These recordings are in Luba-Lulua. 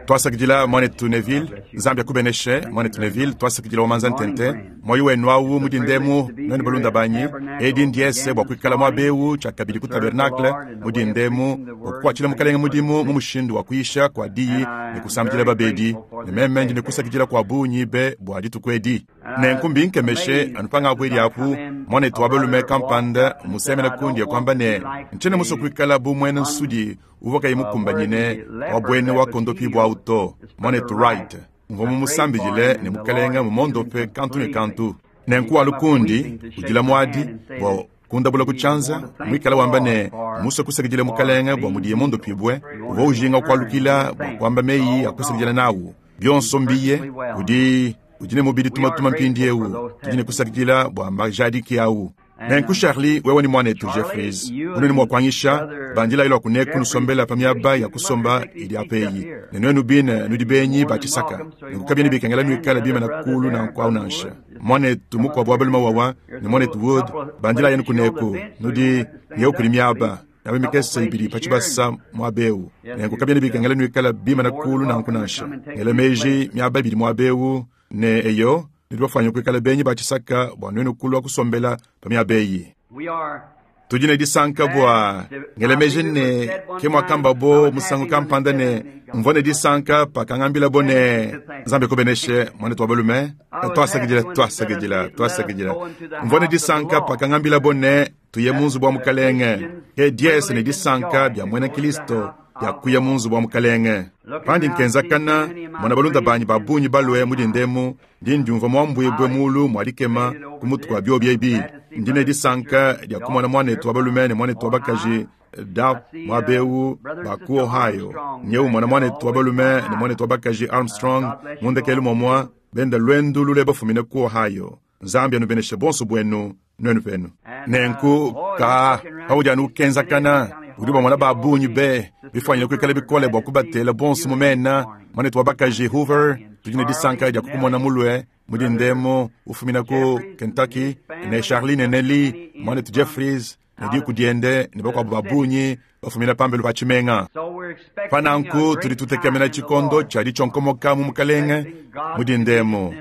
Twasakidila, Mwanetu Neville. Nzambi akubeneshe, Mwanetu Neville. Twasakidila wa manza ntente. Moyo wenu awu mu dindemu, nwenu balunda banyi. Edi ndiese bua kuikala muaba eu tshiakabidi ku tabernacle mu dindemu, bua kukuatshila Mukalenge mudimu mu mushindu wa kuyisha kua diyi ne kusambidila babedi. Ne meme ndi ne kusakidila kua bungi be bua dituku edi. Nenku mbinkemeshe anu pangabuedi apu, muanetu wa balume kampanda mmusemena kundi e kuamba ne, Ntshiena musue kuikala bu muena nsudi uvua kayi mukumbanyine wa buena wakondopibua au to. Muanetu Wright, mvua mumusambidile ne Mukalenge mmuondope kantu ne kantu. Nenku walu kundi udila muadi bua kundabula ku tshianza, muikale wamba ne, mmusue kusakidila Mukalenge bua mudiye muondopibue. Uvua ujinga kualukila bua kuamba meyi a kusakidila nawu. Bionso mbiye, udi udi ne mubidi tumatuma mpindieu. Tudi ne kusakidila bua majadiki au. Nenku Charlie, wewe ne muanetu Jeffries, unudi mua kuanyisha, bandilayi lua kuneku nusombela pa miaba ya kusomba idi apa eyi, ne nuenu bine nudi benyi ba tshisaka, nenku kabiena bikengela nuikale bimana kulu nanku au nansha. Muanetu mukuabu wa balume wawa ne muanetu Wood, bandilayi anu kuneku, nudi nyewu kudi miaba miaba mikese ibidi pa tshibasa muaba eu, nenku kabiena bikengela nuikale bimana kulu nanku nansha. Ngela meji miaba ibidi muaba eu, ne eyo, nudi bafuanyine kuikala benyi ba tshisaka bua nuenu kulua kusombela pa miaba eyi. Tudi ne disanka bua ngela meji ne, ke muakambabo musangu kampanda ne, mvua ne disanka pakangambilabo ne, Nzambi akubeneshe, muanetu wa balume. Tuasakidila, tuasakidila, tuasakidila. Mvua ne disanka pakangambilabo ne, tuye mu nzubu wa Mukalenge. Ke diese ne disanka bia muena Kristo bia kuya mu nzubu wa Mukalenge. Pandi nkenzakana, mmona balunda banyi ba bungi balue mu dinda emu, ndi ndiumvua muambuibue muulu mua dikema ku mutu kua biobi ebi. Ndi ne disanka dia kumona muanetu wa balume ne muanetu wa bakaji Dap muaba eu ba ku Ohio. Nyewu mmona muanetu wa balume ne muanetu wa bakaji Armstrong mu ndekelu muamua benda luendu lule bafumine ku Ohio. Nzambi anubeneshe bonso buenu nuenu penu. Nenku, ka, paudi anu ukenzakana, udi ubamona ba bungi be, bifuanyine kuikala bikole bua kubatela bonso mu mena. Muanetu wa bakaji Hoover, tudi ne disanka dia kukumona mulue mu dinda emu ufumina ku Kentucky, ne Charlie ne Nellie, muanetu Jeffries ne diku diende ne bakuabu ba bungi bafumina pambelu pa tshimenga. Pa nanku tudi tutekemena tshikondo tshia ditshionkomoka mu Mukalenge mu dinda emu,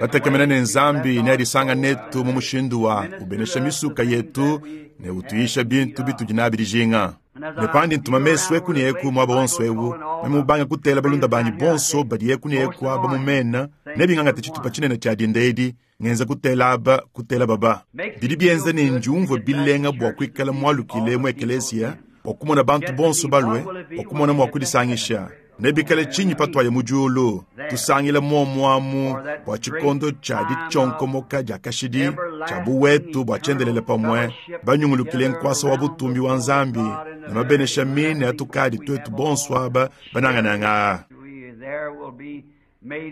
batekemena ne Nzambi neadisanga netu mu mushindu wa ubenesha misuka yetu ne utuyisha bintu bitudi nabi dijinga. Ne pandi ntuma mesu eku ne eku muaba wonso eu, meme mubange kutela balunda banyi bonso badi eku ne eku aba mu mena, nebingangate tshitupa tshinene tshia dinda edi ngenza kutela aba kutela baba. Bidi bienza ne ndiumvue bilenga bua kuikala mualukile mu ekeleziya bua kumona bantu bonso balue bua kumona mua kudisangisha. Nebikale tshinyi patuaya mu diulu, tusangila muomu amu bua tshikondo tshia ditshionkomoka dia kashidi tshia buwetu bua tshiendelele pamue, banyungulukile nkuasa wa butumbi wa Nzambi ne mabenesha mine atukadi tuetu bonso aba banangananga aa.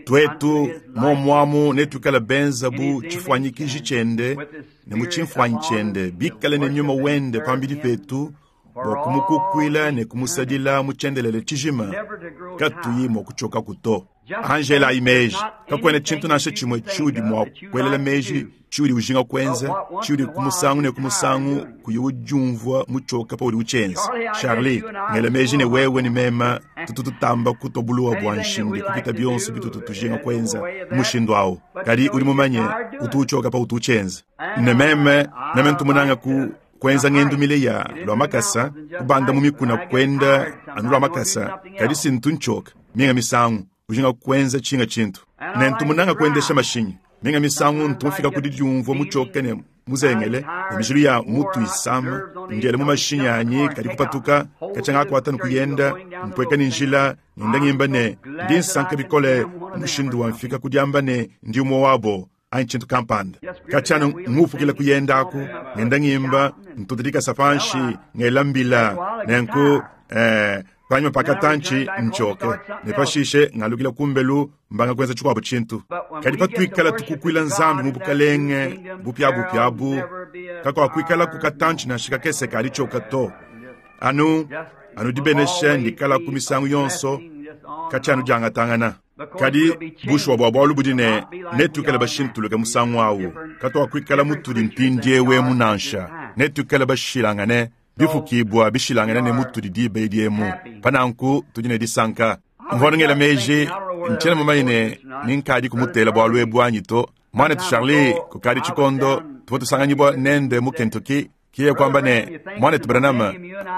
Tuetu muomu amu netuikale benza bu tshifuanyikiji tshiende ne mu tshimfuanyi tshiende, bikale ne nyuma wende pambidi petu bua kumukukuila ne kumusadila mu tshiendelele tshijima, katuyi mua kutshiokaku to. Anji elayi meji, kakuena tshintu nansha tshimue tshiudi mua kuelela meji, tshiudi ujinga kuenza, tshiudi ku musangu ne ku musangu kuyi udiumvua mutshioka paudi utshienza. Charlie, ngela meji ne wewe ne meme tutu tutamba kutua buluwa bua nshindi kupita bionso bitutu tujinga kuenza mu mushindu au. Kadi udi mumanye, utu utshioka pautu utshienza. Ne meme, meme ntu munange ku kuenza ngendu mile ya lua makasa, kubanda mu mikuna kuenda anu lua makasa, kadi si ntu ntshioka minga misangu ujinga kuenza tshinga tshintu. Ne ntu munange kuendesha mashinyi. Minga misangu ntu mfika ku didiumvua mutshioke ne muzengele, ne mijilu ya mutu isama, ndiela mu mashinyi anyi kadi kupatuka, katshia ngakuata ne kuyenda, mpueka ne njila, ngenda ngimba ne, ndi nsanka bikole mushindu wa mfika ku diamba ne ndi umue wabo anyi tshintu kampanda. Katshia anu ngupukila kuyenda aku, ngenda ngimba, ntuta dikasa panshi, ngela mbila, nenku eh, panyima pa katantshi ntshioke, ne pashishe ngalukila kumbelu mbanga kuenza tshikuabu tshintu. Kadi patuikala tukukuila Nzambi mu Bukalenge bupiabupia abu, kakuakuikalaku katantshi nansha kakese ka ditshioka to. Anu anu dibenesha ndikalaku misangu yonso, katshia anu diangatangana. Kadi bushuwa bua bualu budi ne, netuikale bashintuluke musangu au. Katuakuikala mutudi mpindieu emu nansha, netuikale bashilangane, bifukibua bishilangane ne mutudi diba edi emu. Pa nanku tudi ne disanka. Mvua ngela meji, ntshiena mumanye ne ni nkadi kumutela bualu ebu anyi to. Muanetu Charlie, kukadi tshikondo tuvua tusanganyibua nende mu Kentucky, kiye kuamba ne, Muanetu Branham,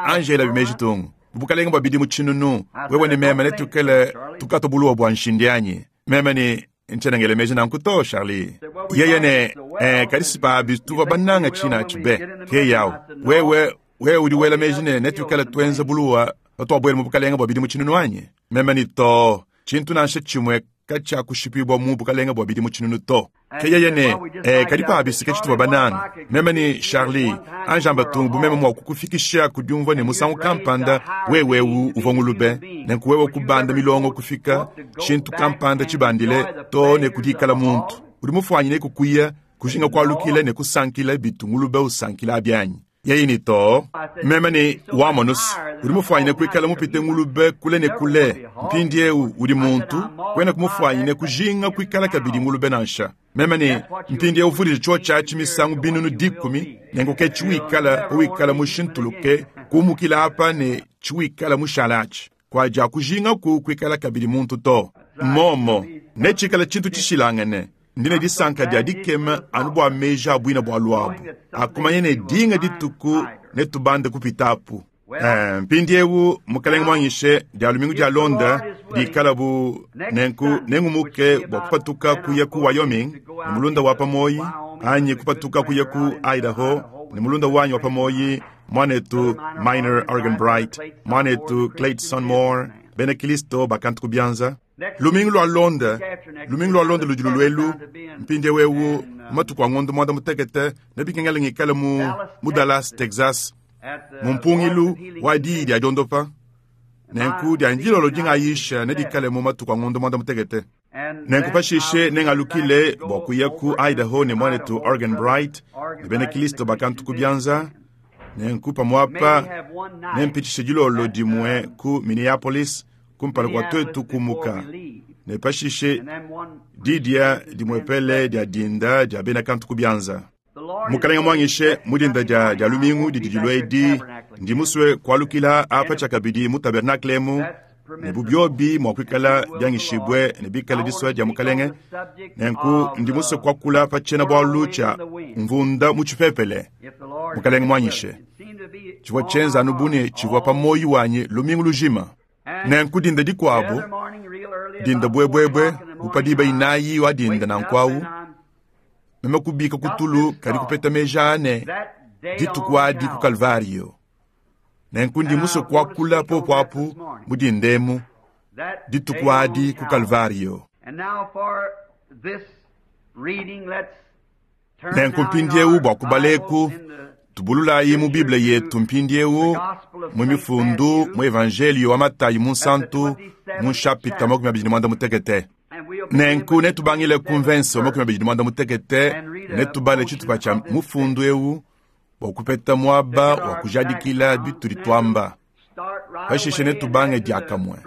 anji elabi meji tungu. Mu bukalenge bua bidimu tshinunu, wewe ne meme netuikale tukata buluwa bua nshindi anyi? Meme ne, ntshiena ngela meji nanku to, Charlie. Yeye ne, eh, kadi si pabi tuvua bananga tshina atshi be. Ke yawu. Wewe, wewe udi wela meji ne netuikale tuenza buluwa patuabuela mu bukalenge bua bidimu tshinunu anyi? Meme ne, to, tshintu nansha tshimue katshiakushipibua mu bukalenge bua bidimu tshinunu to. Ke yeye ne, eh, kadi pabi si ke tshituvua bananga. Meme ne, Charlie, anji amba tung bu meme mua kukufikisha ku diumvua ne musangu kampanda wewe eu uvua ngulube, nenku wewe kubanda milongo kufika tshintu kampanda tshibandile too ne ku dikala muntu. Udi mufuanyine kukuya, kujinga kualukila ne kusankila bitu ngulube usankila abi anyi? Yeye ne, Too. Meme ne, Wamonus, udi mufuanyine kuikala mupite ngulube kule ne kule. Mpindiewu udi muntu, kuena kumufuanyine kujinga kuikala kabidi ngulube nansha. Meme ne, Mpindiewu vudija tshiotshi atshi misangu 100,000, nenku ke tshiwikala pawikala mushintuluke kumukila apa ne tshiwikala mushale atshi. Kuadiakujingaku kuikala kabidi muntu to. Momo, netshikale tshintu tshishilangane. Ndi ne disanka dia dikema anu bua meji a buina bualu abu, a kumanya ne dinga dituku netubande kupita apu. Eh, mpindiewu Mukalenge muanyishe, dia lumingu dialonda dikala bu nenku nengumuke bua kupatuka kuya ku Wyoming ne mulunda wa pa muoyi, anyi kupatuka kuya ku Idaho ne mulunda wanyi wa pa muoyi, muanetu Miner Arganbright, muanetu Clayton Moore, bena Kilisto bakantu ku bianza. Lumingu lualonda, lumingu lualonda ludi lulua elu, mpindiewu eu mu matuku a ngondo muanda-mutekete, nebikengele ngikale mu, mu Dallas, Texas, mu mpungilu wa diyi dia diondopa. Nenku dia ndilolo dingayisha nedikale mu matuku a ngondo muanda-mutekete. Nenku pashishe nengalukile bua kuya ku Idaho ne muanetu Arganbright ne bena Kilisto bakantu ku bianza. Nenku pamuapa nempitshishe dilolo dimue ku Minneapolis kumpala kua tuetu kumuka, ne pashishe didia dimuepele dia dinda dia bena kantu ku bianza. Mukalenge muanyishe, mu dinda dia dia lumingu didi dilua edi, ndi musue kualukila apa tshiakabidi mu tabernakle emu, ne bu biobi mua kuikala bianyishibue ne bikale disua dia Mukalenge, nenku ndi musue kuakula pa tshiena-bualu tshia mvunda mu tshipepele. Mukalenge muanyishe. Tshivua tshienza anu bu ne tshivua pa muoyo wanyi lumingu lujima. Nenku dinda dikuabu, dinda buebuebue, bu pa diba inayi wa dinda nanku awu, meme kubika ku tulu kadi kupeta meji aa ne, dituku adi ku Kalvario. Nenku ndi musue kuakula popo apu mu dinda emu, dituku adi ku Kalvario. Nenku mpindiewu bua kubala eku, tubululayi mu Bible yetu mpindiewu mu Mifundu, mu Evanjeliyo wa Matayi Munsantu, mu nshapita 25. Nenku netubangile ku mvense wa 25, netubale tshitupa tshia mufundu eu bua kupeta muaba wa kujadikila bitudi tuamba. Pashishe netubange diakamue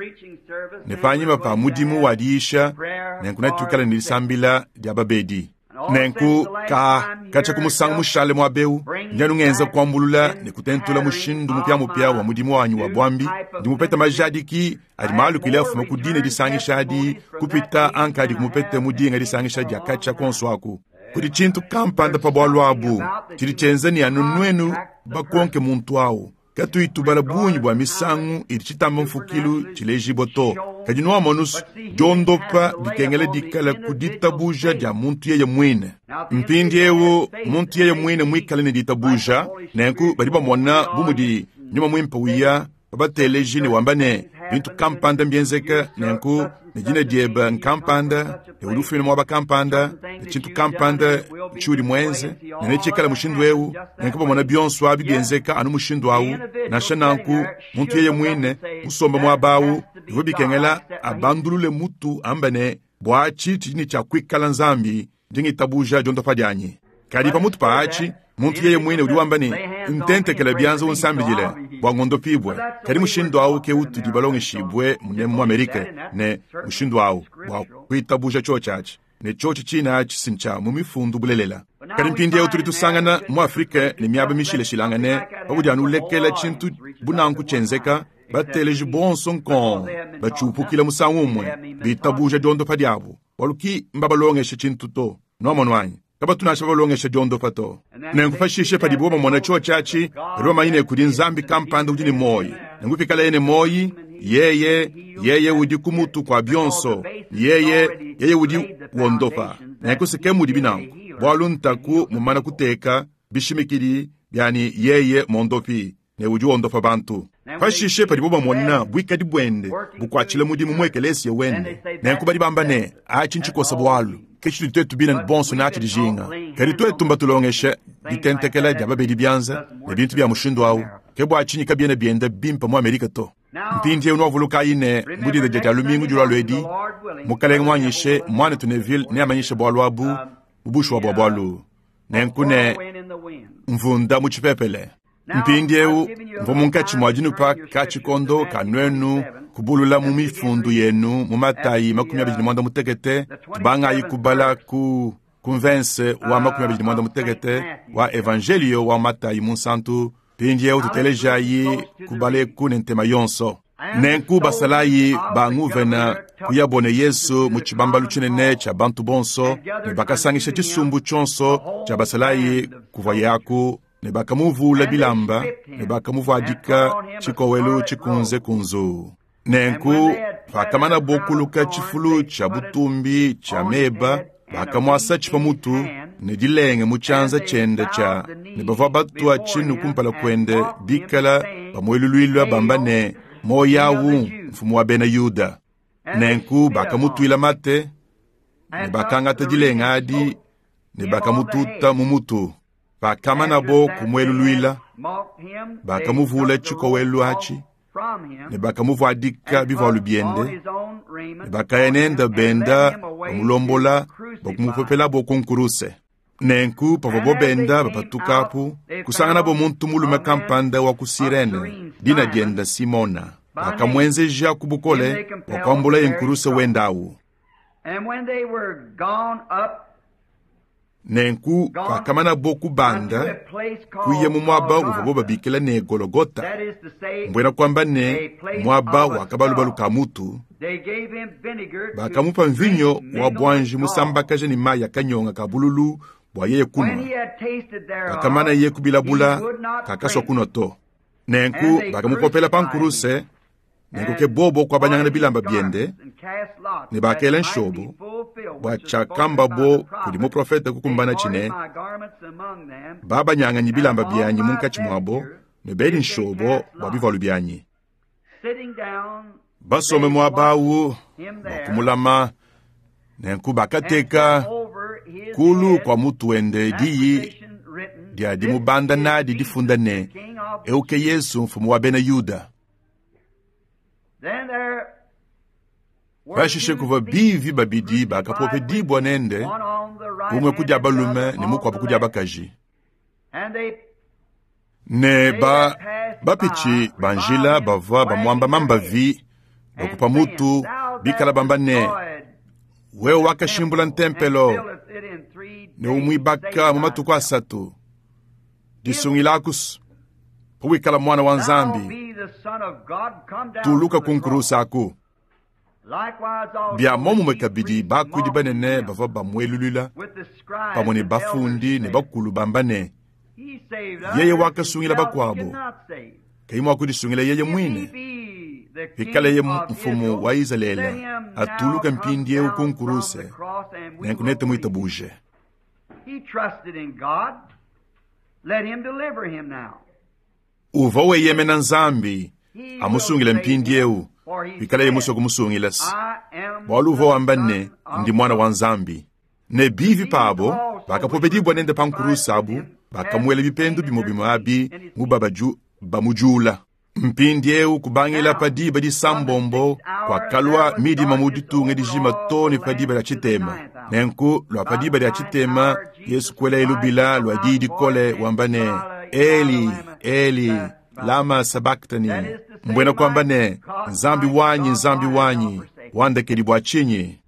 ne panyima pa mudimu wa diyisha, nenku netuikale ne disambila dia babedi. Nenku ka katshia ku musangu mushale muaba eu, ndi anu ngenza kuambulula ne kutentula mushindu mupiamupia wa mudimu wanyi wa buambi. Ndi mupete majadiki adi malukile afuma ku dine disangisha adi kupita ankadi mupete mu dinga disangisha dia katshia kuonso aku. Kudi tshintu kampanda pa bualu abu tshidi tshienza ne anu nuenu bakonke muntu au. Katuyi tubala bungi bua misangu idi tshitamba mfukilu tshilejibua to, kadi nuamonus, diondopa dikengela dikala ku ditabuja dia muntu yeye muine. Mpindiewu muntu yeye muine muikale ne ditabuja, nenku badi bamona bu mudi Nyuma Muimpe uya pa bateleji ne wamba ne, bintu kampanda mbienzeke, nenku ne dina diebe nkampanda, ne udi ufumina muaba kampanda, ne tshintu kampanda tshiudi muenze, ne netshikale mushindu eu. Nenku bamona bionso abi bienzeka anu mushindu au. Nansha nanku, muntu yeye muine musombe muaba au, bivua bikengela abandulule mutu amba ne, Bua atshi tshidi ne tshia kuikala Nzambi, ndi ngitabuja diondopa dianyi. Kadi pamutu pa atshi, muntu yeye muine udi wamba ne, Ntentekela bianza unsambidile bua ngondopibue. Kadi mushindu au ke utudi balongeshibue munemu mu Amerike ne, mushindu au bua kuitabuja tshiotshi atshi, ne tshiotshi tshine atshi si ntshia mu Mifundu bulelela. Kadi mpindieu tudi tusangana mu Afrike ne miaba mishilashilangane, paudi anu ulekela tshintu bu nanku tshienzeka. Bateleji bonso nkong batshiupukila musangu umue, bitabuja diondopa diabu, bualu ki mbabalongeshe tshintu to. Nwamonu anyi? Kabatu nansha babalongesha diondopa to. Nenku pashishe padibo bamona tshiotshi atshi, badi bamanye ne kudi Nzambi kampanda udi ne muoyi. Nenku pikaleye ne muoyi, Yeye, Yeye udi ku mutu kua bionso, Yeye, Yeye udi wondopa. Nenku se ke mudibi nanku, bualu ntaku mumana kuteka bishimikidi bia ne Yeye mondopi ne udi wondopa bantu. Pashishe padibo bamona buikadi buende bukuatshila mudimu mu ekeleesiya wende, nenku badi bamba ne, Atshi ntshikosa bualu, ke tshitudi twetu bine bonso natshi dijinga. Kadi twetu mbatulongeshe ditentekela dia babedi bianza ne bintu bia mushindu awu, ke bua tshinyi kabiena bienda bimpe mu Amerika to. Mpindiewu nwavulukayi ne, mu dinda dia Dia lumingu dilualua edi, Mukalenge muanyishe, Muanetu Neville neamanyishe bualu abu mu bushuwa bua bualu. Nenku ne mvunda mu tshipepele. Mpindiewu mvua munkatshi mua dinupa ka tshikondo ka nuenu kubulula mu mifundu yenu mu Matayi 25, tubangayi kubala ku ku mvense wa 25 wa Evanjeliyo wa Matayi Munsantu. Mpindiewu tutelejayi kubaleku ne ntema yonso. Nenku basalayi ba nguvena kuyabo ne Yesu mu tshibambalu tshinene tshia bantu bonso, ne bakasangisha tshisumbu tshionso tshia basalayi kuvuaye aku, ne bakamuvuula bilamba ne bakamuvuadika tshikowelu tshikunze kunzuu. Nenku pakamanabo kuluka tshifulu tshia butumbi tshia meba, bakamuasatshi pa mutu ne dilenge mu tshianza tshiende tshia, ne bavua batua tshinu kumpala kuende bikala bamueluluila bamba ne, Muoyo au, mfumu wa bena Yuda. Nenku bakamutuila mate ne bakangata dilenga adi ne bakamututa mu mutu. Pakamanabo kumueluluila, bakamuvula tshikowelu atshi ne bakamuvuadika bivualu biende, ne bakaya nende benda bamulombola bua kumupopelabo ku nkuruse. Nenku pavuabo benda bapatuka apu, kusanganabo muntu mulume kampanda wa ku Sirene, dina diende Simona. Bakamuenzeja ku bukole bua kuambulaye nkuruse wende awu. Nenku pakamanabo kubanda kuya mu muaba uvuabo babikila ne Gologota, mbuena kuamba ne, muaba wa kabalubalu ka mutu, bakamupa mvinyo wa buanji musambakaja ne mayi a kanyonga ka bululu bua yeye kunua. Pakamanaye kubilabula, kakasua kunua to. Nenku bakamupopela pa nkuruse. Nenku ke bobo kuabanyangana bilamba biende, ne bakela nshobo bua tshiakambabo kudi muprofete kukumbanatshi ne, Babanyanganyi bilamba bianyi munkatshi muabo, ne bedi nshobo bua bivualu bianyi. Basombe muaba au bua kumulama, nenku bakateka kulu kua mutu wende diyi dia dimubanda nadi difunda ne, Eu ke Yezu, Mfumu wa bena Yuda. Pashishe kuvua bivi babidi bakapopedibua nende, umue ku dia balume ne mukuabu ku dia bakaji. Ne ba bapitshi ba njila bavua bamuamba mambavi, bakupa mutu, bikala bamba ne, Wewe wakashimbula ntempelo ne umuibaka mu matuku asatu, disungilakus pawikala muana wa Nzambi, tuluka ku nkuruse aku. Bia muomumue kabidi, bakuidi banene bavua bamueluluila pamue ne bafundi ne bakulu bamba ne, Yeye wakasungila bakuabo, kayi mua kudisungila yeye muine. Pikaleye mfumu wa Izalele, atuluke mpindieu ku nkuruse, nenku netumuitabuje. Uvua weyemena Nzambi amusungile mpindieu, pikaleye musue kumusungila, bualu uvua wamba ne, Ndi Muana wa Nzambi. Ne bivi pabo bakapopedibua nende pa nkuruse abu, bakamuela bipendu bimue bimue abi mu bamudiula. Mpindieu kubangila pa diba disambombo kuakalua midima mu ditunga dijima too ne pa diba dia tshitema. Nenku lua pa diba dia tshitema Yesu kuelaye lubila lua diyi dikole wamba ne, Eli, Eli, lama sabaktani, mbuena kuamba ne, Nzambi wanyi, Nzambi wanyi, wandekedi bua tshinyi?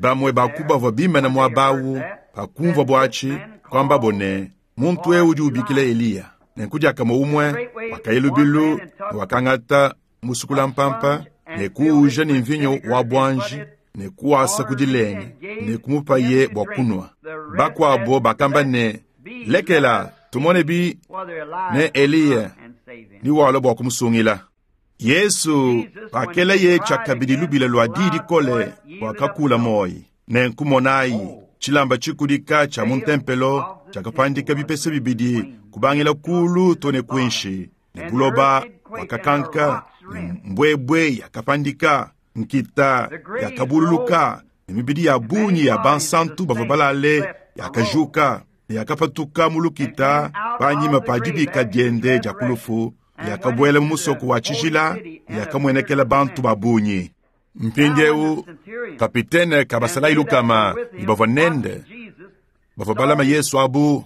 Bamue ba ku bavua bimane muaba au pakumvuabu atshi, kuambabo ne, Muntu eu udi ubikila Eliya. Nenku diakamue umue wakaya lubilu ne wakangata musukulampampa ne kuwuja ne mvinyo wa buanji ne kuwasa ku dilenge ne kumupaye bua kunua. Bakuabo bakamba ne, Lekela, tumone bi ne Eliya ni walua bua kumusungila. Yesu pakeleye tshiakabidi lubila lua di dikole wakakula muoyo. Nenku monayi, tshilamba tshikudika tshia mu ntempelo tshiakapandika bipese bibidi kubangila kulu to ne kuinshi, ne buloba bwakakanka, ne mbuebue yakapandika, nkita yakabululuka, ne mibidi ya bungi ya bansantu bavua balale yakajuka, ne yakapatuka mu lukita panyima pa dibika diende dia ku lufu, ne yakabuela mu musoko wa tshijila, ne yakamuenekela bantu ba bungi. Mpindieu kapitene ka basalayi lukama ne bavua nende bavua balama Yesu abu,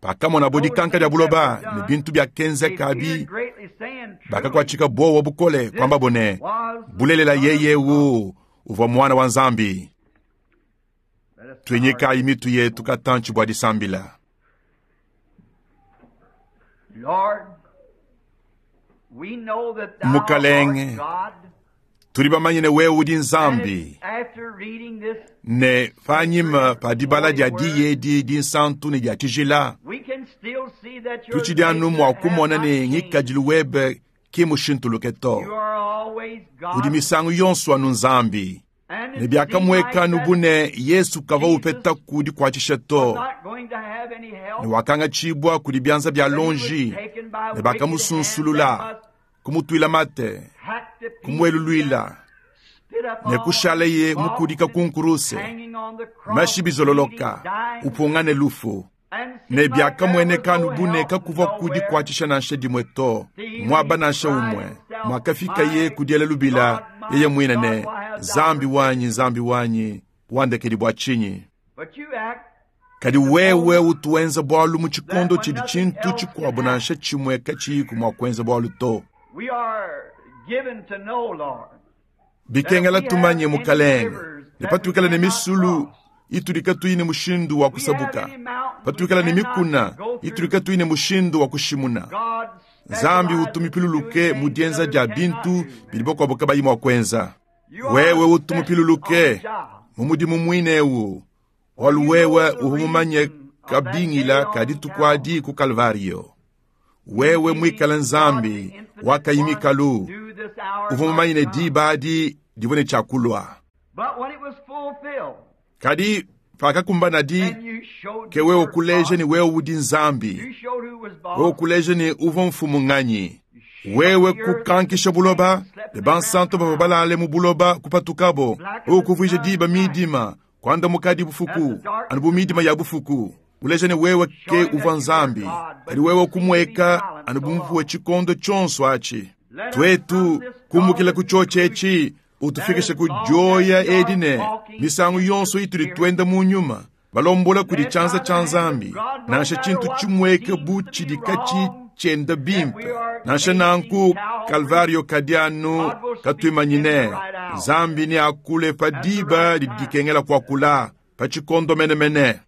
pakamonabo dikanka dia buloba ne bintu biakenzeka abi, bakakuatshika buowa bukole, kuambabo ne, Bulelela yeye eu uvua Muana wa Nzambi. Tuinyikayi mitu yetu katantshi bua disambila. Mukalenge, tudi bamanye ne wewe udi Nzambi, ne panyima pa dibala dia diyi edi dinsantu ne dia tshijila, tutshidi anu mua kumona ne ngikadilu webe ki mushintuluke to. Udi misangu yonso anu Nzambi. Ne biakamueka anu bu ne Yesu kavua upeta ku dikuatshisha to, ne wakangatshibua kudi bianza bia lonji, ne bakamusunsulula, kumutuila mate, kumueluluila, ne kushaleye mukudika ku nkuruse, mashi bizololoka, upungane lufu. Ne biakamueneka anu bu ne kakuvua ku dikuatshisha nansha dimue to, muaba nansha umue, muakafikaye ku diela lubila yeye muine ne, Nzambi wanyi, Nzambi wanyi, wandekedi bua tshinyi? Kadi wewe utu wenza bualu mu tshikondo tshidi tshintu tshikuabo nansha tshimue katshiyiku mua kuenza bualu to. Bikengela tumanye, Mukalenge, ne patuikala ne misulu itudi katuyi ne mushindu wa kusabuka, patuikala ne mikuna itudi katuyi ne mushindu wa kushimuna, Nzambi utu mupiluluke mu dienza dia bintu bidi bakuabo kabayi mua kuenza. Wewe utu mupiluluke mu mudimu muine eu, bualu wewe uvua mumanye kabingila ka dituku adi ku Kalvario. Wewe muikale Nzambi wakayi mikalu, uvua mumanye ne diba adi divua ne tshia kulua. Kadi pakakumbanadi, ke wewe kuleja ne wewe udi Nzambi, wewe kuleja ne uvua mfumu nganyi. Wewe kukankisha buloba, ne bansanto bavua balale mu buloba kupatukabo. Wewe kuvuija diba midima, kuandamukadi bufuku, anu bu midima ya bufuku. Uleja ne wewe ke uvua Nzambi, kadi wewe kumueka anu bu mvua tshikondo tshionso atshi. Tuetu kumbukila ku tshiotshi etshi, utufikishe ku dioya edi ne misangu yonso itudi tuenda mu nyuma, balombola kudi tshianza tshia Nzambi, nansha tshintu tshimueke bu tshidi katshi tshienda bimpe. Nansha nanku Kalvario kadi anu katuimanyine. Nzambi neakule pa diba didi dikengela kuakula, pa tshikondo menemene.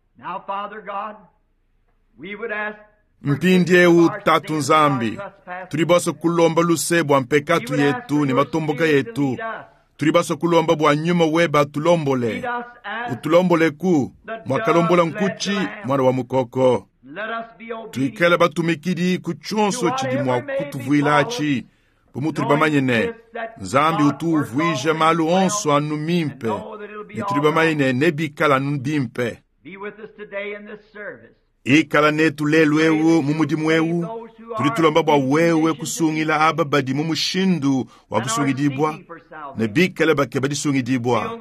Mpindieu Tatu Nzambi, tudi basue kulomba luse bua mpekatu yetu ne matomboka yetu. Tudi basue kulomba bua nyuma webe atulombole, utulomboleku muakalombola nkutshi muana wa mukoko. Tuikale batumikidi ku tshionso tshidi mua kutuvuilatshi, bu mutudi bamanye ne Nzambi utu uvuija malu onso anu mimpe, ne tudi bamanye ne nebikale anu bimpe. Ikala netu lelu eu mu mudimu eu. Tudi tulomba bua wewe kusungila aba badi mu mushindu wa kusungidibua ne bikale bakeba disungidibua.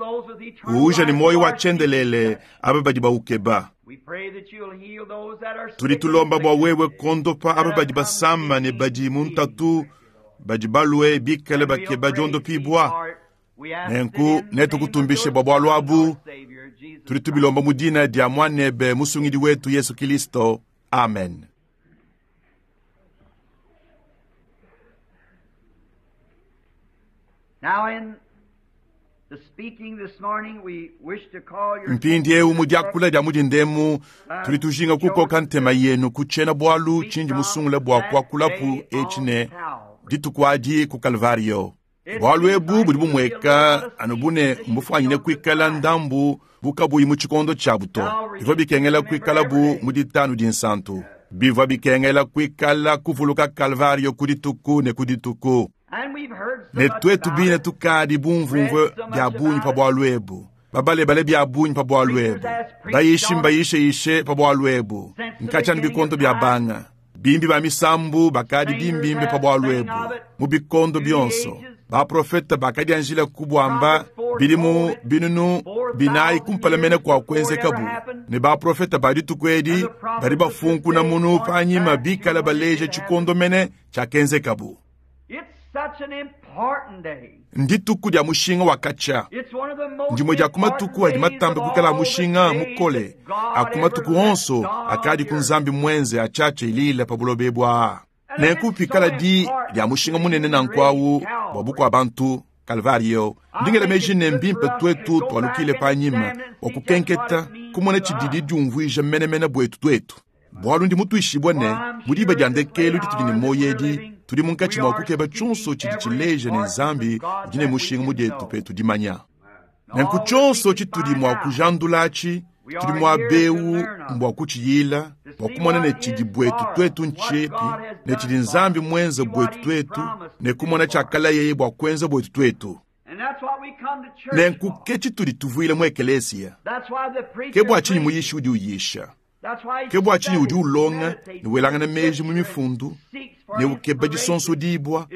Uuja ne muoyo wa tshiendelele aba badi baukeba. Tudi tulomba bua wewe kuondopa aba badi basama ne badi mu ntatu, badi balue bikale bakeba diondopibua. Nenku netukutumbishe bua bualu abu. Tudi tubilomba mu dina dia Muanebe Musungidi wetu Yesu Kristo. Amen. Now in Mpindieu mu diakula dia mu dindemu, tudi tujinga kukoka ntema yenu ku tshiena-bualu tshindi musungule bua kuakulapu etshi ne, Dituku adi ku Kalvario. Bualu ebu budi bumueka anu bu ne mbufuanyine kuikala ndambu bu kabuyi mu tshikondo tshiabu to. Bivua bikengela kuikalabu mu Ditanu Dinsantu. Bivua bikengela kuikala kuvuluka Kalvario ku dituku ne ku dituku. Ne tuetu bine tukadi bumvumvue bia bungi pa bualu ebu, babalebale bia bungi pa bualu ebu, bayishi mbayisheyishe pa bualu ebu, nkatshia anu bikondo bia banga. Bimbi ba misambu bakadi bimbimbe pa bualu ebu mu bikondo bionso. Baprofete bakadianjila kubuamba bidimu binunu binayi kumpala mene kua kuenzekabu, ne baprofete ba dituku edi badi bafunkuna munu panyima bikale baleja tshikondo mene tshiakenzekabu. Ndituku dia mushinga wa katshia. Ndimue dia ku matuku adi matambe kuikala a mushinga mukole a ku matuku onso akadi ku Nzambi muenze atshiatshia ilila pa buloba ebu aa. Nenku pikala di dia mushinga munene nanku awu bua bukua-bantu, Kalvario, ndi ngela meji ne, mbimpe tuetu tualukile panyima bua kukenketa, kumona tshididi diumvuija menemene buetu tuetu. Bualu ndi mutuishibue ne, mu diba dia ndekelu ditudi ne muoyo edi, tudi munkatshi mua kukeba tshionso tshidi tshileja ne, Nzambi udi ne mushinga mu dietu petu dimanya. Nenku tshionso tshitudi mua kujandula atshi, tudi muaba eu mbua kutshiyila, bua kumona ne tshidi buetu tuetu ntshiepi, ne tshidi Nzambi muenze buetu tuetu, ne kumona tshiakalayeye bua kuenza buetu tuetu. Nenku ke tshitudi tuvuila mu ekeleziya. Ke bua tshinyi muyishi udi uyisha. Ke bua tshinyi udi ulonga ne welangana meji mu Mifundu ne ukeba disonsodibua,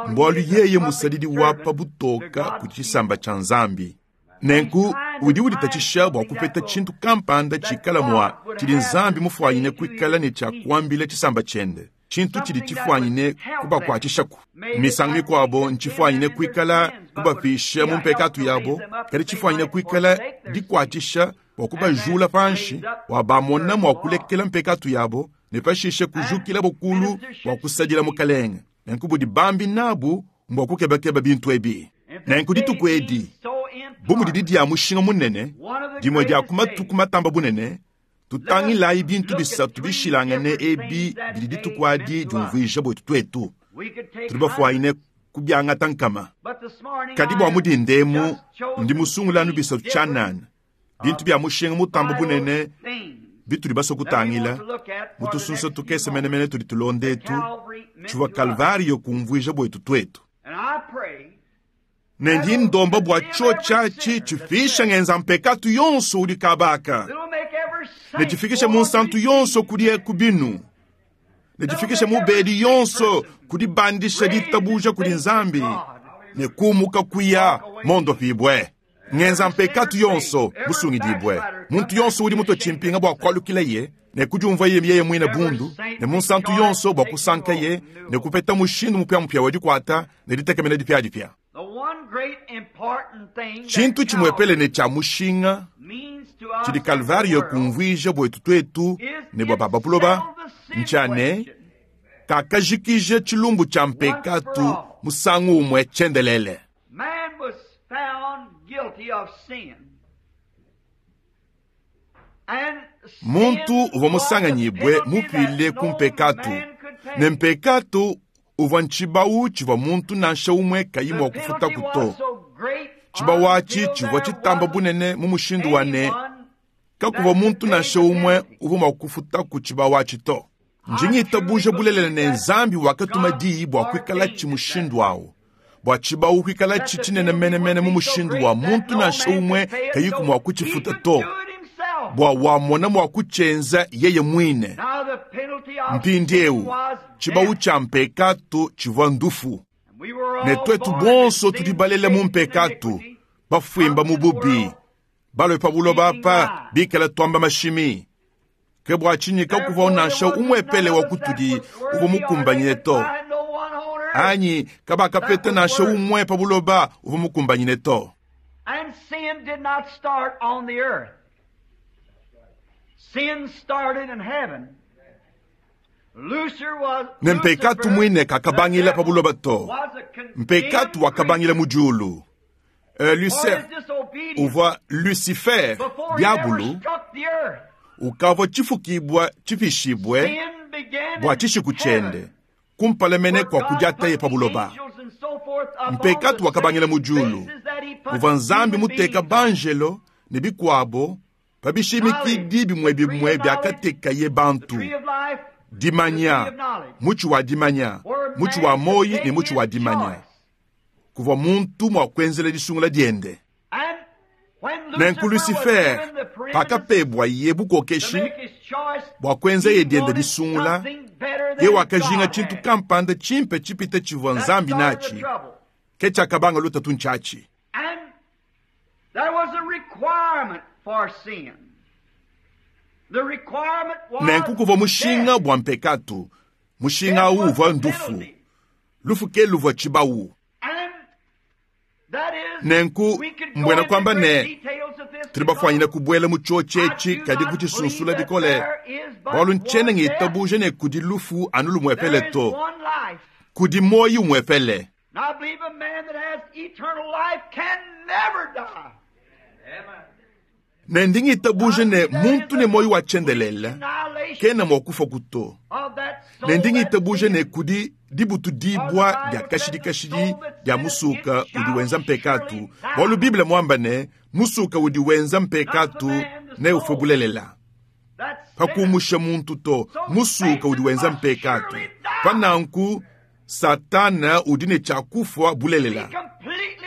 mbualu yeye musadidi wa pa butoka kudi tshisamba tshia Nzambi. Nenku udi uditatshisha bua kupeta tshintu kampanda tshikala mua tshidi Nzambi mufuanyine kuikala ne tshia kuambila tshisamba tshiende, tshintu tshidi tshifuanyine kubakuatshishaku. Misangu mikuabo ntshifuanyine kuikala kubapisha mu mpekatu yabo, kadi tshifuanyine kuikala dikuatshisha bua kubajula panshi bua bamona mua kulekela mpekatu yabo ne pashishe kujukilabo kulu bua kusadila Mukalenge. Nenku budi bambi nabu mbua kukebakeba bintu ebi. Nenku dituku edi, bu mudidi dia mushinga munene, dimue dia ku matuku matamba bunene, tutangilayi bintu bisatu bishilangane ebi bidi dituku adi diumvuija buetu tuetu. Tudi bafuanyine kubiangata nkama. Kadi bua mu dinda emu, ndi musungule anu bisatu tshianana, bintu bia mushinga mutambe bunene bitudi basue kutangila mu tusunsa tukese menemene tudi tulonda etu, tshivua Kalvariyo kumvuija buetu tuetu. Ne ndi ndomba bua tshiotshi atshi tshipisha ngenza mpekatu yonso udi kaba aka, ne tshifikishe munsantu yonso kudi ku binu, ne tshifikishe mubedi yonso ku dibandisha ditabuja kudi Nzambi ne kumuka kuya mondopibue. Ngenza mpekatu yonso musungidibue. Muntu yonso udi mutue tshimpinga bua kualukilaye ne kudiumvuaye yeye muine bundu, ne munsantu yonso bua kusankaye ne kupeta mushindu mupiamupia wa dikuata ne ditekemena dipiadipia. Tshintu tshimuepele ne tshia mushinga tshidi Kalvariyo kumvuija buetu tuetu ne bua ba pa buloba ntshia ne, kakajikija tshilumbu tshia mpekatu musangu umue tshiendelele. Muntu uvua musanganyibue mupile ku mpekatu, ne mpekatu uvua ntshibawu tshivua muntu nansha umue kayi mua kufutaku to. Tshibawu atshi tshivua tshitamba bunene mu mushindu wa ne, kakuvua muntu nansha umue uvua mua kufutaku tshibawu atshi to. Ndi ngitabuja bulelela ne, Nzambi wakatuma diyi bua kuikalatshi mushindu au, bua tshibawu kuikalatshi tshinene menemene mu mushindu wa muntu nansha umue kayiku mua kutshifuta to, bua wamona mua kutshienza yeye muine. Mpindieu, tshibawu tshia mpekatu tshivua ndufu, ne tuetu bonso tudi balele mu mpekatu, bafuimba mu bubi, balue pa buloba apa bikale tuamba mashimi. Ke bua tshinyi kakuvua nansha umuepele wa kutudi uvua mukumbanyine to, anyi kabakapeta nansha umue pa buloba uvua mukumbanyine to. Ne mpekatu muine kakabangila pa buloba to, mpekatu wakabangila mu diulu. Lucer, uvua Lucifer, diabulu, ukavua tshifukibua tshipishibue bua tshishiku tshiende kumpala mene kua kudiataye pa buloba. Mpekatu wakabangila mu diulu, muvua Nzambi muteka banjelo ne bikuabo pa bishimikidi bimue bimue biakatekaye bantu, dimanya, mutshi wa dimanya, mutshi wa muoyo ne mutshi wa dimanya, kuvua muntu mua kuenzela disungula diende. Nenku Lucifer, pakapebwaye bukokeshi bua kuenzaye diende disungula, ye wakajinga tshintu kampanda tshimpe tshipite tshivua Nzambi natshi, ke tshiakabanga lutatu ntshiatshi. Nenku kuvua mushinga bua mpekatu, mushinga au uvua ndufu. Lufu ke luvua tshibawu. Nenku mbuena kuamba ne, tudi bafuanyine kubuela mu tshiotshi etshi kadi kutshisunsula bikole, bualu ntshiena ngitabuja ne kudi lufu anu lumuepele to, kudi muoyo umuepele. Ne ndi ngitabuja ne muntu ne muoyo wa tshiendelele kena mua kufua to. Ne ndi ngitabuja ne kudi dibutudibua dia kashidi kashidi dia musuka udi wenza mpekatu, bualu Bible muamba ne musuka udi wenza mpekatu neufue bulelela. Pa kumusha muntu to, musuka udi wenza mpekatu. Pa nanku Satana udi ne tshia kufua bulelela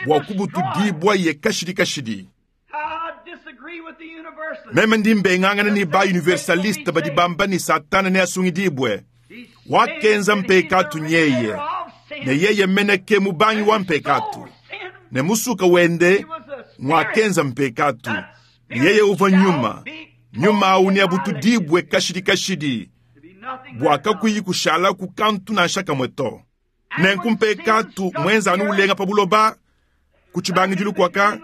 bua kubutudibua ye kashidi kashidi. Meme ndi mbengangana ne ba universaliste badi bamba ne Satana neasungidibue. Wakenza mpekatu nyeye, ne yeye mene ke mubangi wa mpekatu, ne musuka wende ngwakenza mpekatu, ne yeye uvua nyuma. Nyuma au neabutudibue kashidi kashidi, bua kakuyi kushalaku kantu nansha kamue to. Nenku mpekatu mwenza anu ulenga pa buloba ku tshibangidilu kuaka,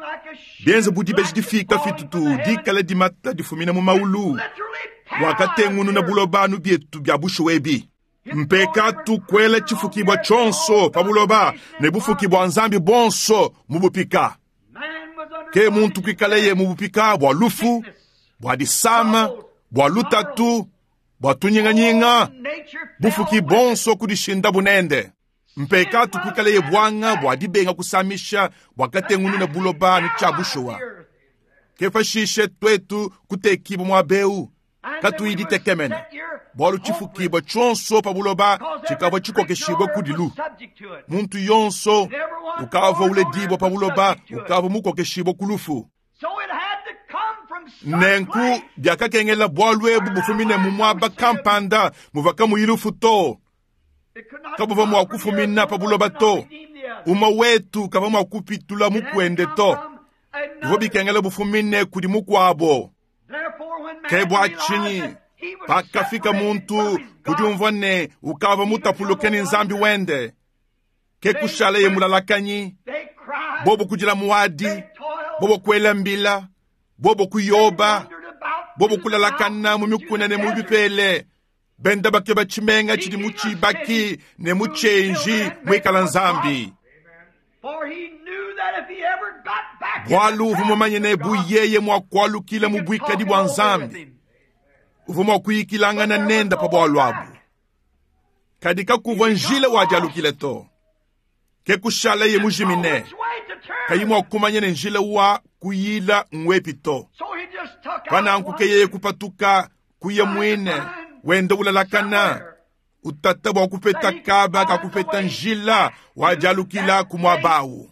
bienze bu dibeji difika fitutu dikala dimata difumina mu maulu, wakatengununa buloba anu bietu bia bushuwa ebi. Mpekatu kuela tshifukibua tshionso pa buloba ne bufuki bua Nzambi buonso mu bupika. Ke muntu kuikaleye mu bupika bua lufu, bua disama, bua lutatu, bua tunyinganyinga, bufuki bonso kudishinda bunende. Mpekatu kuikaleye buanga bua dibenga kusamisha bua katengununa buloba ne tshia bushuwa. Ke pashishe tuetu kutekibua muaba eu katuyi ditekemena, bualu tshifukibua tshionso pa buloba tshikavua tshikokeshibue kudilu. Muntu yonso ukavua uledibua pa buloba ukavua mukokeshibue ku lufu. Nenku biakakengela bualu ebu bufumine mu muaba kampanda muvua kamuyi lufu to. Kabuvua mua kufumina pa buloba to. Umue wetu kavua mua kupitula mukuende to. Bivua bikengela bufumine kudi mukuabo. Ke bua tshinyi pakafika muntu ku diumvua ne ukavua mutapuluke ne Nzambi wende, ke kushalaye mulalakanyi, bobo kudila muadi, bobo kuela mbila, bobo kuyoba, bobo kulalakana mu mikuna ne mu bipele, benda bakeba tshimenga tshidi mu tshibaki ne mu tshienji muikala Nzambi. Bualu uvua mumanye ne bu yeye mua kualukila mu buikadi bua Nzambi, uvua mua kuyikilangana nende pa bualu abu. Kadi kakuvua njila wa dialukila to. Ke kushalaye mujimine, kayi mua kumanya ne njila wa kuyila ngwepi to. Pa nanku ke yeye kupatuka kuya muine wenda ulalakana, utata bua kupeta kaba ka kupeta njila wa dialukila ku muaba awu.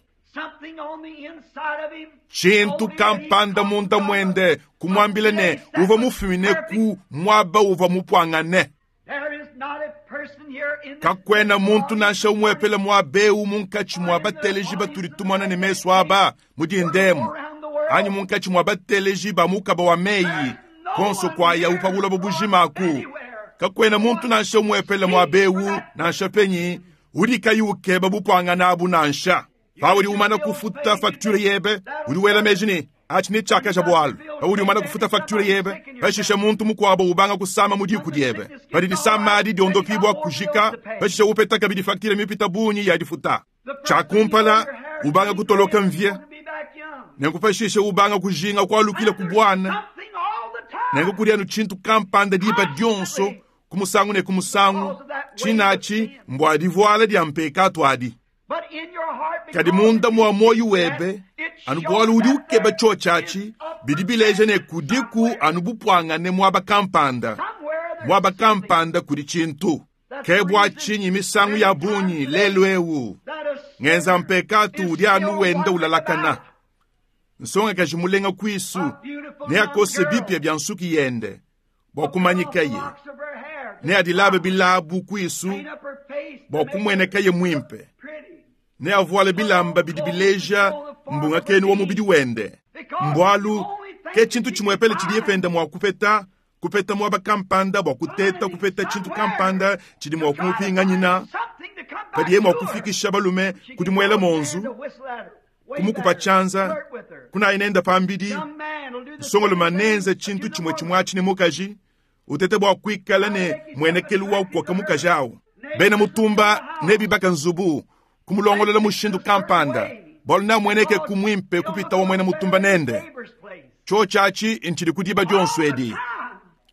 Tshintu kampanda munda muende kumuambila ne uvua mufumine ku muaba uvua mupuangane. Kakuena muntu nansha umuepele muaba eu munkatshi mua bateleji batudi tumona ne mesu aba mu dindemu, anyi munkatshi mua bateleji ba mukaba wa meyi konso kuayawu pa buloba bujima aku. Kakuena muntu nansha umuepele muaba eu nansha penyi udi kayi ukeba bupuangane abu nansha. Paudi umana kufuta facture yebe, udi wela meji ne atshi netshiakaja bualu. Paudi umana kufuta facture yebe, pashishe muntu mukuabo ubanga kusama mu diku diebe. Padi disama adi diondopibua kujika, pashishe upeta kabidi facture mipita bungi ya difuta. Tshia kumpala, ubanga kutoloka mvie. Nenku pashishe ubanga kujinga kualukila ku bwana. Nenku kudi anu tshintu kampanda diba dionso, ku musangu ne ku musangu, tshinachi mbua divuala dia mpekatu adi. Kadi munda mua muoyo webe, anu bualu udi ukeba tshiotshi bidi bileja ne kudiku anu bupuangane muaba kampanda. Muaba kampanda kudi tshintu. Ke bua tshinyi misangu ya bungi lelu eu, ngenza mpekatu udi anu wenda ulalakana. Nsongakaji mulenga kuisu neakose bipia bia nsuki yende bua kumanyikaye, neadilabe bilabu kuisu bua kumuenekaye muimpe, neavuale bilamba bidi bileja mbungakenu wa mubidi wende. Mbualu ke tshintu tshimuepele tshidiye penda mua kupeta, kupeta muaba kampanda bua kuteta kupeta tshintu kampanda tshidi mua kumupinganyina, padiye mua kufikisha balume kudi muela monzu, kumukupa tshianza, kunayi nenda pambidi, nsongolume nenze tshintu tshimue tshimue atshi ne mukaji, utete bua kuikala ne muenekelu wa kukoka mukaji awu. Bena mutumba nebibaka nzubu, kumulongolola mushindu kampanda, bualu neamueneke ku muimpe kupita wa muena mutumba nende. Tshiotshi atshi ntshidi ku diba dionso edi.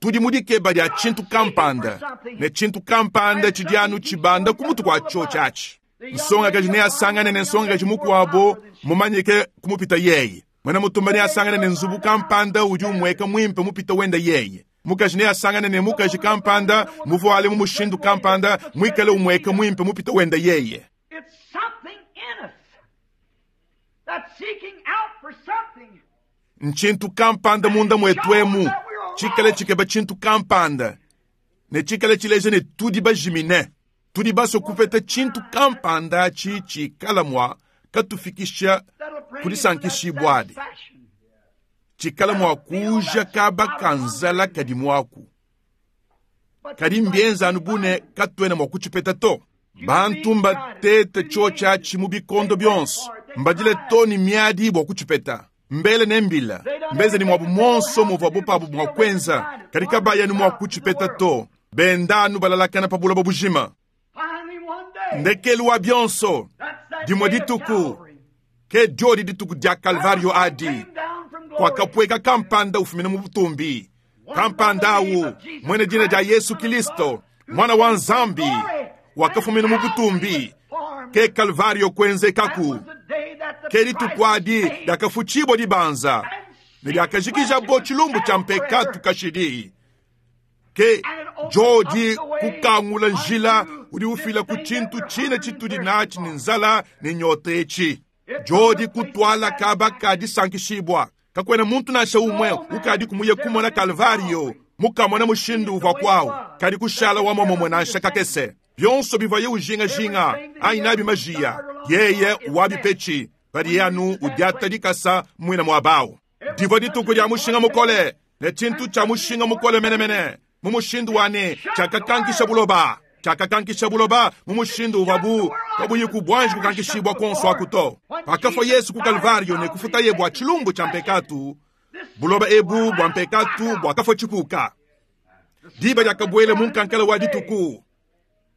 Tudi mu dikeba dia tshintu kampanda, ne tshintu kampanda tshidi anu tshibanda ku mutu kua tshiotshi atshi. Nsongakaji neasangane ne nsongakaji mukuabo mumanyike kumupita yeye. Muena mutumba neasangane ne nzubu kampanda udi umueka muimpe mupita wenda yeye. Mukaji neasangane ne mukaji kampanda muvuale mu mushindu kampanda muikale umueka muimpe mupita wenda yeye. It's something in us that's seeking out for something. Ntshintu kampanda munda muetu emu tshikale tshikeba tshintu kampanda, ne tshikale tshileja ne tudi bajimine. Tudi basue kupeta tshintu kampanda atshi tshikala mua katufikisha That'll bring us to that kudisankishibua adi. satisfaction. Tshikala mua kuuja kaba ka nzala kadi muaku. But Kadi mbienza anu bu ne katuena mua kutshipeta to. Bantu mbatete tshiotshi atshi mu bikondo bionso, mbadile to ne miadi bua kutshipeta. Mbele ne mbila, mbeze ne muabu monso muvuabu pabu mua kuenza, kadi kabaya anu mua kutshipeta to. Benda anu balalakana pa buloba bujima. Finally one day, Ndekelu wa bionso, that's that dimue day of dituku, Calvary. ke diodi dituku dia Kalvario adi, Came down from glory. kwakapweka kampanda ufumina mu butumbi. Kampanda awu, mwene dina dia Yesu Kristo, mwana wa Nzambi, wakafumina mu butumbi. Ke Kalvario kuenzekaku. That was the day that the Ke dituku adi price was paid. diakafutshibua dibanza, ne diakajikija tshilumbu tshia mpekatu kashidi. Ke jodi kukangula njila udi ufila ku tshintu tshine tshitudi natshi ne nzala ne nyota etshi. Jodi kutwala kaba ka disankishibua. Kakuena muntu nansha umue ukadi kumuye kumona Kalvario, mukamona mushindu uvua kwawu, kadi kushala wa momomwe nansha kakese. Bionso bivaye ujingajinga anyi nabi majiya, yeye wabipetshi, padiye anu udiata dikasa muina muabawu. Divua dituku dia mushinga mukole, ne tshintu tshia mushinga mukole menemene, mu mushindu wa ne tshiakakankisha buloba. Tshiakakankisha buloba mu mushindu uvuabu kabuyi kubwanji kukankishibua konso aku to. Pakafua Yesu ku Kalvario ne kufutaye bua tshilumbu tshia mpekatu, buloba ebu bua mpekatu buakafua tshikuka. Diba diakabuela mu nkankala wa dituku,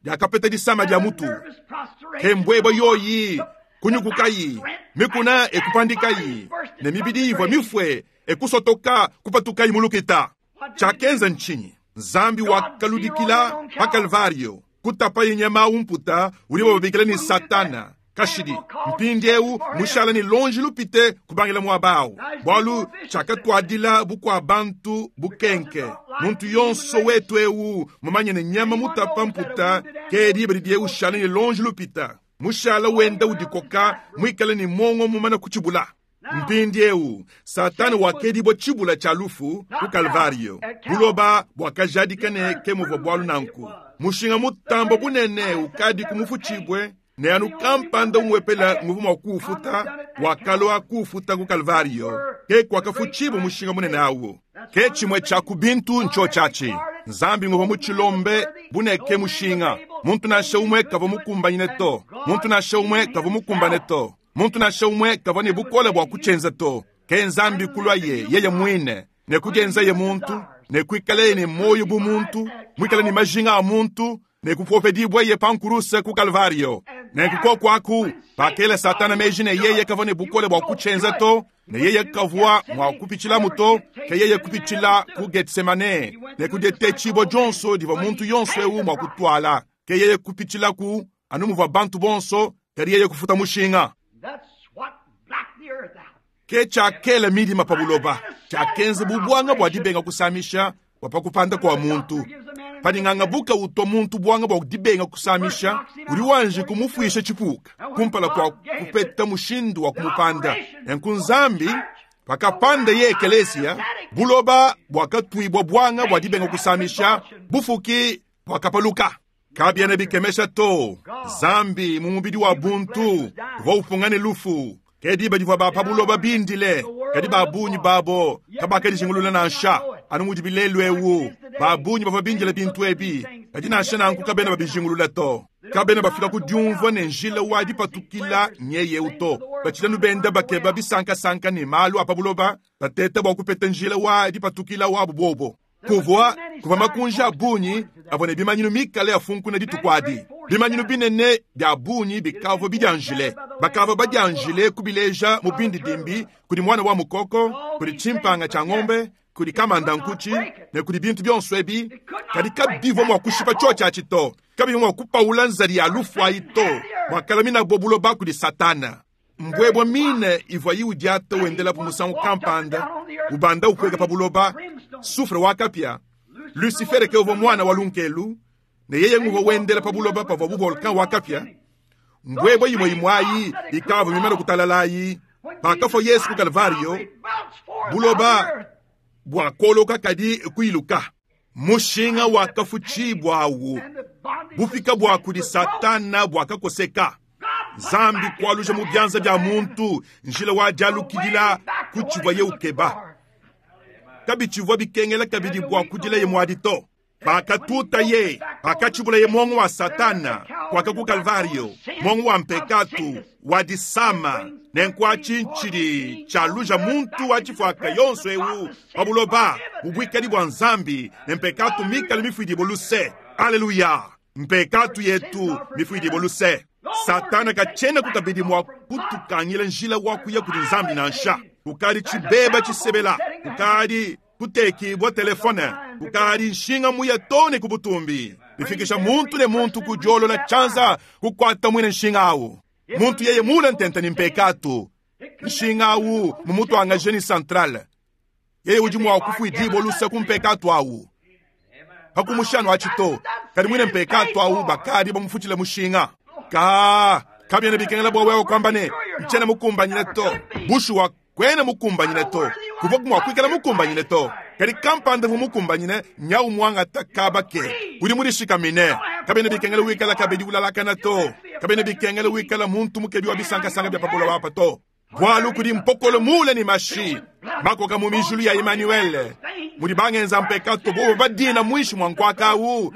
diakapeta disama dia mutu. Nervous prostration. Ke mbweba yoyi kunyukukayi, mikuna ekupandikayi, ne mibidi ivua mifue ekusotoka kupatukayi mu lukita. Tshiakenza ntshinyi? Nzambi wakaludikila pa Kalvario, kutapaye nyama umputa udi bababikila ne Satana kashidi. Mpindieu mushala ne lonji lupite kubangila muaba awu, bualu tshiakatuadila bukua bantu bukenke. Muntu yonso wetu eu mumanye ne nyama mutapa mputa ke diba didiye ushala ne lonji lupita. Mushala wenda udikoka muikale ne mwongo mumana kutshibula. Mpindieu Satana wakedibua tshibula tshia lufu ku Kalvario. Buloba buakajadika ne ke muvua bualu nanku. Mushinga mutamba bunene ukadi kumufutshibue, ne anu kampanda umuepela nguvu mua kuufuta, wakalua kuufuta ku Kalvario. Ke kuakafutshibua mushinga munene awu. Ke tshimue tshia ku bintu ntshiotshi atshi. Nzambi nguvua mutshilombe buneke mushinga. Muntu nansha umue kavua mukumbanyine to. Muntu nansha umue kavua mukumbane to. Muntu nansha umue kavua ne bukole bua kutshienza to. Ke Nzambi kulua ye yeye muine, ne kudienzaye muntu, ne kuikaleye ne moyo bu muntu, muikale ne majinga a muntu, ne kupopedibua ye pa nkuruse ku Kalvario. Nenku koku aku, pakela Satana meji ne yeye kavua ne bukole bua kutshienza to, Ne yeye kavwa mwa kupitshilamu to, ke yeye kupitshila ku Getsemane ne ku ditetshibua dionso divua muntu yonso eu mua kutuala. Ke yeye kupitshilaku anu muvua bantu bonso, kadi yeye kufuta mushinga. That's what blacked the earth out. Ke tshiakela midima pa buloba, tshiakenza bu buanga bua dibenga kusamisha bua pa kupanda kua muntu. Padi ngangabuka utua muntu buanga bua dibenga kusamisha, udi wanji kumufuisha tshipuka kumpala kua kupeta mushindu wa kumupanda. Nenku Nzambi pakapanda ye ekelesia, buloba buakatuibua buanga bua dibenga kusamisha, bufuki buakapaluka. Kabiena bikemesha to, Nzambi mu mubidi wa buntu uvua upunga ne lufu. Ke diba divua ba pa buloba bindile, kadi ba bungi babo kabakadijingulula nansha. Anu mudi bilelu eu, ba bungi bavua bindile bintu ebi, kadi nansha nanku kabena babijingulula to. Kabena bafika ku diumvua ne njila wa dipatukila nyeye eu to. Batshidi anu benda bakeba bisankasanka ne malu a pa buloba, bateta bua kupeta njila wa dipatukila wabu bobo. Kuvua, kuvua makunji a bungi avua ne bimanyinu mikale afunkuna dituku adi. Bimanyinu binene bia bungi bikavua bidianjile. Bakavua badianjile kubileja mu bindidimbi kudi muana wa mukoko, kudi tshimpanga tshia ngombe, kudi kamanda nkutshi, ne kudi bintu bionso ebi. Kadi kabivua mua kushipa tshiotshi atshi to. Kabivua mua kupaula nzadi ya lufu ayi to. Muakalaminabo buloba kudi Satana. Mbuebua mine ivua iudiata wendelapu musangu kampanda, ubanda upueka pa buloba, sufre wa kapia. Lucifere ke uvua muana wa lunkelu, ne yeye nguvua wendela pa buloba pavua bu volcan wa kapia. Mbuebua imue imue ayi ikavua mimane kutalalayi. Pakafua Yesu ku Kalvario, buloba buakoloka kadi kuiluka. Mushinga wakafutshibua awu, bupika bua kudi Satana buakakoseka. Nzambi kualuja mu bianza bia muntu njila wa dialukidila ku tshivuaye ukeba. Kabitshivua bikengela kabidi bua kudilaye muadi to. Pakatutaye, pakatshibulaye muongo wa Satana kuaka ku Kalvario, muongo wa mpekatu, wa disama, nenku atshi ntshidi tshialuja muntu wa tshifuaka yonso eu pa buloba mu buikadi bua Nzambi ne mpekatu mikale mifuidibue luse. Aleluya! Mpekatu yetu mifuidibue luse. Satana katshenaku kabidi mua kutukangila njila wa kuya kudi Nzambi nansha. Kukadi tshibeba tshisebela, kukadi kutekibua telefone, kukadi nshinga muya too ne ku butumbi, bifikisha muntu ne muntu ku diolola tshianza kukuata muine nshinga awu. Muntu yeye mule ntente ne mpekatu, nshinga awu mumutuangaje ne centrale, yeye udi mua kufuidibua luse ku mpekatu awu. Pakumusha anu atshi to, kadi muine mpekatu awu bakadi bamufutshile mushinga. Ka, kabiena bikengela bua wewe kuamba ne, ntshiena mukumbanyine to. Bushuwa, kuena mukumbanyine to. Kuvua mua kuikala mukumbanyine to. Kadi kampanda uvua mukumbanyine, nyawu muangata kaba ke. Udi mudishikamine. Kabiena bikengela wikala kabidi ulalakana to. Kabiena bikengela wikala muntu mukebi wa bisankasanka bia pa buloba apa to. Bualu kudi mpokolo mule ne mashi makoka mu mijulu ya Emmanuel, mudi bangenza mpekato bobo badina muinshi mua nkuaka awu,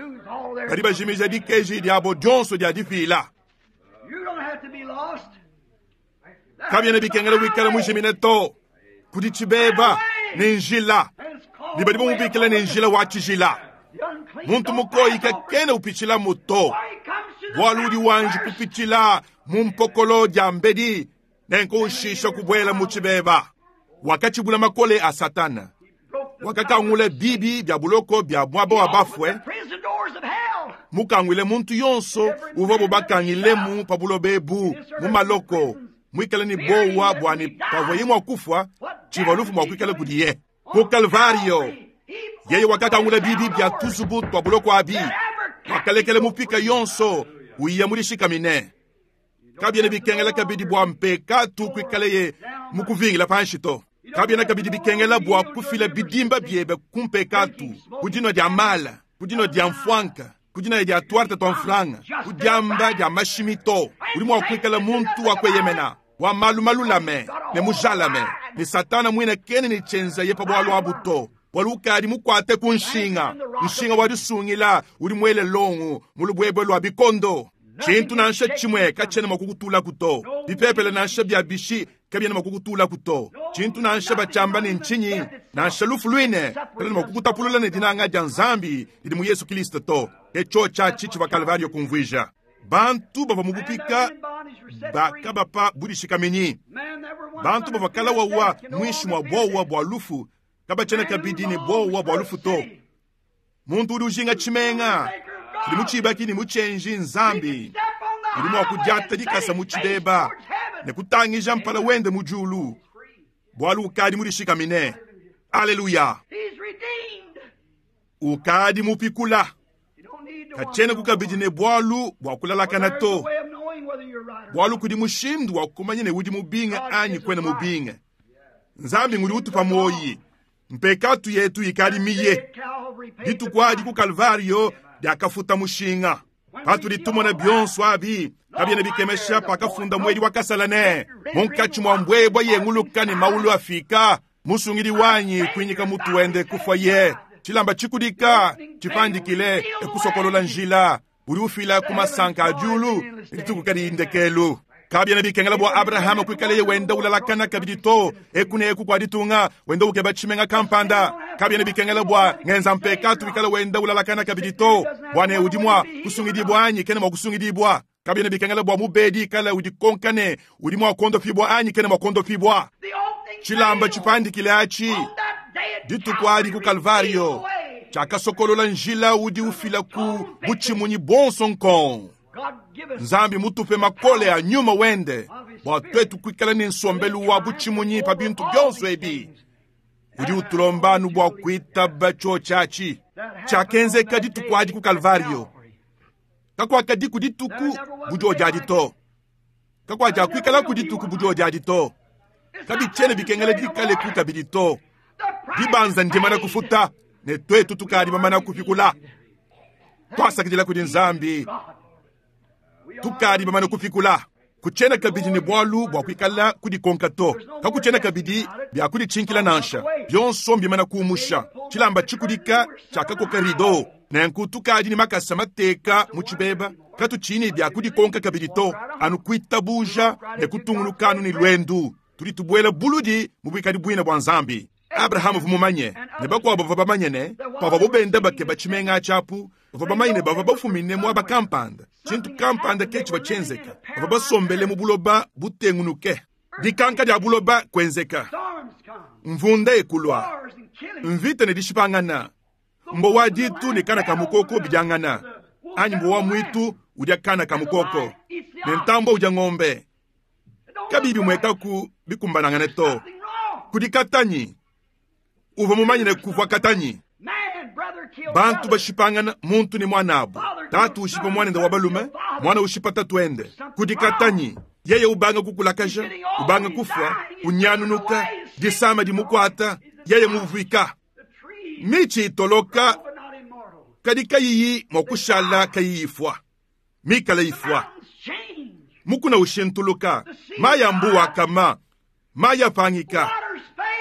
badi bajimija dikeji diabo dionso dia dipila. You don't have to be lost. Kabiena bikengela wikala mujimine to. Kudi tshibeba ne njila, ne badi bamubikila ne njila wa tshijila. The unclean Muntu don't mukoyi pass over. kakena upitshilamu to. Why he comes to the Bualu udi wanji first. kupitshila mu mpokolo dia mbedi, nenku ushisha kubuela mu tshibeba. Wakatshibula makole a Satana, Broke the wakakangula bibi bia buloko bia muaba wa bafue, the prison doors of hell. mukangwile muntu yonso uvua bubakangilemu pa buloba ebu mu maloko, muikale ne bowa bua ne pavuaye mua kufua, tshivua lufu mua kuikala kudiye. Ku Kalvario, yeye wakakangula bibi bia tuzubu tua buloko abi, wakalekela mupika yonso uya mudishikamine. Kabiena bikengela kabidi bua mpekatu kuikaleye mukuvingila panshi to. Kabiena kabidi bikengela bua kufila bidimba biebe ku mpekatu, ku dinua dia mala, ku dinua dia mfuanka, ku dinaya dia tuarte tua mfranga, ku diamba dia mashimi to. Udi mua kuikala muntu wa kueyemena, wa malu malulame ne mujalame, ne Satana muine kene ne tshienzaye pa bualu abu to. Bualu ukadi mukuate ku nshinga, nshinga wa disungila udi muele longo mu lubuebue lua bikondo. Tshintu nansha tshimue katshiena mua kukutulaku to. Bipepele nansha bia bishi kabiena mua kukutulaku to. Tshintu nansha batshiamba ne ntshinyi, nansha lufu luine kaluena mua kukutapulula ne dinanga dia Nzambi didi mu Yesu Kristo to. Ke tshiotshi atshi tshivua Kalvario kumvuija. Bantu bavua mu bupika bakabapa budishikaminyi. Bantu bavua kala wawa muinshi mua buowa bua lufu kabatshiena kabidi ne buowa bua lufu to. Muntu udi ujinga tshimenga tshidi mutshibaki ne mutshienji Nzambi udi mua kudiata dikasa mu tshibeba ne kutangija mpala wende mu diulu, bualu ukadi mudishikamine. Aleluya! Ukadi mupikula. Katshiena kabidi ne bualu bua kulalakana to, bualu kudi mushindu wa kumanya ne udi mubinge anyi kuena mubinge. Nzambi ngudi utupa muoyi. Mpekatu yetu ikadi miye. Dituku adi ku Kalvario diakafuta mushinga. Patudi tumona bionso abi, kabiena bikemesha pakafunda muedi wa kasala ne, munkatshi mua mbuebua yenguluka ne maulu afika, musungidi wanyi kuinyika mutu wende kufua ye. Tshilamba tshikudika tshipandikile ekusokolola njila udi ufila ku masanka a diulu dituku kadiyi ndekelu. Kabiena bikengela bua Abrahama kuikaleye wenda ulalakana kabidi to eku ne eku kua ditunga wenda ukeba tshimenga kampanda. Kabiena bikengela bua ngenza mpekatu wikala wenda ulalakana kabidi to bua ne udi mua kusungidibua anyi kena mua kusungidibua. Kabiena bikengela bua mubedi ikala udikonka ne udi mua kuondopibua anyi kena mua kuondopibua. Tshilamba tshipandikile atshi dituku adi ku Kalvario tshiakasokolola njila udi ufila ku butshimunyi buonso nkong. Nzambi mutupe makole a nyuma wende bua tuetu kuikala ne nsombelu wa butshimunyi pa bintu bionso ebi. Udi utulomba anu bua kuitaba tshiotshi atshi tshiakenzeka dituku adi ku Kalvario. Kakuakadiku dituku bu diodi adi to. Kakuakuikalaku dituku bu diodi adi to. Kabitshiena bikengela dikaleku kabidi to. Dibanza ndimana kufuta ne tuetu tukadi bamana kupikula. Tuasakidila kudi Nzambi, tukadi bamana kupikula. Kutshiena kabidi ne bualu bua kuikala kudikonka to. Kakutshiena kabidi bia kuditshinkila nansha. Bionso mbimana kuumusha. Tshilamba tshikudika tshiakakoka rido. Nenku tukadi ne makasa mateka mu tshibeba. Katutshiyi bia kudikonka kabidi to. Anu kuitabuja ne kutungunuka anu ne luendu. Tudi tubuela buludi mu buikadi buina bua Nzambi. Abrahama uvua mumanye ne bakuabo bavua bamanye ne pavuabo benda bakeba tshimenga tshiapu, bavua bamanye ne bavua bafumine muaba kampanda, tshintu kampanda ke tshivua tshienzeka. Bavua basombele mu buloba butengunuke. Dikanka dia buloba kuenzeka, mvunda ekulua, mvita ne dishipangana, mbowa ditu ne kana ka mukoko bidiangana, anyi mbowa muitu udia kana ka mukoko ne ntambua udia ngombe. Kabiyi bimuekaku bikumbanangane to. Kudi katanyi uvua mumanye ne kuvua katanyi. Bantu bashipangana muntu ne muanabu, tatu ushipa muanende wa balume, muana ushipa tatuende. Kudi katanyi yeye ubanga kukulakaja, ubanga kufua, unyanunuka, disama dimukuata, yeye muvuika. Mitshi itoloka kadi kayiyi mua kushala kayiyi ifua, mikala ifua. Mukuna ushintuluka, mayi a mbuwa akama, mayi apangika.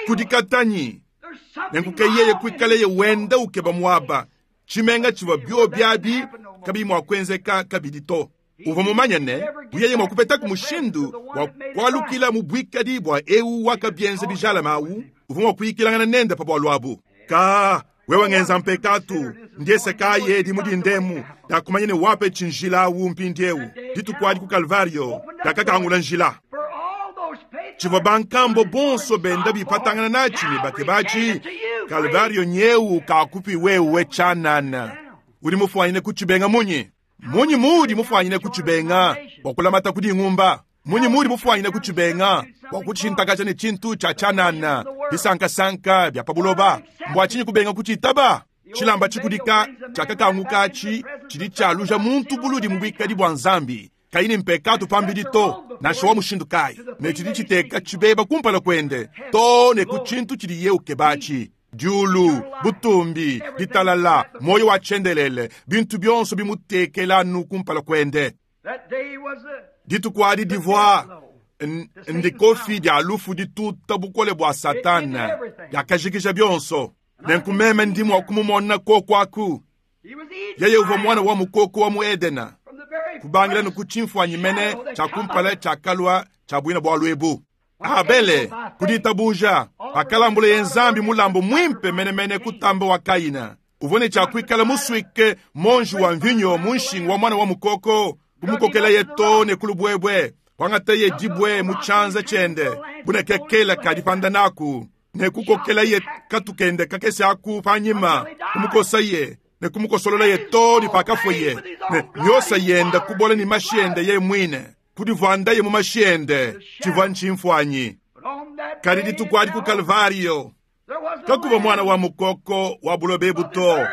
Kudi katanyi nenku yeye kuikaleye wenda ukeba muaba. Tshimenga tshivua biobi abi kabiyi mua kuenzeka kabidi to. Uvua mumanye ne yeye mua kupetaku mushindu wa kualukila mu buikadi bua eu wakabienza bijalame awu, uvua mua kuyikilangana nende pa bualu abu. Ka wewe ngenza mpekatu ndiese kayi edi mu dindemu diakumanya ne wapetshi njila awu mpindieu. Dituku adi ku Kalvario diakakangula njila. Tshivua bankambo bonso benda bipatangana natshi ne bakebatshi, Kalvario nyeu kakupi wewe tshianana. Udi mufuanyine kutshibenga munyi? Munyi muudi mufuanyine kutshibenga bua kulamata kudi ngumba? Munyi muudi mufuanyine kutshibenga bua kutshintakaja ne tshintu tshia tshianana, bisankasanka bia pa buloba? Mbua tshinyi kubenga kutshitaba? Tshilamba tshikudika tshiakakanguka atshi tshidi tshialuja muntu buludi mu buikadi bua Nzambi, kayi ne mpekatu pambidi to, nansha wa mushindu kayi, ne tshidi tshiteka tshibeba kumpala kuende to ne ku tshintu tshidiye ukebatshi. Diulu, butumbi, ditalala, muoyo wa tshiendelele, bintu bionso bimutekela anu kumpala kuende. Dituku adi divua ndikofi dia lufu dituta bukole bua Satana, diakajikija bionso. Nenku meme ndi mua kumumona koko aku. Yeye uvua muana wa mukoko wa mu Edena, kubangila ne ku tshimfuanyi mene tshia kumpala tshiakalua tshia buina bualu ebu. Abele ku ditabuja pakalambuleye Nzambi mulambu muimpe menemene kutamba wa Kaina, uvua ne tshia kuikala musuike monji wa mvinyo mu nshingu wa muana wa mukoko, kumukokelaye to ne ku lubuebue, kuangataye dibue mu tshianza tshiende. Bune kela ka dipanda naku, ne kukokelaye katu kende kakese aku panyima, kumukosaye ne kumukosololaye too ne pakafuaye, ne miosa yende kubola ne mashi ende yeye muine, kudivuandaye mu mashi ende. Tshivua ntshimfuanyi. Kadi dituku adi ku Kalvario, kakuvua muana wa mukoko wa buloba ebu to,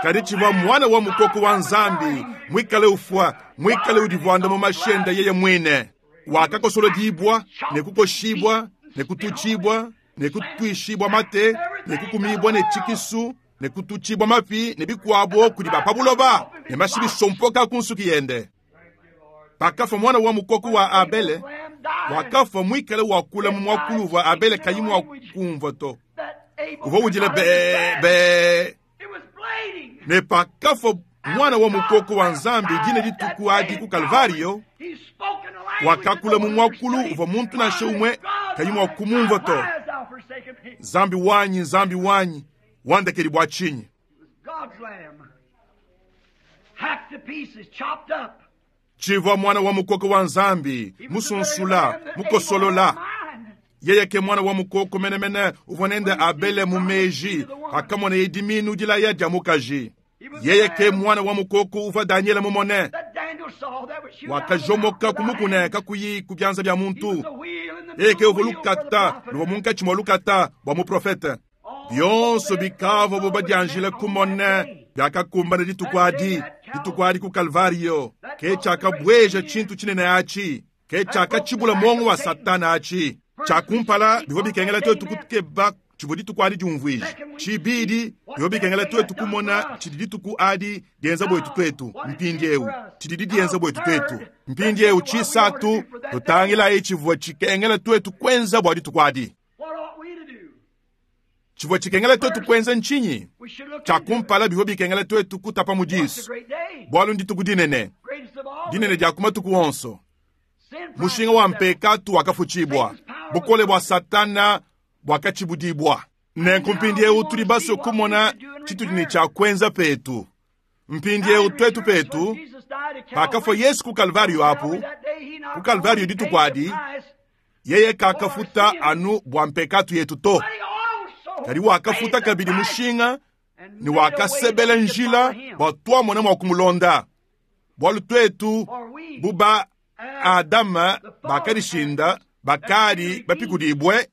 kadi tshivua muana wa mukoko wa Nzambi muikale ufua, muikale udivuanda mu mashi ende yeye muine. Wakakosolodibua ne kukoshibua ne kututshibua ne kutuishibua mate ne kukumibua ne tshikisu ne kututshibua mapi ne bikuabo kudi ba pa buloba, ne mashi bisompoka ku nsuki yende. Pakafua muana wa mukoko wa Abele, wakafua muikale wakula mu muakulu uvua Abele kayi mua kumvua to. Uvua udila be be. Ne pakafua muana wa mukoko wa Nzambi dine dituku adi ku Kalvario, wakakula mu muakulu uvua muntu nansha umue kayi mua kumumvua to. Nzambi wanyi, Nzambi wanyi, wandekedi bua tshinyi? Tshivua muana wa mukoko wa Nzambi, musunsula, mukosolola. Yeye ke muana wa mukoko menemene uvua nende Abele mu meji pakamoneye dimiinu dilaya dia mukaji. Yeye ke muana wa mukoko uvua Danyele mumone, wakajomoka ku mukuna kakuyi ku bianza bia muntu. Yeye ke uvua lukata luvua munkatshi mua lukata bua muprofete. Bionso bikavuabu badianjile kumona biakakumbana dituku adi, dituku adi ku Kalvario. Ke tshiakabueja tshintu tshinene atshi, ke tshiakatshibula muongo wa Satana atshi. Tshia kumpala, bivua bikengela tuetu kukeba tshivua dituku adi diumvuija. Tshibidi, bivua bikengela tuetu kumona tshidi dituku adi dienza buetu tuetu mpindieu, tshididi dienza buetu tuetu mpindieu. Tshisatu, tutangilayi tshivua tshikengela tuetu kuenza bua dituku adi. Tshivua tshikengela tuetu kuenza ntshinyi? Tshia kumpala, bivua bikengela tuetu kutapa mu disu, bualu ndituku dinene, dinene dia ku matuku onso. Mushinga wa mpekatu wakafutshibua, bukole bua Satana buakatshibudibua. Nenku mpindieu tudi basue kumona tshitudi ne tshia kuenza petu. Mpindieu tuetu petu, pakafua Yesu ku Kalvario apu, ku Kalvario dituku adi, yeye kakafuta anu bua mpekatu yetu to, kadi wakafuta kabidi mushinga ne wakasebela njila bua tuamona mua kumulonda. Bualu tuetu bu ba Adama bakadishinda bakadi bapikudibue,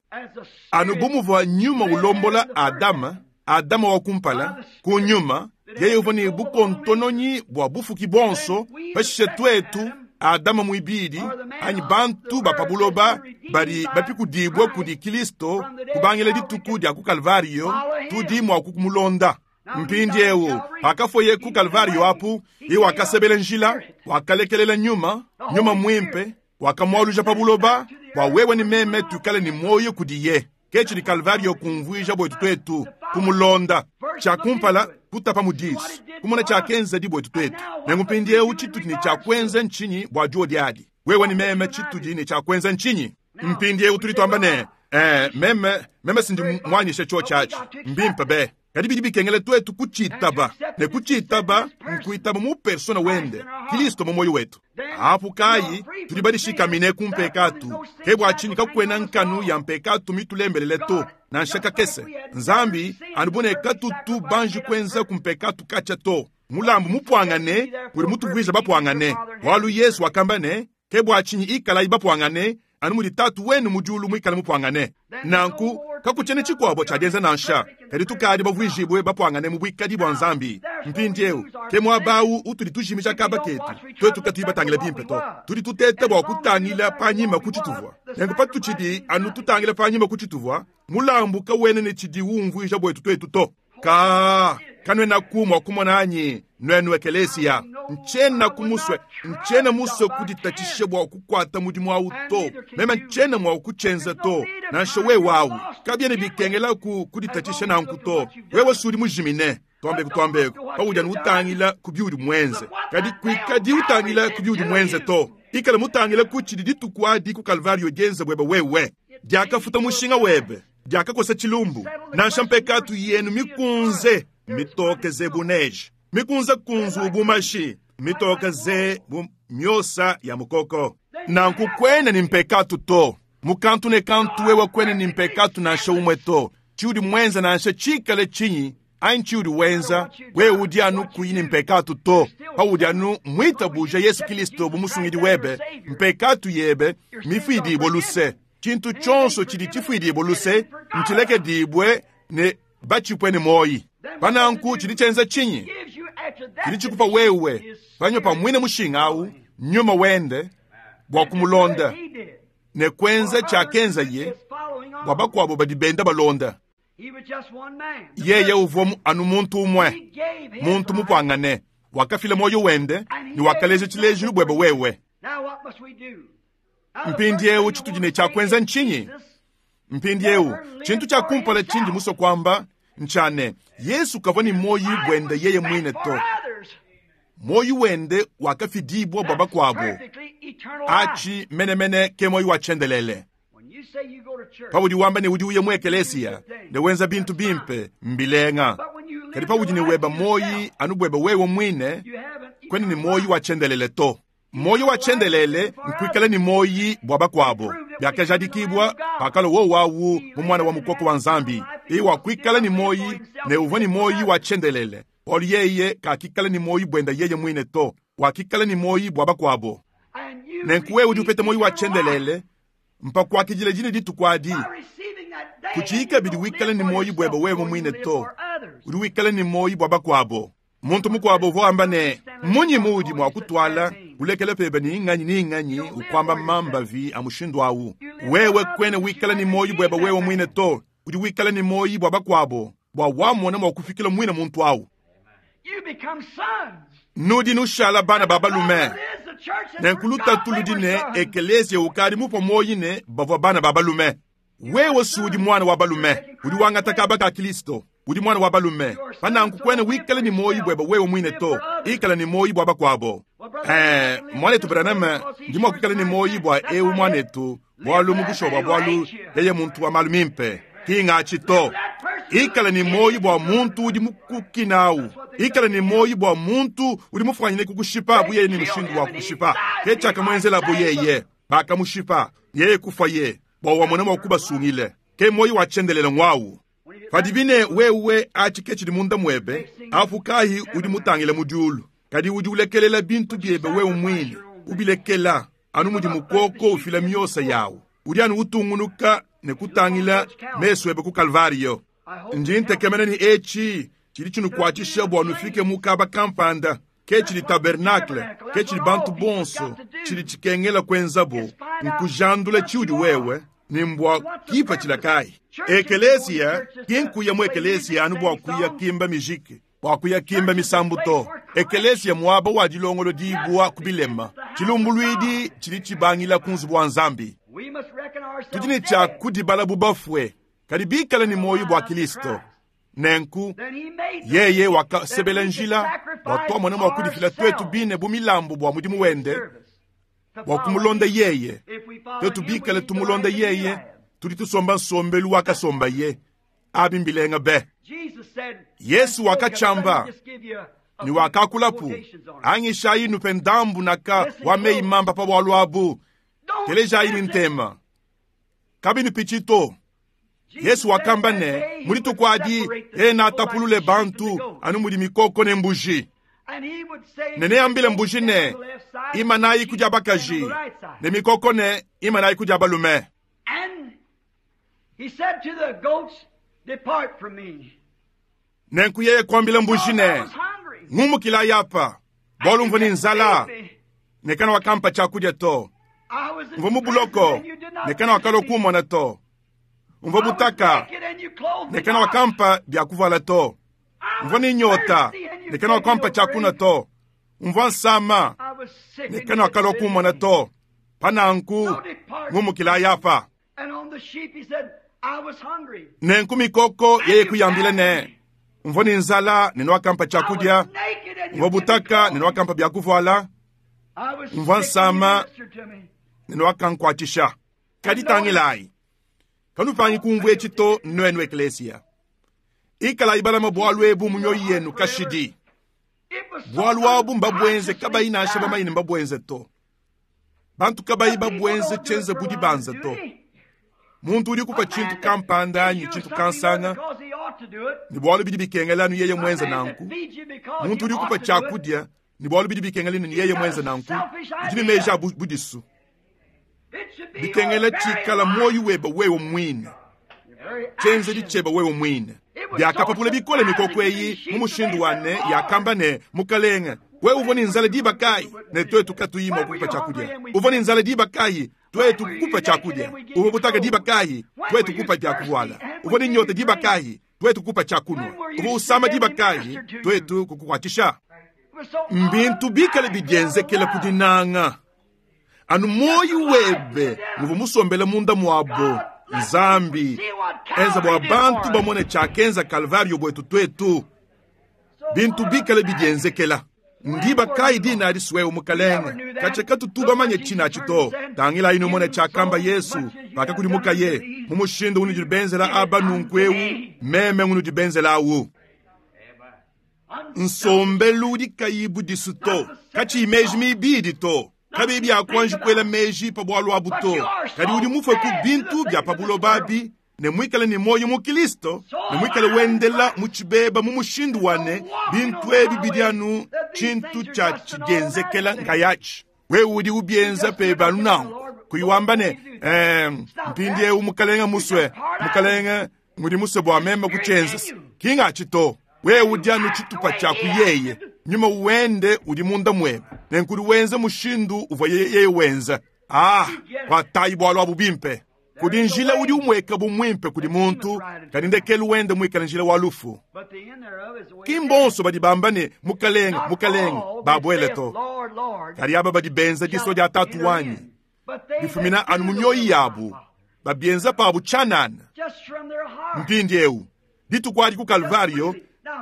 anu bu muvua nyuma ulombola Adama, Adama wa kumpala ku nyuma, yeye uvua ne bukontononyi bua bufuki buonso. Pashishe tuetu Adama muibidi anyi bantu ba pa buloba badi bapikudibue kudi Kristo kubangila dituku dia ku Kalvario, tudi mua kumulonda. Mpindieu pakafuaye ku Kalvario apu, yeye wakasebela njila, wakalekelela nyuma, nyuma muimpe wakamualuja pa buloba bua wewe ne meme tuikale ne muoyo kudiye. Ke tshidi Kalvario kumvuija buetu tuetu kumulonda. Tshia kumpala, kutapa mu disu, kumona tshiakenza di buetu tuetu. Nenku mpindieu tshitudi ne tshia kuenza ntshinyi bua diodi adi? Wewe ne meme tshitudi ne tshia kuenza ntshinyi? Mpindieu tudi tuamba ne, meme, meme sindi muanyishe tshiotshi atshi, mbimpe be. Kadi bidi bikengela tuetu kutshitaba, ne kutshitaba nkuitaba mu persona wende, Kristo mu muoyo wetu. Apu kayi tudi badishikamine ku mpekatu, ke bua tshinyi kakuena nkanu ya mpekatu mitulembelele to, nansha kakese. Nzambi anu bu ne katutu banji kuenza ku mpekatu katshia to. Mulambu mupuangane udi mutuvuija bapuangane, bualu Yesu wakamba ne, ke bua tshinyi ikalayi bapuangane anu mudi Tatu wenu mu diulu muikale mupuangane. Nanku kakutshiena tshikuabo tshia dienza nansha, kadi tukadi bavuijibue bapuangane mu buikadi bua Nzambi. Mpindieu ke muaba awu utudi tujimija kaba ketu, tuetu katuyi batangila bimpe to. Tudi tuteta bua kutangila panyima ku tshituvua. Nenku patutshidi anu tutangila panyima ku tshituvua, mulambu kawena ne tshidiwu umvuija buetu tuetu to. Ka kanuenaku mua kumona anyi, nuenu ekelesia? Ntshiena kumusue, ntshiena musue kuditatshisha bua kukuata mudimu awu to. Meme ntshiena mua kutshienza to, nansha wewe awu. Kabiena bikengela ku kuditatshisha nanku to. Wewe sudi mujimine. Tuambeku tuambeku, paudi anu utangila ku biudi muenze. Kadi kuikadi utangila ku biudi muenze to. Ikala mutangila ku tshidi dituku adi ku Kalvario dienza buebe wewe. Diakafuta mushinga webe, diakakosa tshilumbu, nansha mpekatu yenu mikunze mitoke ze bu neige, mikunze kunzu bu mashi, mitoke ze bu miosa ya mukoko. Nanku kuena ne mpekatu to. Mu kantu ne kantu wewe kuena ne mpekatu nansha umue to. Tshiudi muenze nansha tshikale tshinyi anyi tshiudi wenza, wewe udi anu kuyi ne mpekatu to. Paudi anu muitabuja Yesu Kilisto bu Musungidi webe, mpekatu yebe mmifuidibue luse. Tshintu tshionso tshidi tshifuidibue luse ntshilekedibue ne batshipue ne muoyi. Pa nanku tshidi tshienza tshinyi? Tshidi tshikupa wewe panyima pa muine mushinga au nyuma wende bua kumulonda ne kuenza tshiakenzaye bua bakuabo badi benda balonda. Yeye uvua anu muntu umue, muntu mupuangane, wakafila muoyo wende ne wakaleja tshilejilu buebe wewe. Mpindieu tshitudi ne tshia kuenza ntshinyi? Mpindieu tshintu tshia kumpala tshindi musue kuamba ntshia ne, Yesu kavua ne muoyo buende yeye muine to. Muoyo wende wakafidibua bua bakuabo. Atshi menemene ke muoyo wa tshiendelele. Paudi wamba ne udi uya mu ekelesia ne wenza bintu bimpe, mbilenga. Kadi paudi ne weba muoyi anu buebe wewe muine, kuena ne muoyo wa tshiendelele to. Muoyo wa tshiendelele nkuikala ne muoyi bua bakuabo. Biakajadikibua pakalua wowu awu mu Muana wa Mukoko wa Nzambi. Yeye wakuikala ne muoyi ne uvua ne muoyi wa tshiendelele, bualu yeye kakikala ne muoyi buende yeye muine to, wakikala ne muoyi bua bakuabo. Nenku wewe udi upeta muoyi wa tshiendelele mpa kuakidila dine dituku adi. Kutshiyi kabidi wikala ne muoyi buebe wewe muine to, udi wikala ne muoyi bua bakuabo. Muntu mukuabo uvua wamba ne, Mmunyi muudi mua kutuala ulekela pebe ni nganyi ni nganyi ukuamba mambavi a mushindu au? Wewe kuena wikala ne muoyi buebe wewe muine to, udi wikala ne muoyi bua bakuabo, bua wamona mua kufikila muine muntu au. Nudi nushala bana ba balume. Nenku lutatu ludi ne, ekeleziya ukadi mupue muoyi ne bavua bana ba balume. Wewe si udi muana wa balume, udi wangata kaba ka Kilisto. Udi muana wa balume. Pa nanku kuena wikala ne muoyi buebe wewe muine to, ikala ne muoyi bua bakuabo. Ee, muanetu Branham, ndi mua kuikala ne muoyi bua eu muanetu, bualu mu bushuwa bua bualu yeye muntu wa malu mimpe. Ki ngatshi to. Ikala ne muoyi bua muntu udi mukukina au. Ikala ne muoyi bua muntu udi mufuanyine kukushipa bu yeye ne mushindu wa kukushipa. Ke tshiakamuenzelabo yeye. Bakamushipa, yeye kufuaye, bua wamone mua kubasungile. Ke muoyi wa tshiendelele nguawu. Padibi ne wewe atshi ke tshidi munda muebe, apu kayi udi mutangile mu diulu, kadi udi ulekelela bintu biebe wewe muine, ubilekela anu mudi mukoko ufila miosa yawu. Udi anu utungunuka ne kutangila mesu ebe ku Kalvariyo. Ndi ntekemena ne etshi tshidi tshinukuatshisha bua nufike mu kaba kampanda. Ke tshidi tabernakle, ke tshidi bantu bonso, tshidi tshikengela kuenzabo, nkujandula tshiudi wewe ne mbua kipatshila kayi. Ekeleziya ki nkuya mu ekeleziya anu bua kuya kimba mijiki, bua kuya kimba misambu to. Ekeleziya muaba wa dilongolodibua ku bilema. Tshilumbuluidi tshidi tshibangila ku nzubu wa Nzambi. Tudi ne tshia kudibala bu bafue, kadi bikale ne muoyo bua Kilisto. Nenku yeye wakasebela njila bua tuamone mua kudifila tuetu bine bu milambu bua mudimu wende, bua kumulonda yeye. Tuetu bikale tumulonda yeye, tudi tusomba nsombelu wakasombaye. Abi mbilenga be. Yesu wakatshiamba ne wakakulapu, angishayi nupe ndambu naka wa meyi mamba pa bualu abu. Telejayi ne ntema, kabinupitshi to. Yesu wakamba ne, mu dituku adi yeye neatapulule bantu anu mudi mikoko ne mbuji. Ne neambile mbuji ne, imanayi ku dia bakaji, ne mikoko ne, imanayi ku dia balume. Nenku yeye kuambila mbuji ne, ngumukilayi apa, bualu mvua ne nzala, ne kana wakampa tshiakudia to. Mvua mu buloko, ne kana wakalua kummona to. Mvua butaka, ne kana wakampa bia kuvuala to. Mvua ne nyota, ne kana wakampa tshiakunua to. Mvua nsama, ne kana wakalua kummona to. Pa nanku ngumukilayi apa. Nenku mikoko yeye kuyambila ne, mvua ne nzala ne nuakampa tshiakudia, mvua butaka ne nuakampa bia kuvuala, mvua nsama ne nuakankuatshisha. Kadi tangilayi, kanupangi kumvua etshi to, nuenu eklesia. Ikalayi balama bualu ebu mu mioyo yenu kashidi. Bualu abu mbabuenze kabayi nansha bamanye ne mbabuenze to. Bantu kabayi babuenze tshienze bu dibanza to. Muntu udi ukupa tshintu kampanda anyi tshintu kansanga ne bualu bidi bikengela anu yeye muenze nanku. Muntu udi ukupa tshiakudia ne bualu bidi bikengela ne yeye muenze nanku. Udi ne meji a budisu. Bikengela tshikala muoyo webe wewe muine, tshienzedi tshiebe wewe muine. Biakapapula bikole mikoko eyi mu mushindu wa ne yakamba ne, Mukalenge, wewe uvua ne nzala diba kayi ne tuetu katuyi mua kukupa tshiakudia? Uvua ne nzala diba kayi tuetu kukupa tshiakudia? Uvua butaka diba kayi tuetu kukupa bia kuvuala? Uvua ne nyota diba kayi tuetu kukupa tshiakunua? Uvua usama diba kayi tuetu kukukuatshisha? Mbintu bikale bidienzekela ku dinanga. Anu muoyo webe nguvua musombele munda muabo. Nzambi, enza bua bantu bamone tshiakenza Kalvario buetu tuetu. Bintu bikale bidienzekela. Ndiba kayi dina adi wewe Mukalenge? Katshia katutu bamanye tshinatshi to. Tangilayi numone tshiakamba Yesu pakakudimukaye, mu mushindu unudi benzela aba nunku eu, meme ngunudi benzela awu. Nsombelu udi kayi budisu to, katshiyi meji mibidi to, kabiyi bia kuanji kuela meji pa bualu abu to, kadi udi mufue ku bintu bia pa buloba abi ne muikale ne muoyo mu Kristo ne muikale wendela mu tshibeba mu mushindu wa ne bintu ebi bidi anu tshintu tshia tshidienzekela nkayatshi. Wewe udi ubienza pebe anu nanku, kuyi wamba ne, mpindieu Mukalenge musue, Mukalenge ngudi musue bua meme kutshienza. Ki ngatshi to. Wewe udi anu tshitupa tshia ku yeye. Nyuma wende udi munda muebe, nenku udi wenza mushindu uvua yeye wenza. Ah, kuatayi bualu abu bimpe. Kudi njila udi umueka bu muimpe kudi muntu, kadi ndekelu wende muikale njila wa lufu. Ki mbonso badi bamba ne, Mukalenge, Mukalenge, babuele to. Kadi aba badi benza disua dia Tatu wanyi, bifumina anu mu mioyo yabu, babienza pabu tshianana. Mpindieu, dituku adi ku Kalvario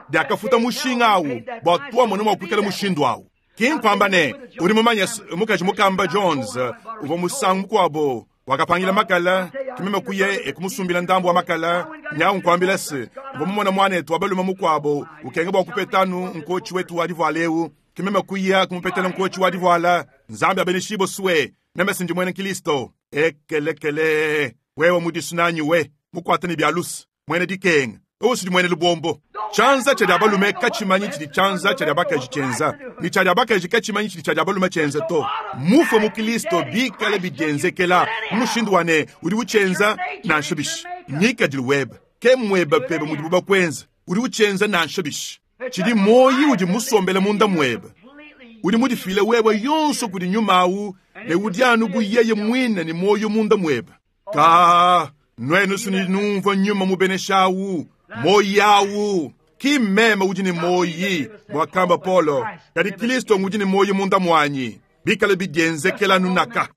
diakafuta mushinga awu bua tuamone mua kuikala mushindu awu. Ki nkuamba ne, udi mumanye mukaji mukamba Jones uvua musangu mukuabo wakapangila makala, ke meme kuya e kumusumbila ndambu wa makala. Nyawu nkuambila se, mvua mumona muanetu wa balume mukuabo ukenga bua kupeta anu nkotshi wetu wa divuala eu, ke meme kuya kumupetela nkotshi wa divuala. Nzambi abeneshibue sue, meme si ndi muena Kristo. Ekelekele, wewe mudisu nanyi we, mukuate ne bia luse, muena dikenga, wewe usudi muena lubombo. Tshianza tshia dia balume katshimanyi tshidi tshianza tshia dia bakaji tshienza, ne tshia dia bakaji katshimanyi tshidi tshia dia balume tshienza to. Mufue mu Kristo bikale bidienzekela mu mushindu wa ne udi utshienza nansha bishi. Ngikadilu webe ke muebe pebe mudibu bakuenza, udi utshienza nansha bishi. Tshidi muoyo udi musombele munda muebe, udi mudifile wewe yonso kudi nyuma awu ne udi anu bu yeye muine ne muoyo munda muebe. Ka nuenu suni numvua nyuma mubenesha awu, muoyo awu. Ki mmeme udi ne muoyi, muakamba Paulo, kadi Kristo ngudi ne muoyo munda muanyi. Bikale bidienzekela nunaka.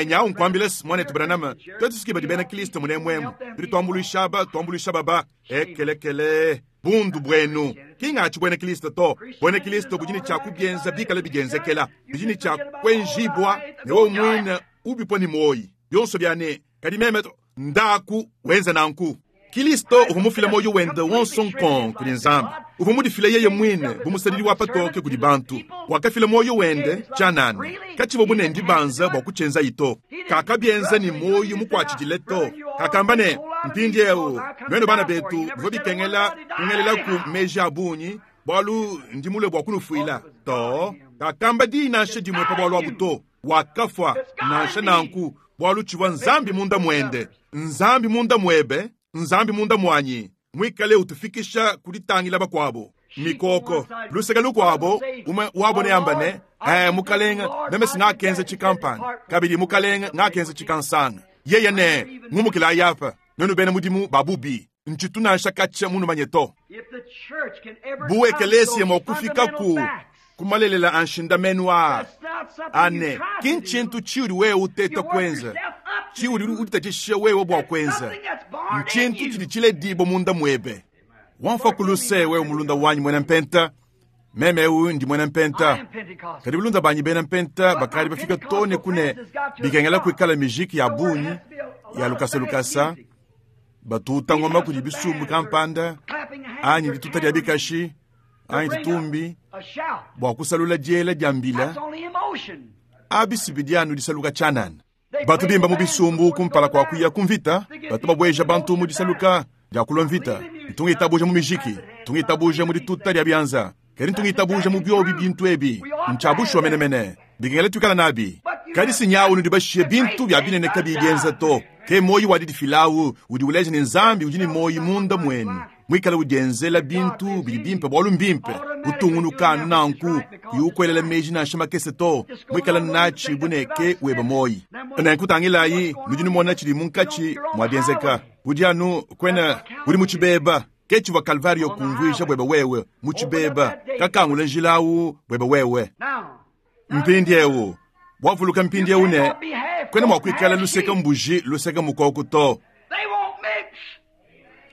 Nyawu nkuambile muanetu Branham, tuetu suki badi bena Kristo munemuemu, tudi tuambuluisha aba, tuambuluisha baba. Ekelekele, bundu buenu. Ki ngatshi buena Kristo to. Buena Kristo budi ne tshia kubienza bikale bidienzekela, bidi ne tshia kuenjibua ne wewe muine ubipua ne muoyi. Bionso bia ne, kadi meme to, ndaku wenza nanku. Kristo uvua mufile muoyo wende wonso nkong kudi Nzambi. Uvua mudifile yeye muine bu musadidi wa patoke kudi bantu. Wakafila muoyo wende tshianana. Katshivua bu ne ndibanza bua kutshienzayi to. Kakabienza ne muoyo mukuatshidile to. Kakamba ne, mpindieu nuenu bana betu bivua bikengela kungelelaku meji a bungi bualu ndi mulue bua kunufuila to. Kakamba diyi nansha dimue pa bualu abu to. Wakafua nansha nanku bualu tshivua Nzambi munda muende. Nzambi munda muebe, Nzambi munda muanyi, muikale utufikisha ku ditangila bakuabo. Mikoko luseke lukuabo, umue wabo neamba ne, Mukalenge, meme singakenza tshikampanda, kabidi Mukalenge ngakenza tshikansanga. Yeye ne, ngumukilayi apa, nuenu bena mudimu ba bubi, ntshitu nansha katshia munumanye to. Bu ekelesia mua kufika ku kumalelela a nshindamenu aa, ane ki ntshintu tshiudi wewe uteta kuenza, tshiudi uditatshisha wewe bua kuenza, ntshintu tshidi tshiledibua munda muebe. Wamfa ku luse wewe mulunda wanyi muena mpenta, meme eu ndi muena mpenta, kadi bulunda banyi bena mpenta bakadi bafika to ne kune bikengela kuikala mijiki ya bungi ya lukasa lukasa, batuta ngoma kudi bisumbu kampanda anyi dituta dia bikashi anyi ditumbi bua kusalula diela dia mbila, abi si bidi anu disaluka tshianana. Batu bimba mu bisumbu kumpala kua kuya ku mvita, batu babueja bantu mu disaluka dia kulua mvita. Ntu ngitabuja mu mijiki, ntu ngitabuja mu dituta dia bianza, kadi ntu ngitabuja mu biobi bintu ebi. Ntshia bushuwa menemene, bikengela tuikala nabi. Kadi si nyawu nudi bashiye bintu bia binene kabiyi bienza to. Ke muoyo wa didifilawu udi uleja ne Nzambi udi ne muoyo munda muenu, muikale udienzela bintu bidi bimpe bualu mbimpe. Utungunuka anu nanku, kuyi ukuelela meji nansha makese to, muikale natshi bu ne ke webe muoyo. Nenku tangilayi, nudi numona tshidi munkatshi mua bienzeka. Udi anu kuena udi mu tshibeba. Ke tshivua Kalvario kumvuija buebe wewe, mu tshibeba, kakangula njila awu buebe wewe. Mpindiewu, wavuluka mpindiewu ne, kuena mua kuikala luseke mbuji luseke mukoku to.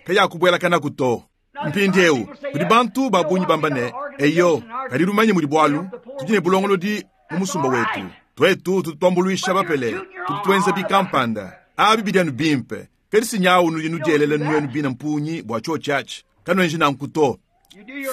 Kayakubuelakanaku to. Mpindiewu, kudi bantu ba bungi bamba ne, Eyo, kadi lumanye mudi bualu, tudi ne bulongolodi mu musumba wetu. Tuetu tutu tuambuluisha bapele, tutu tuenza bikampanda. Abi bidi anu bimpe. Kadi si nyawu nudi nudielela nuenu bine mpungi bua tshiotshi atshi. Kanuenji nanku to.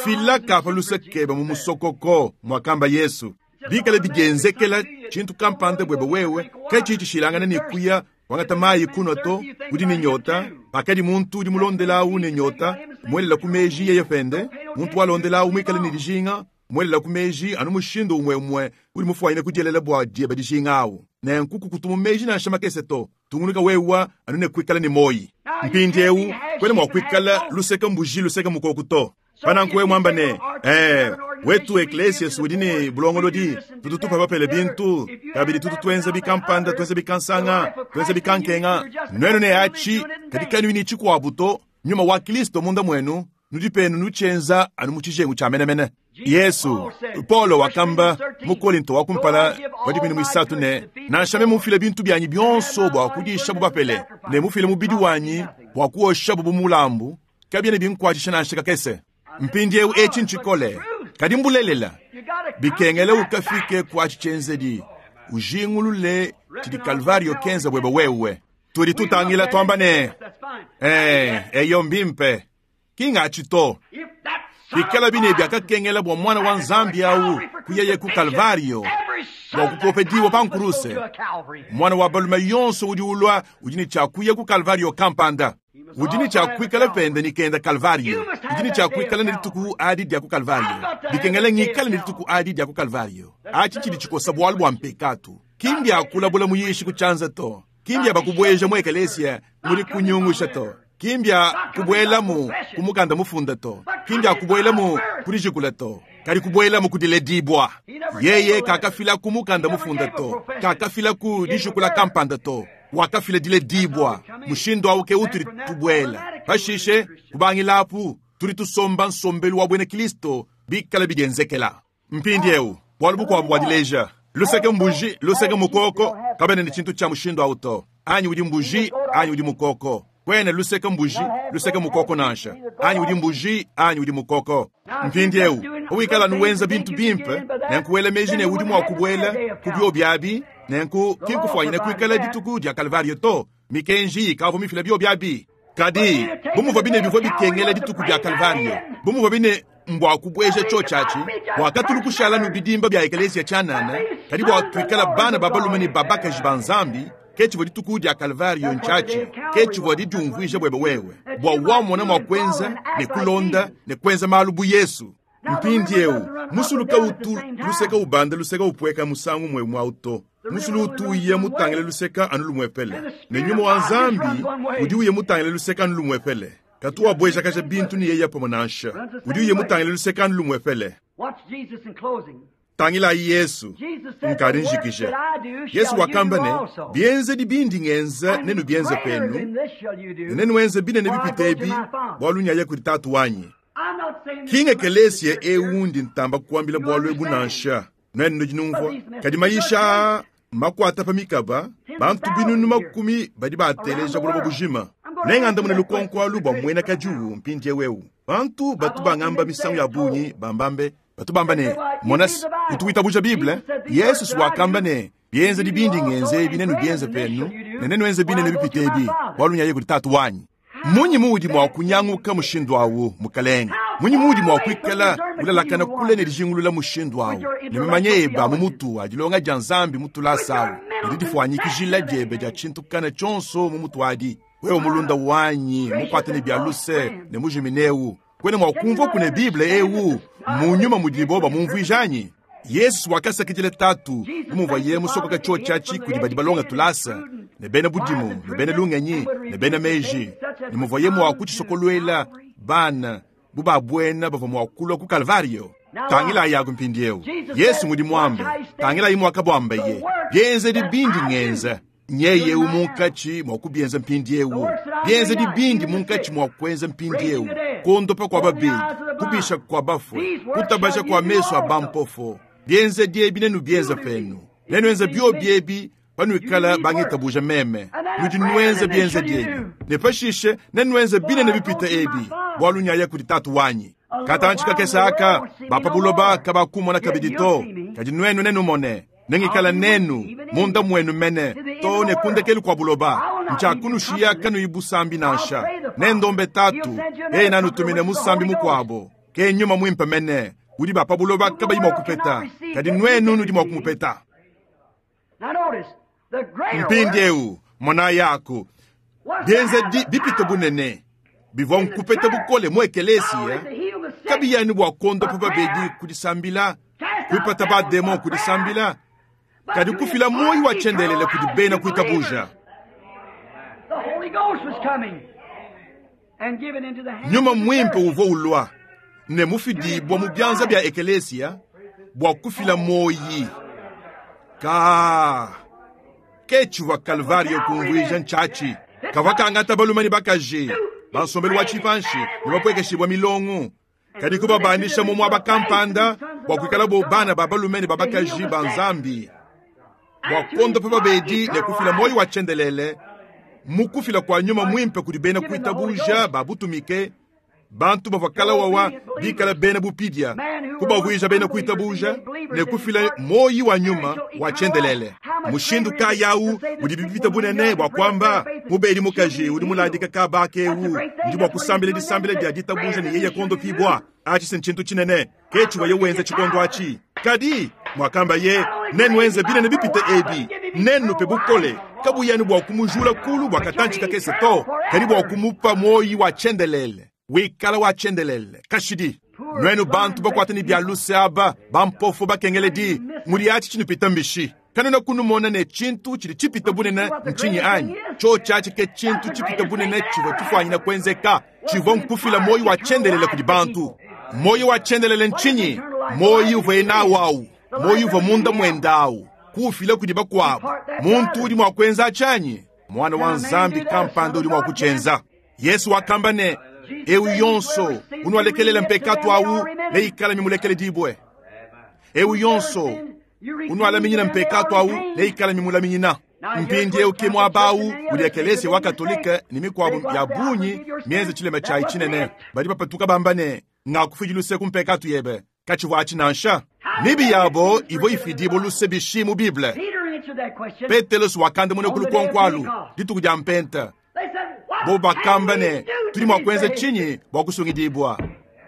Fila ka pa luse kebe mu musokoko, muakamba Yesu. Bikale bidienzekela tshintu kampanda buebe wewe, katshiyi tshishilangane ne kuya kuangata mayi kunua to, udi ne nyota. Pakadi muntu udi mulondela awu ne nyota, muelela ku meji yeye pende, muntu walondela awu muikale ne dijinga, muelela ku meji anu mushindu umue-umue udi mufuanyine kudielela bua diebe dijinga awu. Nenku kukutu mu meji nansha makese to. Tungunuka wewa anu ne kuikala ne muoyi. Mpindiewu, kuena mua kuikala luseke mbuji luseke mukoku to. Pa nanku wewe muamba ne, Ee, wetu ekleesias udi ne bulongolodi, tutu tupa bapele bintu, kabidi tutu tuenza bikampanda, tuenza bikansanga, tuenza bikankenga. Nuenu ne atshi, kadi kanuyi ne tshikuabu to, Nyuma wa Kilisto munda muenu, nudi penu nutshienza anu mu tshijengu tshia menemene. Yesu, Paulo wakamba mu Kolinto wa kumpala wa dikumi ne muisatu ne, nansha meme mufile bintu bianyi bionso bua kudishabu bapele, ne mufile mubidi wanyi bua kuoshabu bu mulambu, kabiena binkuatshisha nansha kakese. Mpindieu etshi ntshikole, kadi mbulelela. Bikengela ukafike ku atshi tshienzedi, ujingulule tshidi Kalvario kenza buebe wewe. Tudi tutangila tuamba ne, Ee, eyo mbimpe. Ki ngatshi to. Bikalabi ne biakakengela bua Muana wa Nzambi au kuyaye ku Kalvario bua kupopedibua pa nkuruse, muana wa balume yonso udi ulua udi ne tshia kuya ku Kalvario kampanda. Udi ne tshia kuikala pende ne kenda Kalvario. Udi ne tshia kuikala ne dituku adi dia ku Kalvario. Bikengela ngikale ne dituku adi dia ku Kalvario. Atshi tshidi tshikosa bualu bua mpekatu. Ki mbia kulabula muyishi ku tshianza to. Ki mbia bakubueja mu ekelesia mudi kunyungusha to. Ki mbia kubuelamu ku mukanda mufunda to. Ki mbia kubuelamu ku dijikula to. Kadi kubuelamu ku diledibua. Yeye kakafila ku mukanda mufunda to. Kakafila ku dijikula kampanda to. Wakafila diledibua. Mushindu au ke utudi tubuela. Pashishe, kubangila apu, tudi tusomba nsombelu wa buena Kristo bikale bidienzekela. Mpindieu, bualu bukuabu bua dileja luseke mbuji, luseke mukoko, kabena ne tshintu tshia mushindu au to. Anyi udi mbuji anyi udi mukoko. Kuena luseke mbuji, luseke mukoko nansha. Anyi udi mbuji anyi udi mukoko. Mpindieu, pawikala anu wenza bintu bimpe, nenku wela meji ne udi mua kubuela ku biobi abi, nenku ki nkufuanyine kuikala dituku dia Kalvario to. Mikenji ikavua mifila biobi abi. Kadi, bu muvuabi ne bivua bikengela dituku dia Kalvario, bu muvuabi ne mbua kubueja tshiotshi atshi, bua katulu kushala nu bidimba bia ekeleziya tshianana, kadi bua tuikala bana ba balume ne ba bakaji ba Nzambi, ke tshivua dituku dia Kalvario ntshiatshi, ke tshivua didiumvuija buebe wewe, bua wamona mua kuenza ne kulonda ne kuenza malu bu Yesu. Mpindieu, musulu kautu luseka ubanda luseka upueka musangu umue umue au to. Musulu utu uya mutangile luseka anu lumuepele, ne nyuma wa Nzambi udi uya mutangile luseka anu lumuepele. Katu wabuejakaja bintu ne yeye pamue nansha. Udi uya mutangile luseka anu lumuepele. Tangilayi Yesu, nkadi njikije. Yesu wakamba ne, Bienzedi bindi ngenza nenubienze penu, ne nenuenze binene bipite ebi, bualu nyaya kudi Tatu wanyi. Ki ngekelesia eu ndi ntamba kuambila bualu ebu nansha. Nuenu nudi numvua. Kadi mayisha aa makuata pa mikaba, bantu binunu makumi badi baateleja buloba bujima. Nengandamune lukonko alu bua muena kadiwu mpindieu eu. Bantu batu bangamba misangu ya bungi bambambe, batu bamba ne, Mona, utu witabuja Bible? Yesu wakamba ne, Bienzedi bindi ngenza ebi nenubienze penu, ne nenuenze binene bipite ebi, bualu nyaye kudi Tatu wanyi. Mmunyi muudi mua kunyanguka mushindu au, mukalenge? Mmunyi muudi mua kuikala ulalakana kule ne dijingulula mushindu au, ne mamanya ebe a mu mutu a dilonga dia Nzambi mu tulasa au, Ne didifuanyikijila diebe dia tshintu kana tshionso mu mutu adi. Wewe mulunda wanyi mukwate ne bia luse ne mujimine eu, kwena mua kumvua kune Bible eu mu nyuma mudibo bamumvuija anyi? Yesu wakasakidila Tatu bu muvuaye musokoka tshiotshi kudi badi balonga tulasa ne bena budimu ne bena lungenyi ne bena meji, ne muvuaye mua kutshisokoluela bana bu babuena bavua mua kulua ku Kalvario. Tangilayi yaku mpindieu. Yesu mudi muambe, tangilayi muakabuambaye, bienzedi bindi ngenza nyeye eu munkatshi mua kubienza mpindieu, bienzedi bindi munkatshi mua kuenza mpindieu, kuondopa kua babedi, kubisha kua bafue, kutabaja kua meso a bampofo, bienzedi ebi nenubienza penu, nenuenza biobi ebi panuikala bangitabuja meme, nudi nuenza bienzedi ebi, ne pashishe nenuenza binene bipita ebi, bualu nyaya kudi Tatu wanyi. Katantshi kakese aka bapa buloba kabakumona kabidi to, kadi nuenu nenumone. Nengikala nenu munda muenu mene to ne kundekelu kua buloba. Ntshiakunushiya kanuyi busambi nansha. Nendombe Tatu, yeye nanutumine musambi mukuabo, ke nyuma muimpe mene udi bapa buloba kabayi mua kupeta, kadi nuenu nudi mua kumupeta. Now notice, the greater work Mpindieu mona yaku was to bienzedi have the bipite power bunene bivua nkupeta bukole mu not ekelesia only to heal the sick, kabiyani bua kuondopa babedi kudisambila, kuipata bademon kudisambila, but kadi to kufila impart moyo wa eternal tshiendelele kudi life bena to kuitabuja. believers. The Holy Ghost was coming and given into the hands Nyuma of the muimpe church. uvua ulua ne mufidibua mu bianza bia ekelesia bua kufila moyi. Ka ke tshivua Kalvario kumvuija ntshiatshi. Kavua kangata balume ne bakaji bansombelu wa tshipanshi ne bapuekeshibua milongo, kadi kubabandisha mu muaba kampanda bua kuikala bo bana ba balume ne ba bakaji ba Nzambi, bua kuondopa babedi ne kufila moyo wa tshiendelele mu kufila kua nyuma muimpe kudi bena kuitabuja ba butumike, bantu bavua kalawawa bikala bena bupidia, kubavuija bena kuitabuja ne kufila moyi wa nyuma wa tshiendelele. Mushindu kayawu udi bipita bunene bua kuamba mubedi mukaji udi muladika kabaka eu ndi bua kusambila disambila dia ditabuja ne yeye kondopibwa. Atshi si ntshintu tshinene ke tshivuaye wenza tshikondo atshi, kadi mwakamba ye nenuenze binene bipite ebi, nenupe bukole kabuyani bua kumujula kulu bua katantshi kakese to, kadi bua kumupa moyi wa tshiendelele wikala wa tshiendelele kashidi. Nuenu bantu bakwata ne bia luse aba bampofo bakengeledi, mudi atshi tshinupita mbishi. Kanena kunumona ne tshintu tshidi tshipita bunene ntshinyi anyi? Tshiotshi atshi ke tshintu tshipita bunene tshivua tshifuanyina kuenzeka, tshivua nkufila moyo wa tshiendelele kudi bantu. Moyo wa tshiendelele ntshinyi? Moyo uvuaye nawu awu, moyo uvua munda muende awu, kuufila kudi bakuabu. Muntu udi mua kuenza tshianyi? Mwana wa Nzambi kampanda udi mua kutshienza. Yesu wakamba ne, eu yonso unualekelela mpekatu awu neikala mimulekeledibue. Eu yonso unualaminyina mpekatu awu neikala mimulaminyina. Mpindieu ke muaba awu udi ekelesia wa Katolike ne mikuabu ya bungi mienze tshilema tshiayi tshinene. Badi bapatuka bamba ne, ngakufidi luse ku mpekatu yebe, katshivua atshi nansha. Mibi yabo ivua ifidibua luse bishi mu Bible. Peter answered that question. Petelosi wakandamuna ku lukonko alu dituku dia mpenta. They said, What Bo bakamba can we ne, do tudi to mua be kuenza saved? tshinyi bua kusungidibua?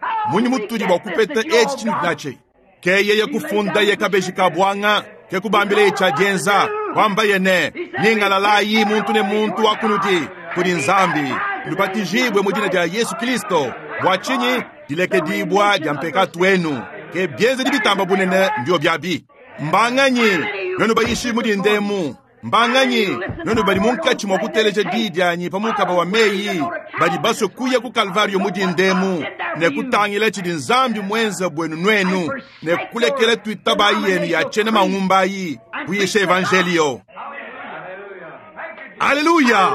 How Munyi do we mutudi get bua this kupeta that you etshi all tshinudi got? natshi? Ke yeye kufundaye kabeji ka bwanga, ke kubambilaye tshia dienza, wambaye ne, nyingalalayi muntu ne muntu wa kunudi kudi Nzambi, nubatijibwe mu dina dia Yesu Kristo, bua tshinyi dilekedibua dia mpekatu wenu. Ke bienzedi bitamba bunene mbio biabi. Mbanganyi nuenu bayishi mudi ndemu, mbanganyi nuenu badi munkatshi mua kuteleja diyi dianyi pa mukaba wa meyi, badi basue kuya ku Kalvario mudi ndemu ne kutangila tshidi Nzambi muenza buenu nuenu, ne kulekela tuitabayi yenu ya tshiena mangumbayi kuyisha evanjelio. Aleluya!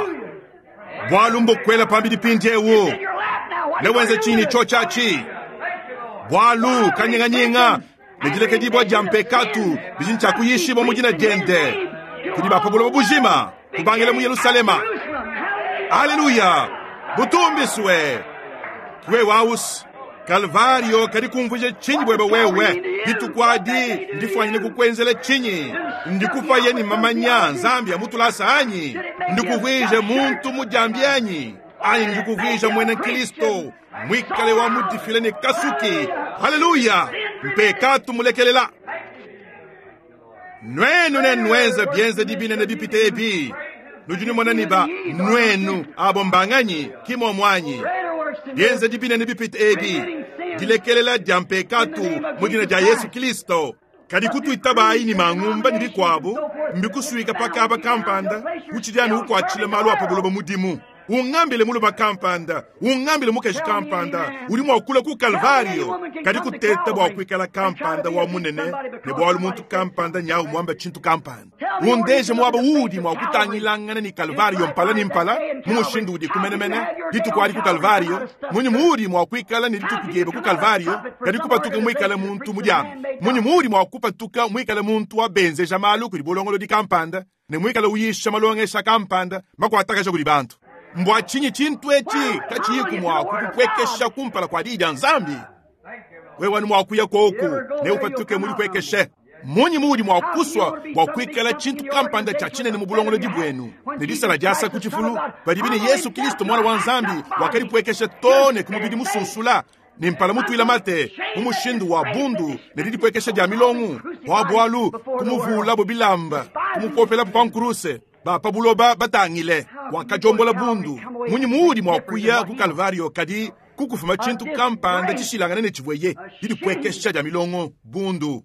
Bualu mbukwela pambidi pindiewu In your lap now. What ne you gonna wenze do tshinyi with it? tshiotshi bualu kanyinganyinga ne dilekedibua dia mpekatu bidi ntshiakuyishibua mu dina diende kudi ba pa buloba bujima kubangila mu Yelusalema. Jerusalem. Hallelujah. Aleluya! Butumbiswe wewe ausi Kalvario kadi kumvuija tshinyi bwebe wewe dituku adi ndifwanyine kukwenzela tshinyi ndikufa ni mamanya Nzambi amutulasa anyi ndikuvwije muntu mujambi anyi anyi ndikuvwija mwene Kristo mwikale wa mudifile ne kasuki. Haleluya! Mpekatu mulekelela. Nuenu nenuenze bienzedi binene bipite ebi. Nudi numona ne ba nuenu abo mbanganyi ki muomu anyi? Bienzedi binene bipite ebi, dilekelela dia mpekatu mu dina dia Yesu Kristo. Kadi kutuitabayi ne mangumba ne bikuabu mbikusuika pa kaba kampanda, utshidi anu ukuatshila malu a pa buloba mudimu. Ungambile mulume kampanda, ungambile mukaji kampanda udi mua kulua ku Kalvario, kadi kuteta bua kuikala kampanda wa munene ne bualu muntu kampanda nyawu muamba tshintu kampanda. Undeje muaba uudi mua kutangilangana ne Kalvario mpala ne mpala mu mushindu udiku menemene dituku adi ku Kalvario. Munyi muudi mua kuikala ne dituku diebe ku Kalvario, kadi kupatuka muikale muntu mudiambe? Munyi muudi mua kupatuka muikale muntu wa benzeja malu kudi bulongolodi kampanda ne muikale uyisha malongesha kampanda makuatakaja kudi bantu? Mbua tshinyi tshintu etshi katshiyiku mua kukupuekesha kumpala kua Diyi dia Nzambi? Wewe anu mua kuya koku ne upatuke mudipuekeshe. Mmunyi muudi mua kusua bua kuikala tshintu kampanda tshia tshinene mu bulongolodi buenu ne disala diasa ku tshifulu, padibi ne Yesu Kristo Muana wa Nzambi wakadipuekesha too ne ku mubidi musunsula ne mpala mutuila mate mu mushindu wa bundu ne didipuekesha dia milongo, bua bualu kumuvuulabo bilamba, kumupopelabu pa nkuruse? Ba pa buloba batangile, wakadiombola bundu. Munyi muudi mua kuya ku Kalvario kadi kukufuma tshintu kampanda tshishilangane ne tshivueye? Didipuekesha dia milongo, bundu.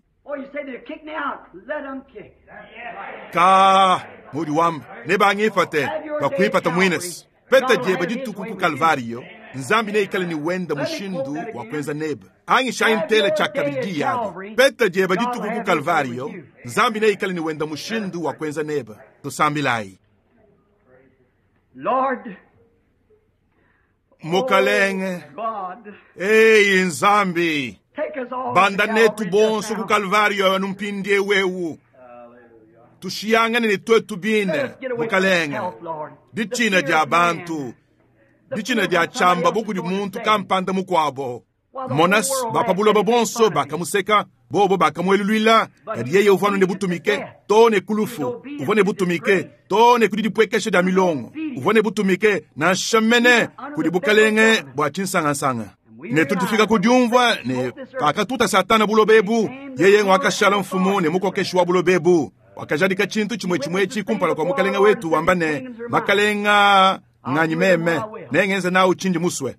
Ka muudi wamba, nebangipate, bakuipata muines. Peta diebe dituku ku Kalvario, Nzambi neikale ne wenda mushindu wa kuenza nebe. Angishayi ntela tshiakabidi diyi adi. Peta diebe dituku ku Kalvario, Nzambi neikale ne wenda mushindu wa kuenza nebe. Tusambilayi. Lord, Mukalenge, God, eyi Nzambi, take us all banda to netu Calvary bonso just ku now. Kalvario anu mpindieu eu. Tushiyangane ne tuetu bine, Let us get away from Mukalenge. self, Lord. The Ditshina fear dia of man. bantu, The ditshina fear dia of what somebody tshiamba else bu is kudi going to muntu say. kampanda mukuabo. While the Monas whole world ba pa laughed buloba and made bonso fun of him. bakamuseka, bobo bakamueluluila, But kadi he yeye was uvua anu ne obedient to butumike death. too ne ku He was lufu, obedient uvua ne to butumike disgrace. too ne ku didipuekesha dia He was milongo, obedient uvua ne butumike nansha mene even under kudi the federal bukalenge government. bua tshinsangansanga. And we Ne tudi tufika realize ku that when diumvua Satan ne smote this earth, pakatuta Satana buloba he ebu, became the yeye ruler wakashala and mfumu ne authority of this mukokeshi earth. wa buloba ebu. Wakajadika tshintu He chimwe chimwe witnessed the etshi thing kumpala kua before our mukalenge Lord wetu and said, wamba These ne, kingdoms are mine. makalenga I'll nganyi do with them meme, what I will. nengenze nawu tshindi musue. And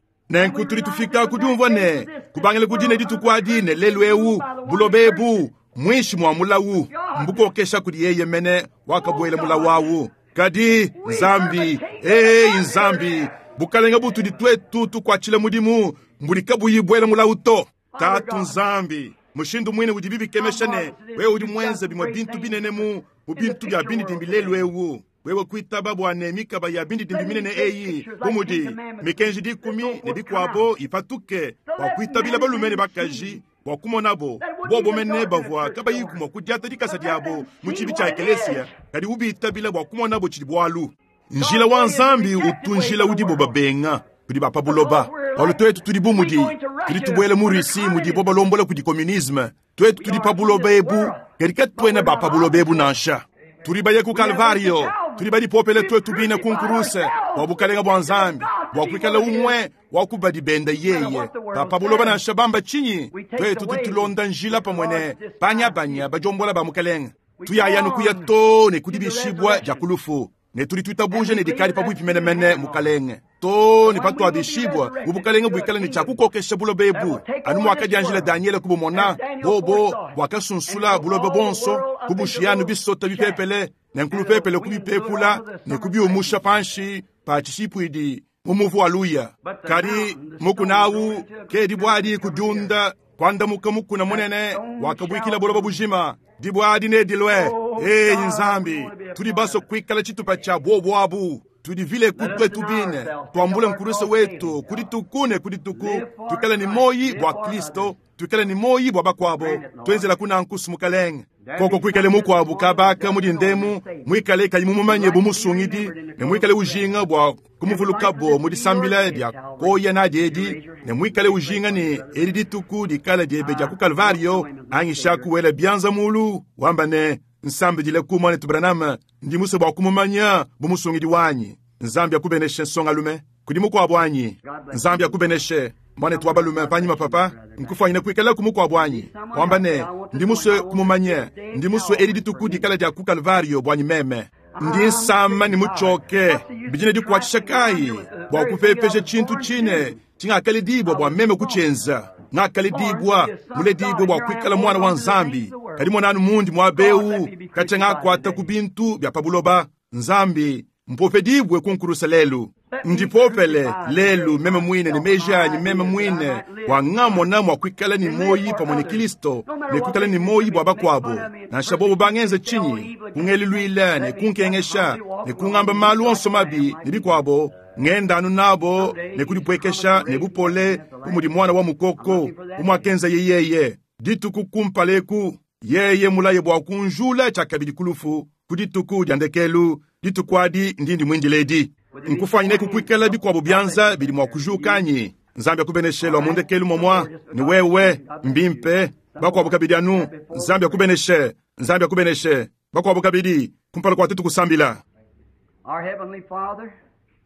Nenku we tudi realize tufika that ku from that diumvua day ne to this, this kubangila ku dine world dituku under the adi curse ne is lelu ruled eu by the one buloba that cursed ebu it. muinshi mua mulawu God, mbukokesha kudi yeye mene oh wakabuela mulawu God, awu. Kadi we serve a Nzambi, king that eyi does not Nzambi, bukalenge butudi tuetu tukuatshila mudimu mbudi kabuyi buela mulawu to. Father Tatu God, Nzambi, mushindu muine udi how bibikemesha ne marvelous it is wewe that udi you've done muenze some bimue great bintu things binene mu mu in the bintu bia picture bindidimbi world lelu today. eu. Wewe kuitaba bua ne mikaba ya bindidimbi Let minene these big eyi pictures bu like Ten mudi Commandments and mikenji and dikumi so ne forth come bikuabo out. ipatuke So bua let kuitabila men balume ne and bakaji see bua kumonabo that it wouldn't bobo be the mene dark in a bavua church kabayiku door, mua kudiata dikasa but let diabo them mu see tshibi tshia what it ekelesia is. kadi ubitabila bua kumonabo tshidi bualu. Njila God's wa way is the Nzambi rejected utu way njila by the udibo world. babenga kudi ba pa buloba. Because we're Bualu like tuetu tudi bu we mudi go into tudi Russia tubuela mu under Russie mudibo communism. balombola kudi communisme. Tuetu We tudi are pa in buloba this ebu, world, kadi but katuena we're ba not pa of buloba this ebu world. nansha. Tudi baye ku We have went to Kalvario, tudi Calvary. badipopele We've tuetu bine ku crucified nkuruse bua ourselves bukalenga bua to the Nzambi, God to bua be kuikala what it is. umue wa kubadi benda No matter yeye. what the Ba world pa buloba says, nansha bamba tshinyi, we take the tuetu tudi way tulonda njila which the pamue ne Lord this time banyabanya sees. badiombola ba mukalenge. We go Tuyaya nukuya on too ne to the kudibishibua dia resurrection, ku lufu. Ne tudi and tuitabuje we ne dikadi believe that's pabuipi soon at menemene hand, Lord. mukalenge. Too ne So when we will be patuabishibua mu resurrected bukalenge to a buikale ne tshia kingdom kukokesha buloba that ebu. will take Anu over this muakadianjila world, Daniele kubumona, as Daniel bobo foresaw it, and buakasunsula took buloba all the bonso world up into kubushiyanu little bisota shafts, bipepele ne and the nkulupepele wind blew it kubipepula all to the ne summer kubiumusha places. panshi pa tshishipuidi mu muvu wa luya. But the Kadi mountain, the stone, mukuna grew awu into a great ke mountain dibua and covered the earth. kudiunda kuandamuka mukuna That munene stone wakabuikila shall buloba be. bujima. Dibua adi nedilue. Oh Eyi God, we Nzambi, want to be a tudi part baso of it. kuikala tshitupa tshia bobo abu. Tudi vile Let us kutuetu deny bine ourselves, take up tuambule our nkuruse cross wetu daily, kudituku ne kudituku live for tuikale ne Christ, moyi live bua for others. Kristo tuikale ne moyi bua bakuabo Grant it, Lord. tuenzela kunankusu mukalenge There koko be kuikale some this mukuabu morning that kabaka doesn't know him as mudindemu Savior. muikale kayi Would mumumanye like bu to be musungidi remembered in the ne close muikale of death. ujinga bua And would like for kumuvulukabo this mu to be your disambila day dia at Calvary. koya nadi Would you edi raise your ne hand? muikale Let me pray ujinga for you, ne Brother edi Branham. dituku dikala diebe dia I ku don't know Kalvario him as my angisha Savior. kuwela bianza mulu wamba ne nsambidile ku mwanetu Branham ndi musue bua kumumanya bu musungidi wanyi. Nzambi akubeneshe nsongalume kudi mukuabu anyi. God bless Nzambi you. akubeneshe. Mwanetu wa balume panyima papa, nkufwanyine kwikalaku mukwabo anyi? Wamba ne, Ndi muswe kumumanya. Ndi muswe edi dituku dikala dya ku Kalvariyo bwanyi meme. Ndi nsama ne mutshoke. Bidi ne dikwatshisha kayi bwa kupepeja tshintu tshine tshingakalediibwa bwa meme kutshenza? Ngakaledibwa, muledibwe bwa kwikala mwana wa Nzambi. Kadi monanu mundi mwaba ewu, katshia ngakwata ku bintu bya pa buloba. Nzambi, mpopedibwe ku nkulusa lelu. Ndipopele lelu meme mwine ne meji anyi meme mwine, bwa ngamona mwa kwikala ne muoyi pamwe ne Kilisto ne kwikala ne muoyi bwa bakwabo, nansha bobo bangenza tshinyi, kungeluluila ne kunkengesha ne kungamba malu onso mabi ne bikwabo, ngenda anu nabo ne kudipwekesha ne bupole bu mudi mwana wa mukoko, bu mwakenzaye yeye dituku kumpala eku. Yeye mulaye bwa kunjula tshiakabidi ku lufu ku dituku dya ndekelu, dituku adi ndindi mwindile edi. Nkufwanyineku kwikala bikwabo byanza bidi mwa kujuka anyi? Nzambi akubeneshe lwa mu ndekelu momwa ne wewe. Mbimpe. Bakwabo kabidi anu. Nzambi akubeneshe. Nzambi akubeneshe. Bakwabo kabidi, kumpala kwa tuetu kusambila.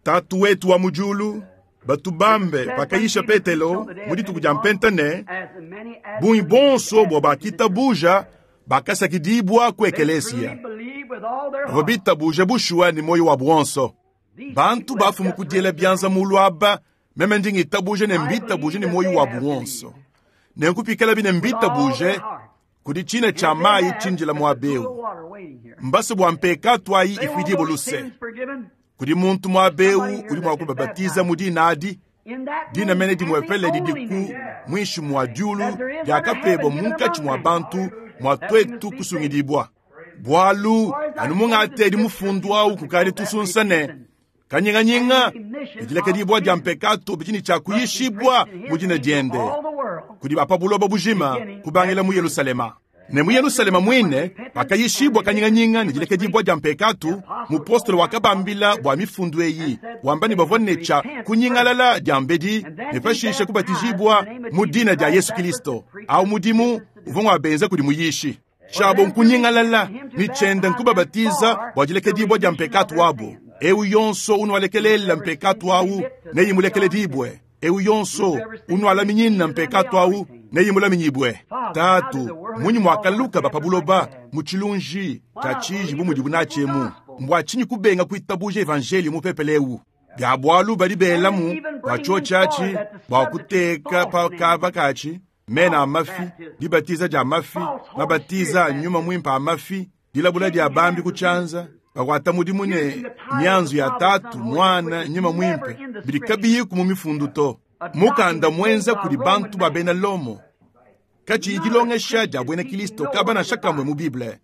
Tatu wetu wa mu Diulu, batu bambe pakayisha Petelo mu dituku dia Mpenta ne, bungi bonso bua bakitabuja bakasakidibua ku ekelesia. Bavua bitabuja bushuwa ne muoyo wabu wonso. Bantu bafumu ku diela bianza mulu aba, meme ndi ngitabuja ne mbitabuje ne muoyo wabu wonso. Nenku pikalabi ne mbitabuje, kudi tshina tshia mayi tshindila muaba eu. Mbase bua mpekatu ayi ifuidibue luse. Kudi muntu muaba eu udi mua kubabatiza mu dina adi, dina mene dimuepele didi ku muinshi mua diulu diakapebua munkatshi mua bantu mua tuetu kusungidibua. Bualu anu mungatedi mufundu au kukadi tusunsa ne kanyinganyinga ne dilekedibua dia mpekatu bidi ne tshia kuyishibua mu dina diende kudi ba pa buloba bujima, kubangila mu Yelusalema. Ne mu Yelusalema muine pakayishibua kanyinganyinga ne dilekedibua dia mpekatu, mupostolo wakabambila bua mifundu eyi, wamba ne bavua ne tshia kunyingalala diambedi ne pashishe kubatijibua mu dina dia Yesu Kilisto. Au mudimu uvua ngua benza kudi muyishi. Tshiabo nkunyingalala ne tshiende nkubabatiza bua dilekedibua dia mpekatu wabo. Eu yonso unualekelelela mpekatu au neyimulekeledibue. Eu yonso unualaminyina mpekatu au neyimulaminyibue. Tatu, munyi muakaluka ba pa buloba mu tshilunji tshia tshiji bu mudibu natshi emu? Mbua tshinyi kubenga kuitabuja evanjeliyo mupepele eu? Bia bualu badi belamu bua tshiotshi atshi bua kuteka pa kaba katshi mena a mafi, dibatiza dia mafi, mabatiza a nyuma muimpe a mafi, dilabula dia bambi ku tshianza, bakuata mudimu ne mianzu ya Tatu, Muana, Nyuma Muimpe, bidi kabiyiku mu mifundu to. Mukanda muenza kudi bantu ba bena Lomo, katshiyi dilongesha dia buena Kilisto kaba nansha kamue mu Bible.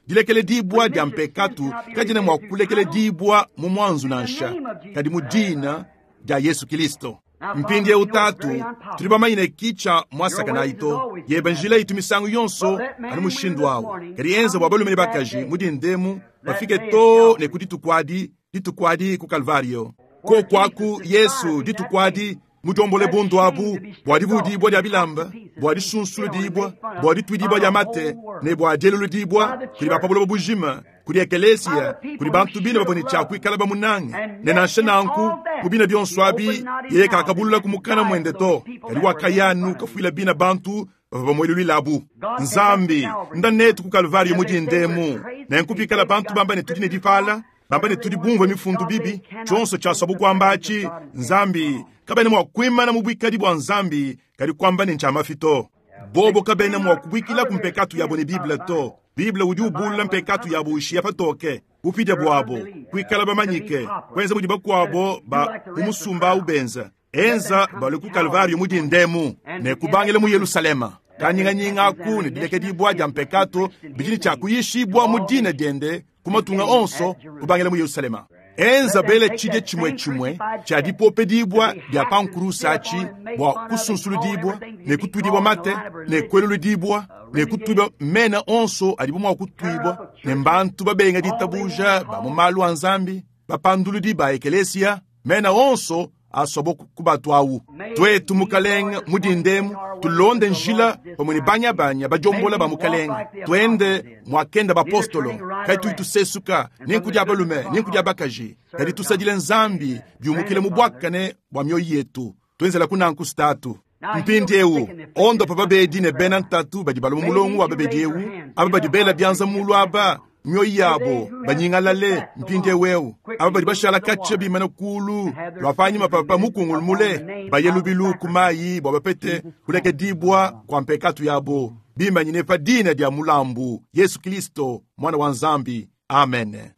Dilekeledibua dia mpekatu kadiena mua kulekeledibua mu muanzu nansha, kadi mu dina dia Yesu Kilisto. Mpindieu Tatu, tudi bamanye ne ki tshia muasakanayi to. Yeba njila itu misangu yonso anu mushindu au. Kadi enza bua balume ne bakaji mu dindemu bafike too ne ku dituku adi, dituku adi ku Kalvario. Koku aku Yesu dituku adi mudombole bundu abu bua divuudibua dia bilamba, bua disunsuludibua, bua dituidibua dia mate ne bua dieluludibua kudi ba pa buloba bujima, kudi ekelesia, kudi bantu bine bavua ne tshia kuikala bamunange. Ne nansha nanku, mu bina bionso abi, yeye kakabulula ku mukana muende to, kadi wakaya anu kafuila bina bantu bavua bamueluluilabu. Nzambi, nda netu ku Kalvario mu dinda emu. Nenku pikala bantu bamba ne tudi ne dipala, bamba ne tudi bumvue mifundu bibi, tshionso tshiasuabu kuamba atshi, Nzambi, kabena mua kuimana mu buikadi bua Nzambi, kadi kuamba ne ntshia mafi to. Bobo kabena mua kubuikilaku mpekatu yabo ne Bible to. Bible udi ubulula mpekatu yabo ushiya patoke bupidia buabo, kuikala bamanyike, kuenza mudi bakuabo ba mu musumba au benza. Enza balue ku Kalvario mu dinda emu ne kubangila mu Yelusalema. Kanyinganyinga aku ne dilekedibua dia mpekatu bidi ne tshia kuyishibua mu dina diende ku matunga onso, kubangila mu Yelusalema. Enza bele tshidia tshimue tshimue tshia dipopedibua dia pa nkurusa atshi bua kusunsuludibua ne kutuidibua mate ne kueluludibua ne kutuibua mena onso adibu mua kutuibua ne mbantu babenga ditabuja ba mu malu a Nzambi, bapanduludi ba ekelesia, mena onso asuabo kubatuawu. Tuetu, Mukalenge, mu dinda emu, tulonde njila pamue ne banyabanya badiombola ba Mukalenge, tuende muakenda bapostolo, katuyi tusesuka ni nku dia balume ni nku dia bakaji, kadi tusadile Nzambi biumukile mu buakane bua mioyo yetu. Tuenzelaku nanku statu. Mpindieu, ondopa babedi ne bena ntatu badi balua mu mulongo wa babedi eu, aba badi bela bianza mulu aba mioyo yabo banyingalale mpindieu eu, aba badi bashala katshia bimane kulu lua panyima papa mukungulu mule, baye lubilu ku mayi bua bapete kulekedibua kua mpekatu yabo, bimanyine pa dina dia mulambu Yesu Kristo Mwana wa Nzambi. Amen.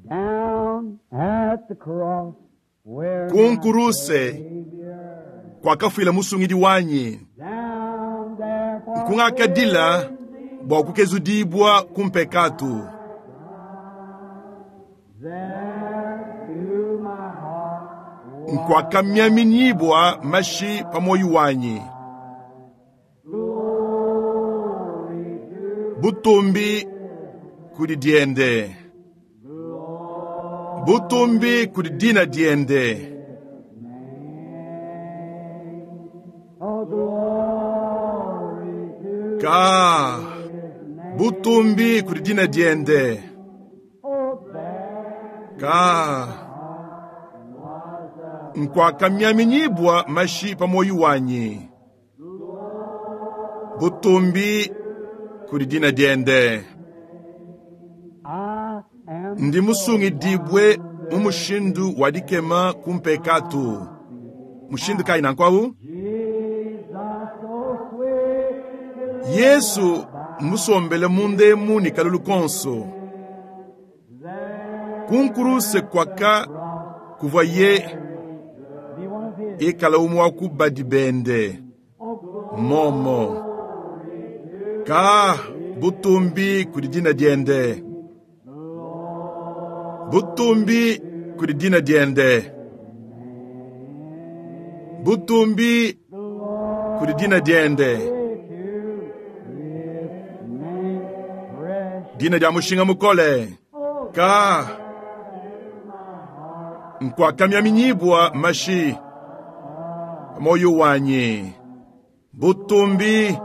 Down at the cross where Ku nkuruse kuakafuila musungidi wanyi, down there for kungakadila bua kukezudibua ku mpekatu. there to my heart Nkuakamiaminyibua mashi pa moyo wanyi, glory to butumbi kudi diende, butumbi kudi dina diende. oh glory to Ka butumbi kudi dina diende. oh there Ka nkuakamiaminyibua mashi pa moyo wanyi, butumbi kudi dina diende. I am Ndi musungidibwe mu mushindu wa dikema ku mpekatu. Mushindu kayi nanku? Jesus so sweet Yesu musombele mundemu ni kalulu konso. Kunkuruse kwaka kuvwa ye be one of his ikala umwe wa ku badi bende. Momo. Ka butumbi kudi dina diende. Butumbi kudi dina diende. Butumbi kudi dina diende. to his name precious Dina dia mushinga mukole. Ka nkuakamiaminyibua mashi moyo wanyi. Butumbi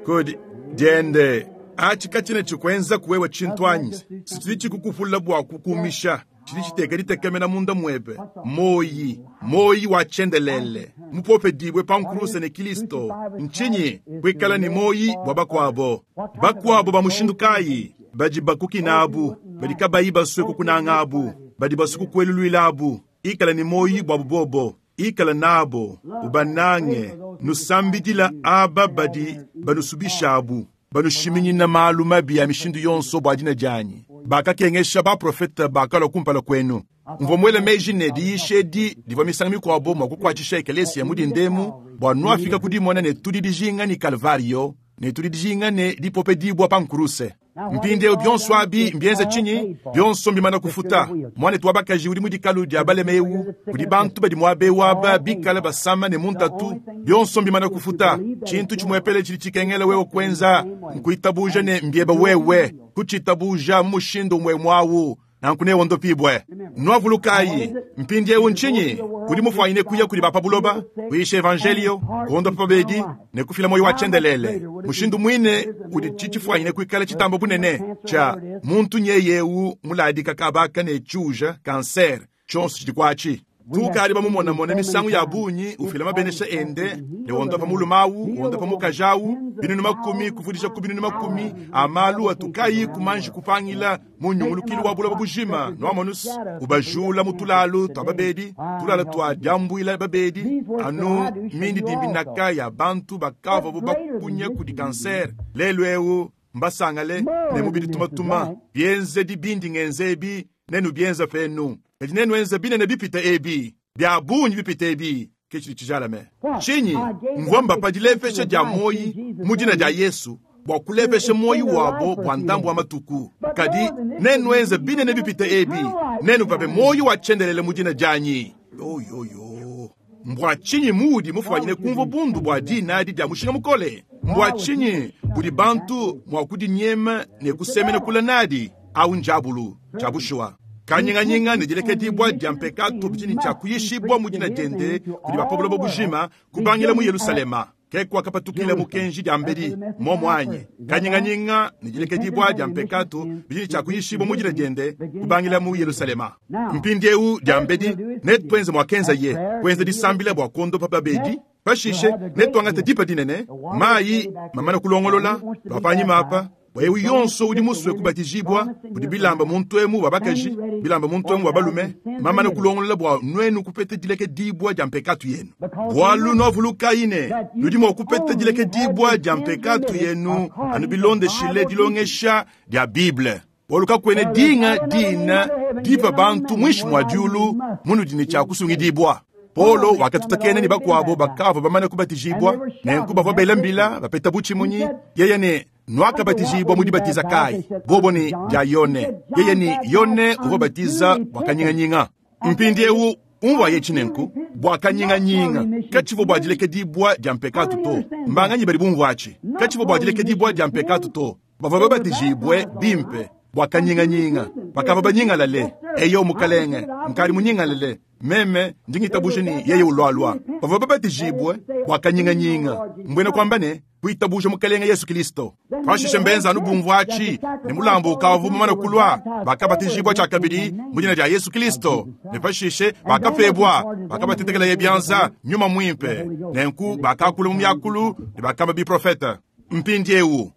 kudi diende. Achi kachine chikwenza kuwewe chintwanyi. Situli chikukufula bua kukumisha. Chili chiteka litekemena munda mwebe. Moyi, moyi wa chendelele. Mupope dibwe pa nkuruse ne Kristo. Nchinyi kwikala ni moyi bwa bakwabo. Bakwabo ba mushindu kayi badi bakukinabu, badi kabayi baswe kukunangabu, badi baswe kukwelulwilabu. Ikala ni moyi bwa bubobo. Ikala nabo, ubanange, nusambidila aba badi banusubishabu, banushiminyina malu mabi ya mishindu yonso bua dina dianyi. Bakakengesha baprofeta bakalua kumpala kwenu. Mvua muele meji ne diyisha edi divua misangu mikuabo mua kukuatshisha ekelesia mu dindemu bua nuafika kudimona ne tudi dijinga ni Kalvario ne tudi dijinga ne dipopedibua pa nkuruse. Mpindieu bionso abi mbienze tshinyi? Bionso mbimana kufuta. Mwanetu wa bakaji udi mu dikalu dia balema eu, kudi bantu badi muaba aba bikala basama ne muntatu, bionso mbimana kufuta. Tshintu tshimuepele tshidi tshikengela wewe kuenza nkuitabuja ne mbieba wewe kutshitabuja mu mushindu umwe mwawu nanku newondopibwe. Nwavulukayi mpindieu nchinyi udi mufwanyine kuya kudi bapa buloba kuyisha evangelio kuondopa babedi ne kufila moyo wa chendelele. Mushindu mwine udi tshitshifwanyine kuikala tshitamba bunene cha muntu nyeyeu muladika kabaka ne chuja kanser chonso tshidi kwachi. Tukali bamumonamona misangu ya bunyi ufila mabenesha ende ne wondopa mulumawu wondopa mukajawu binunu makumi kuvudisha ku binunu makumi amalu atukayi kumanji kupangila mu nyungulukilu wa buloba bujima noamonus ubajula mu tulalu twa babedi tulala twa diambuila babedi anu mindi dimbinaka ya bantu bakava bo bakunya kudi kanser lelu eu mbasangale ne mubidi tumatuma bienze dibindi ngenze ebi nenu bienza penu kadi nenu enza binene bipita ebi bya bungi bipita ebi ke tshidi tshijalame. Tshinyi mvua mbapa dilepesha dia moyi mu dina dia Yesu bua kulepesha moyi wabo bua ndambu wa matuku. Kadi nenu enza binene bipita ebi nenu pape moyi wa tshiendelele mu dina dianyi. Oyoyo mbua tshinyi muudi mufwanyine kumva bundu bua dina adi dia mushinga mukole? Mbua tshinyi budi bantu mua kudinyema ne kusemena kula nadi au njabulu tshia bushuwa? Kanyinganyinga ne dilekedibua dia mpekatu bidi ne tshia kuyishibua mu dina diende kudi ba pa buloba bujima kubangila mu Yerusalema. Ke kuakapatukila mukenji diambedi, mmuomu anyi? Kanyinganyinga ne dilekedibua dia mpekatu bidi ne tshia kuyishibua mu dina diende kubangila mu Yelushalema. Mpindieu diambedi, netuenze muakenzaye, kuenza disambila bua kuondopa babedi. Pashishe netuangate dipa dinene, mayi mamana kulongolola, lua panyima apa. Bua eu yonso udi musue kubatijibua, kudi bilamba muntu emu bua bakaji, bilamba muntu emu bua balume, mamana kulongolola bua nuenu kupeta dilekedibua dia mpekatu yenu. Bualu nuavulukayi ne, nudi mua kupeta dilekedibua dia mpekatu yenu anu bilondeshile dilongesha dia Bible. Bualu kakuena dinga dina dipa bantu muinshi mua diulu munudi ne tshia kusungidibua. Paulo wakatutakena ne bakuabo bakavua bamane kubatijibua, nenku bavua bela mbila bapeta butshimunyi. Yeye ne nuakabatijibua mu dibatiza kayi? Bobo ne dia Yone. Yeye ne Yone uvua batiza bua kanyinganyinga. Mpindieu umvuaye etshi nenku bua kanyinganyinga, katshivua bua dilekedibua dia mpekatu to. Mbanganyi badi bumvuatshi? Katshivua bua dilekedibua dia mpekatu to. Bavua babatijibue bimpe bua kanyinganyinga, bakavua banyingalale. Eyo mukalenge, nkadi munyingalale meme ndi ngitabuja ne yeye ulualua. Bavua babatijibue bua kanyinganyinga, mbuena kuamba ne kuitabuja mukalenge Yesu Kristo. Pashishe mbenza anu bumvuatshi ne mulambu ukavua mumane kulua, bakabatijibua tshiakabidi mu dina dia Yesu Kristo, ne pashishe bakapebua, bakabatetekelaye bianza nyuma muimpe, nenku bakakula mu miakulu ne bakamba biprofete. Mpindieu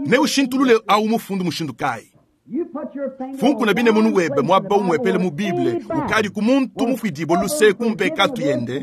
neushintulule au mufundu mushindu kayi? Funkuna bine munu webe muaba umuepele mu Bible ukadi ku muntu mufuidibue luse ku mpekatu yende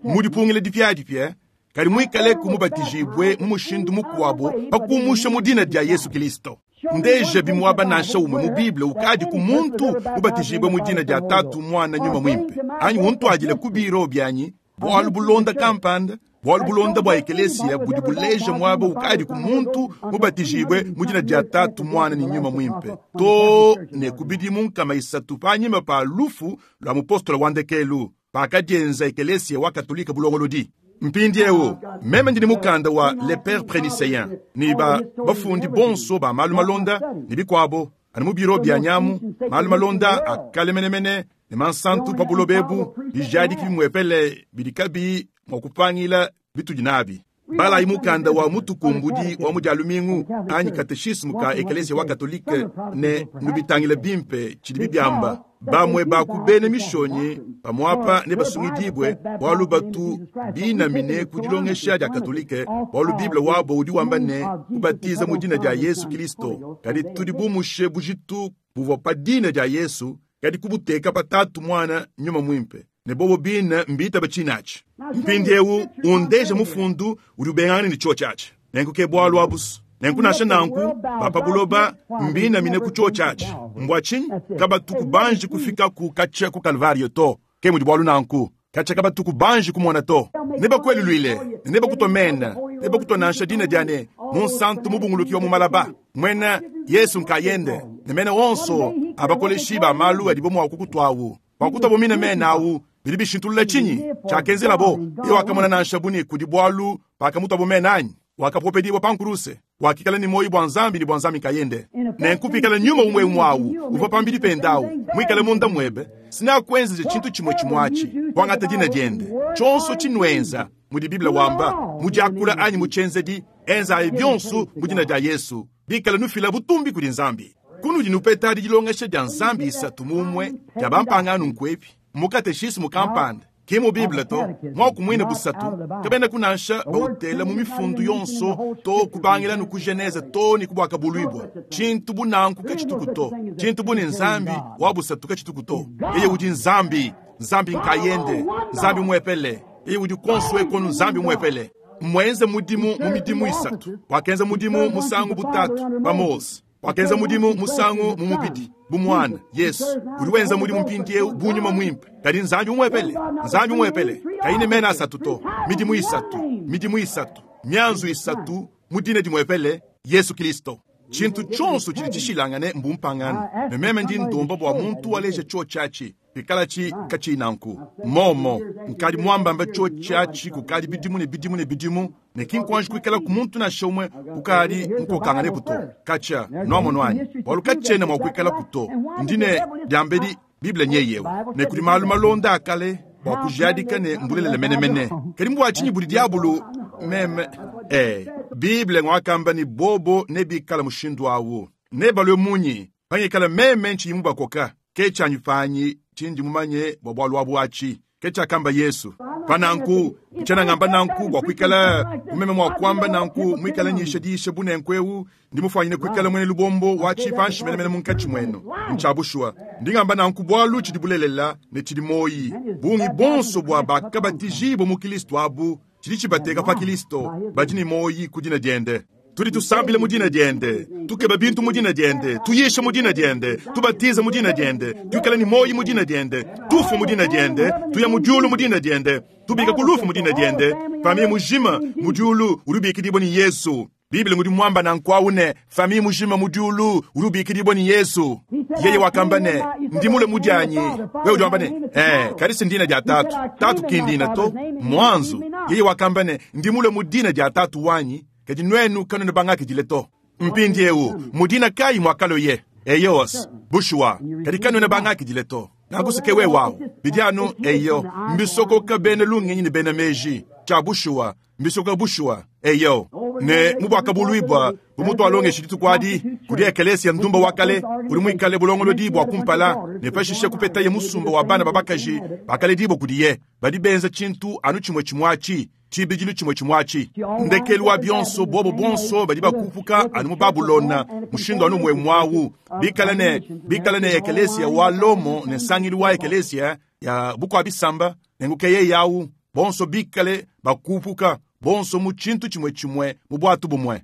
mu dipungila dipiadipia, kadi muikaleku mubatijibue mu mushindu mukuabo pa kumusha mu dina dia Yesu Kristo. Ndeje bimuaba nansha umue mu Bible ukadi ku muntu mubatijibue mu dina dia Tatu, Muana, Nyuma Muimpe, anyi untuadile ku biro bianyi bualu bulonda kampanda, bualu bulonda bua ekelesia budi buleja muaba ukadi ku muntu mubatijibue mu dina dia Tatu, Muana ne Nyuma Muimpe, to ne ku bidimu 300 panyima pa lufu lua mupostolo wa ndekelu, pakadienza ekelesia wa Katolika bulongolodi. Mpindieu meme ndi ne mukanda wa Les Pères Prénicéens ne ba bafundi bonso ba malu malonda ne bikuabo anu mu biro bia nyamu, malu malonda a kale menemene ne mansantu pa buloba ebu, bijadiki bimuepele bidi kabiyi mua kupangila bitudi nabi. Balayi mukanda wa mutukumbudi wa mu dia lumingu anyi kateshismu ka ekelesia wa Katolike ne nubitangile bimpe tshidi bibiamba. Bamue ba ku bena mishonyi pamuapa ne basungidibue bualu batu binamine ku dilongesha dia Katolike, bualu Bible wabo udi wamba ne kubatiza mu dina dia Yesu Kristo, kadi tudi bumushe bujitu buvua pa dina dia Yesu, kadi kubuteka pa Tatu, Muana, Nyuma Muimpe, ne bobo bine mbitaba tshinatshi. Mpindieu undeje mufundu udi ubengangana ne tshiotshi atshi. Nenku ke bualu abusu. Nenku nansha nanku ba pa buloba mbinamine ku tshiotshi atshi. Mbua tshinyi kabatu kubanji kufika ku katshia ku Kalvario to? Ke mudi bualu nanku katshia kabatu kubanji kumona to. Nebakueluluile ne nebakutua mena, nebakutua nansha dina dia ne Munsantu mubunguluki wa mu malaba, muena Yesu nkayende, ne mena onso abakoleshi ba malu adibo mua kukutuawu. Pakutuabo mine mena awu, bidi bishintulula tshinyi tshiakenzelabo? Ye wakamona nansha buni kudi bualu pakamutuabo mena anyi? Wakapopedibua pa nkuruse, wakikala ne muoyo bua Nzambi ne bua Nzambi nkayende. Nenku pikala nyuma umue umue awu uvua pambidi pende awu muikale munda muebe, sinakuenzeja tshintu tshimue tshimue atshi, kuangata dina diende. Tshionso tshinuenza, mudi Bible wamba, mu diakula anyi mu tshienzedi, enzayi bionso mu dina dia Yesu, bikala nufila butumbi kudi Nzambi. Kunudi nupeta dilongesha dia Nzambi isatu mu umue dia bampangano nkuepi? Mu kateshismu kampanda, ki mu Bible to. Muaku muine busatu kabena kunansha bautela mu mifundu yonso to, kubangila nu ku Genese to ne ku Buakabuluibua. Tshintu bu nanku katshituku to. Tshintu bu ne Nzambi wa busatu katshituku to. Yeye udi Nzambi, Nzambi nkayende, Nzambi muepele. Yeye udi konso ekonu Nzambi muepele. Mmuenze mudimu mu midimu isatu. Wakenza mudimu musangu bu Tatu pa Mose. Wakenza mudimu musangu mu mubidi bu Muana Yesu. Udi wenza mudimu mpindieu bu Nyuma Muimpe, kadi Nzambi umuepele, Nzambi umuepele, kayi ne mena asatu to. Midimu isatu, midimu isatu, mianzu isatu mu dina dimuepele, Yesu Kristo. Tshintu tshionso tshidi tshishilangane mbumpangano, ne meme ndi ndomba bua muntu waleja tshiotshi atshi bikalatshi katshiyi nanku. Momo nkadi muambamba tshiotshi atshi kukadi bidimu ne bidimu ne bidimu, ne ki nkuanji kuikala ku muntu nansha umue ukadi mukokanganepu to. Katshia nuamono anyi? Bualu katshiena mua kuikalaku to. Ndi ne diambedi Bible nyeyewu, ne kudi malu malonda a kale bua kujadika ne mbulelela menemene. Kadi mbua tshinyi budi diabulu Meme, ee, Bible ngwakamba ne bobo nebikale mushindu awu. Nebalue munyi pangikala meme ntshiyi mubakoka? Ke tshianyi panyi tshindi mumanye bua bualu abu atshi. Ke tshiakamba Yesu. Pa nanku, ntshiena ngamba nanku bua kuikala bu meme mua kuamba nanku muikale nyisha diyisha bu nenku eu, ndi mufuanyine kuikala muena lubombo wa tshipanshi menemene munkatshi muenu. Ntshia bushuwa, ndi ngamba nanku bualu tshidi bulelela ne tshidi muoyi. Bungi bonso bua bakabatijibua mu Kilisto abu, tshidi tshibateka pa Kilisto, badi ne muoyi ku dina diende. Tudi tusambila mu dina diende, tukeba bintu mu dina diende, tuyisha mu dina diende, tubatiza mu dina diende, tuikala ne muoyi mu dina diende, tufua mu dina diende, tuya mu diulu mu dina diende, tubika ku lufu mu dina diende. Famille mujima mu diulu udi ubikidibua ne Yesu. Bible ngudi muamba nanku awu ne, famille mujima mu diulu udi ubikidibua ne Yesu. Yeye wakamba ne, ndi mule mu dianyi. Wewe udi wamba ne, eh, kadi si ndina dia Tatu. Tatu ki ndina to, mmuanzu. Yeye wakamba ne, ndi mule mu dina dia Tatu wanyi, kadi nuenu kanuena bangakidile to. Mpindiewu, mu dina kayi muakaloye? Eyowas, bushuwa, kadi kanuena bangakidile to. Nanku ke wewe awu. Bidi anu, eyo, mbisokoka bena lungenyi ne bena meji. Tshia bushuwa, mbisokoka bushuwa, eyo. Ne mu Buakabuluibua, bu mutualongeshi dituku adi, kudi ekelesia ndumba wa kale, udi muikale bulongolodi bua kumpala, ne pashishe kupetaye musumba wa bana ba bakaji bakaledibua kudiye, badi benza tshintu anu tshimue tshimue atshi, tshibidilu tshimue tshimue atshi. Ndekelu wa bionso, bobo bonso badi bakupuka anu mu Babulona, mushindu anu umue umue awu, bikale ne, bikale ne ekelesia wa Lomo ne nsangilu wa ekelesia ya bukua-bisamba, nenku ke yeye awu, bonso bikale bakupuka, bonso mu tshintu tshimue tshimue, mu buatu bumue.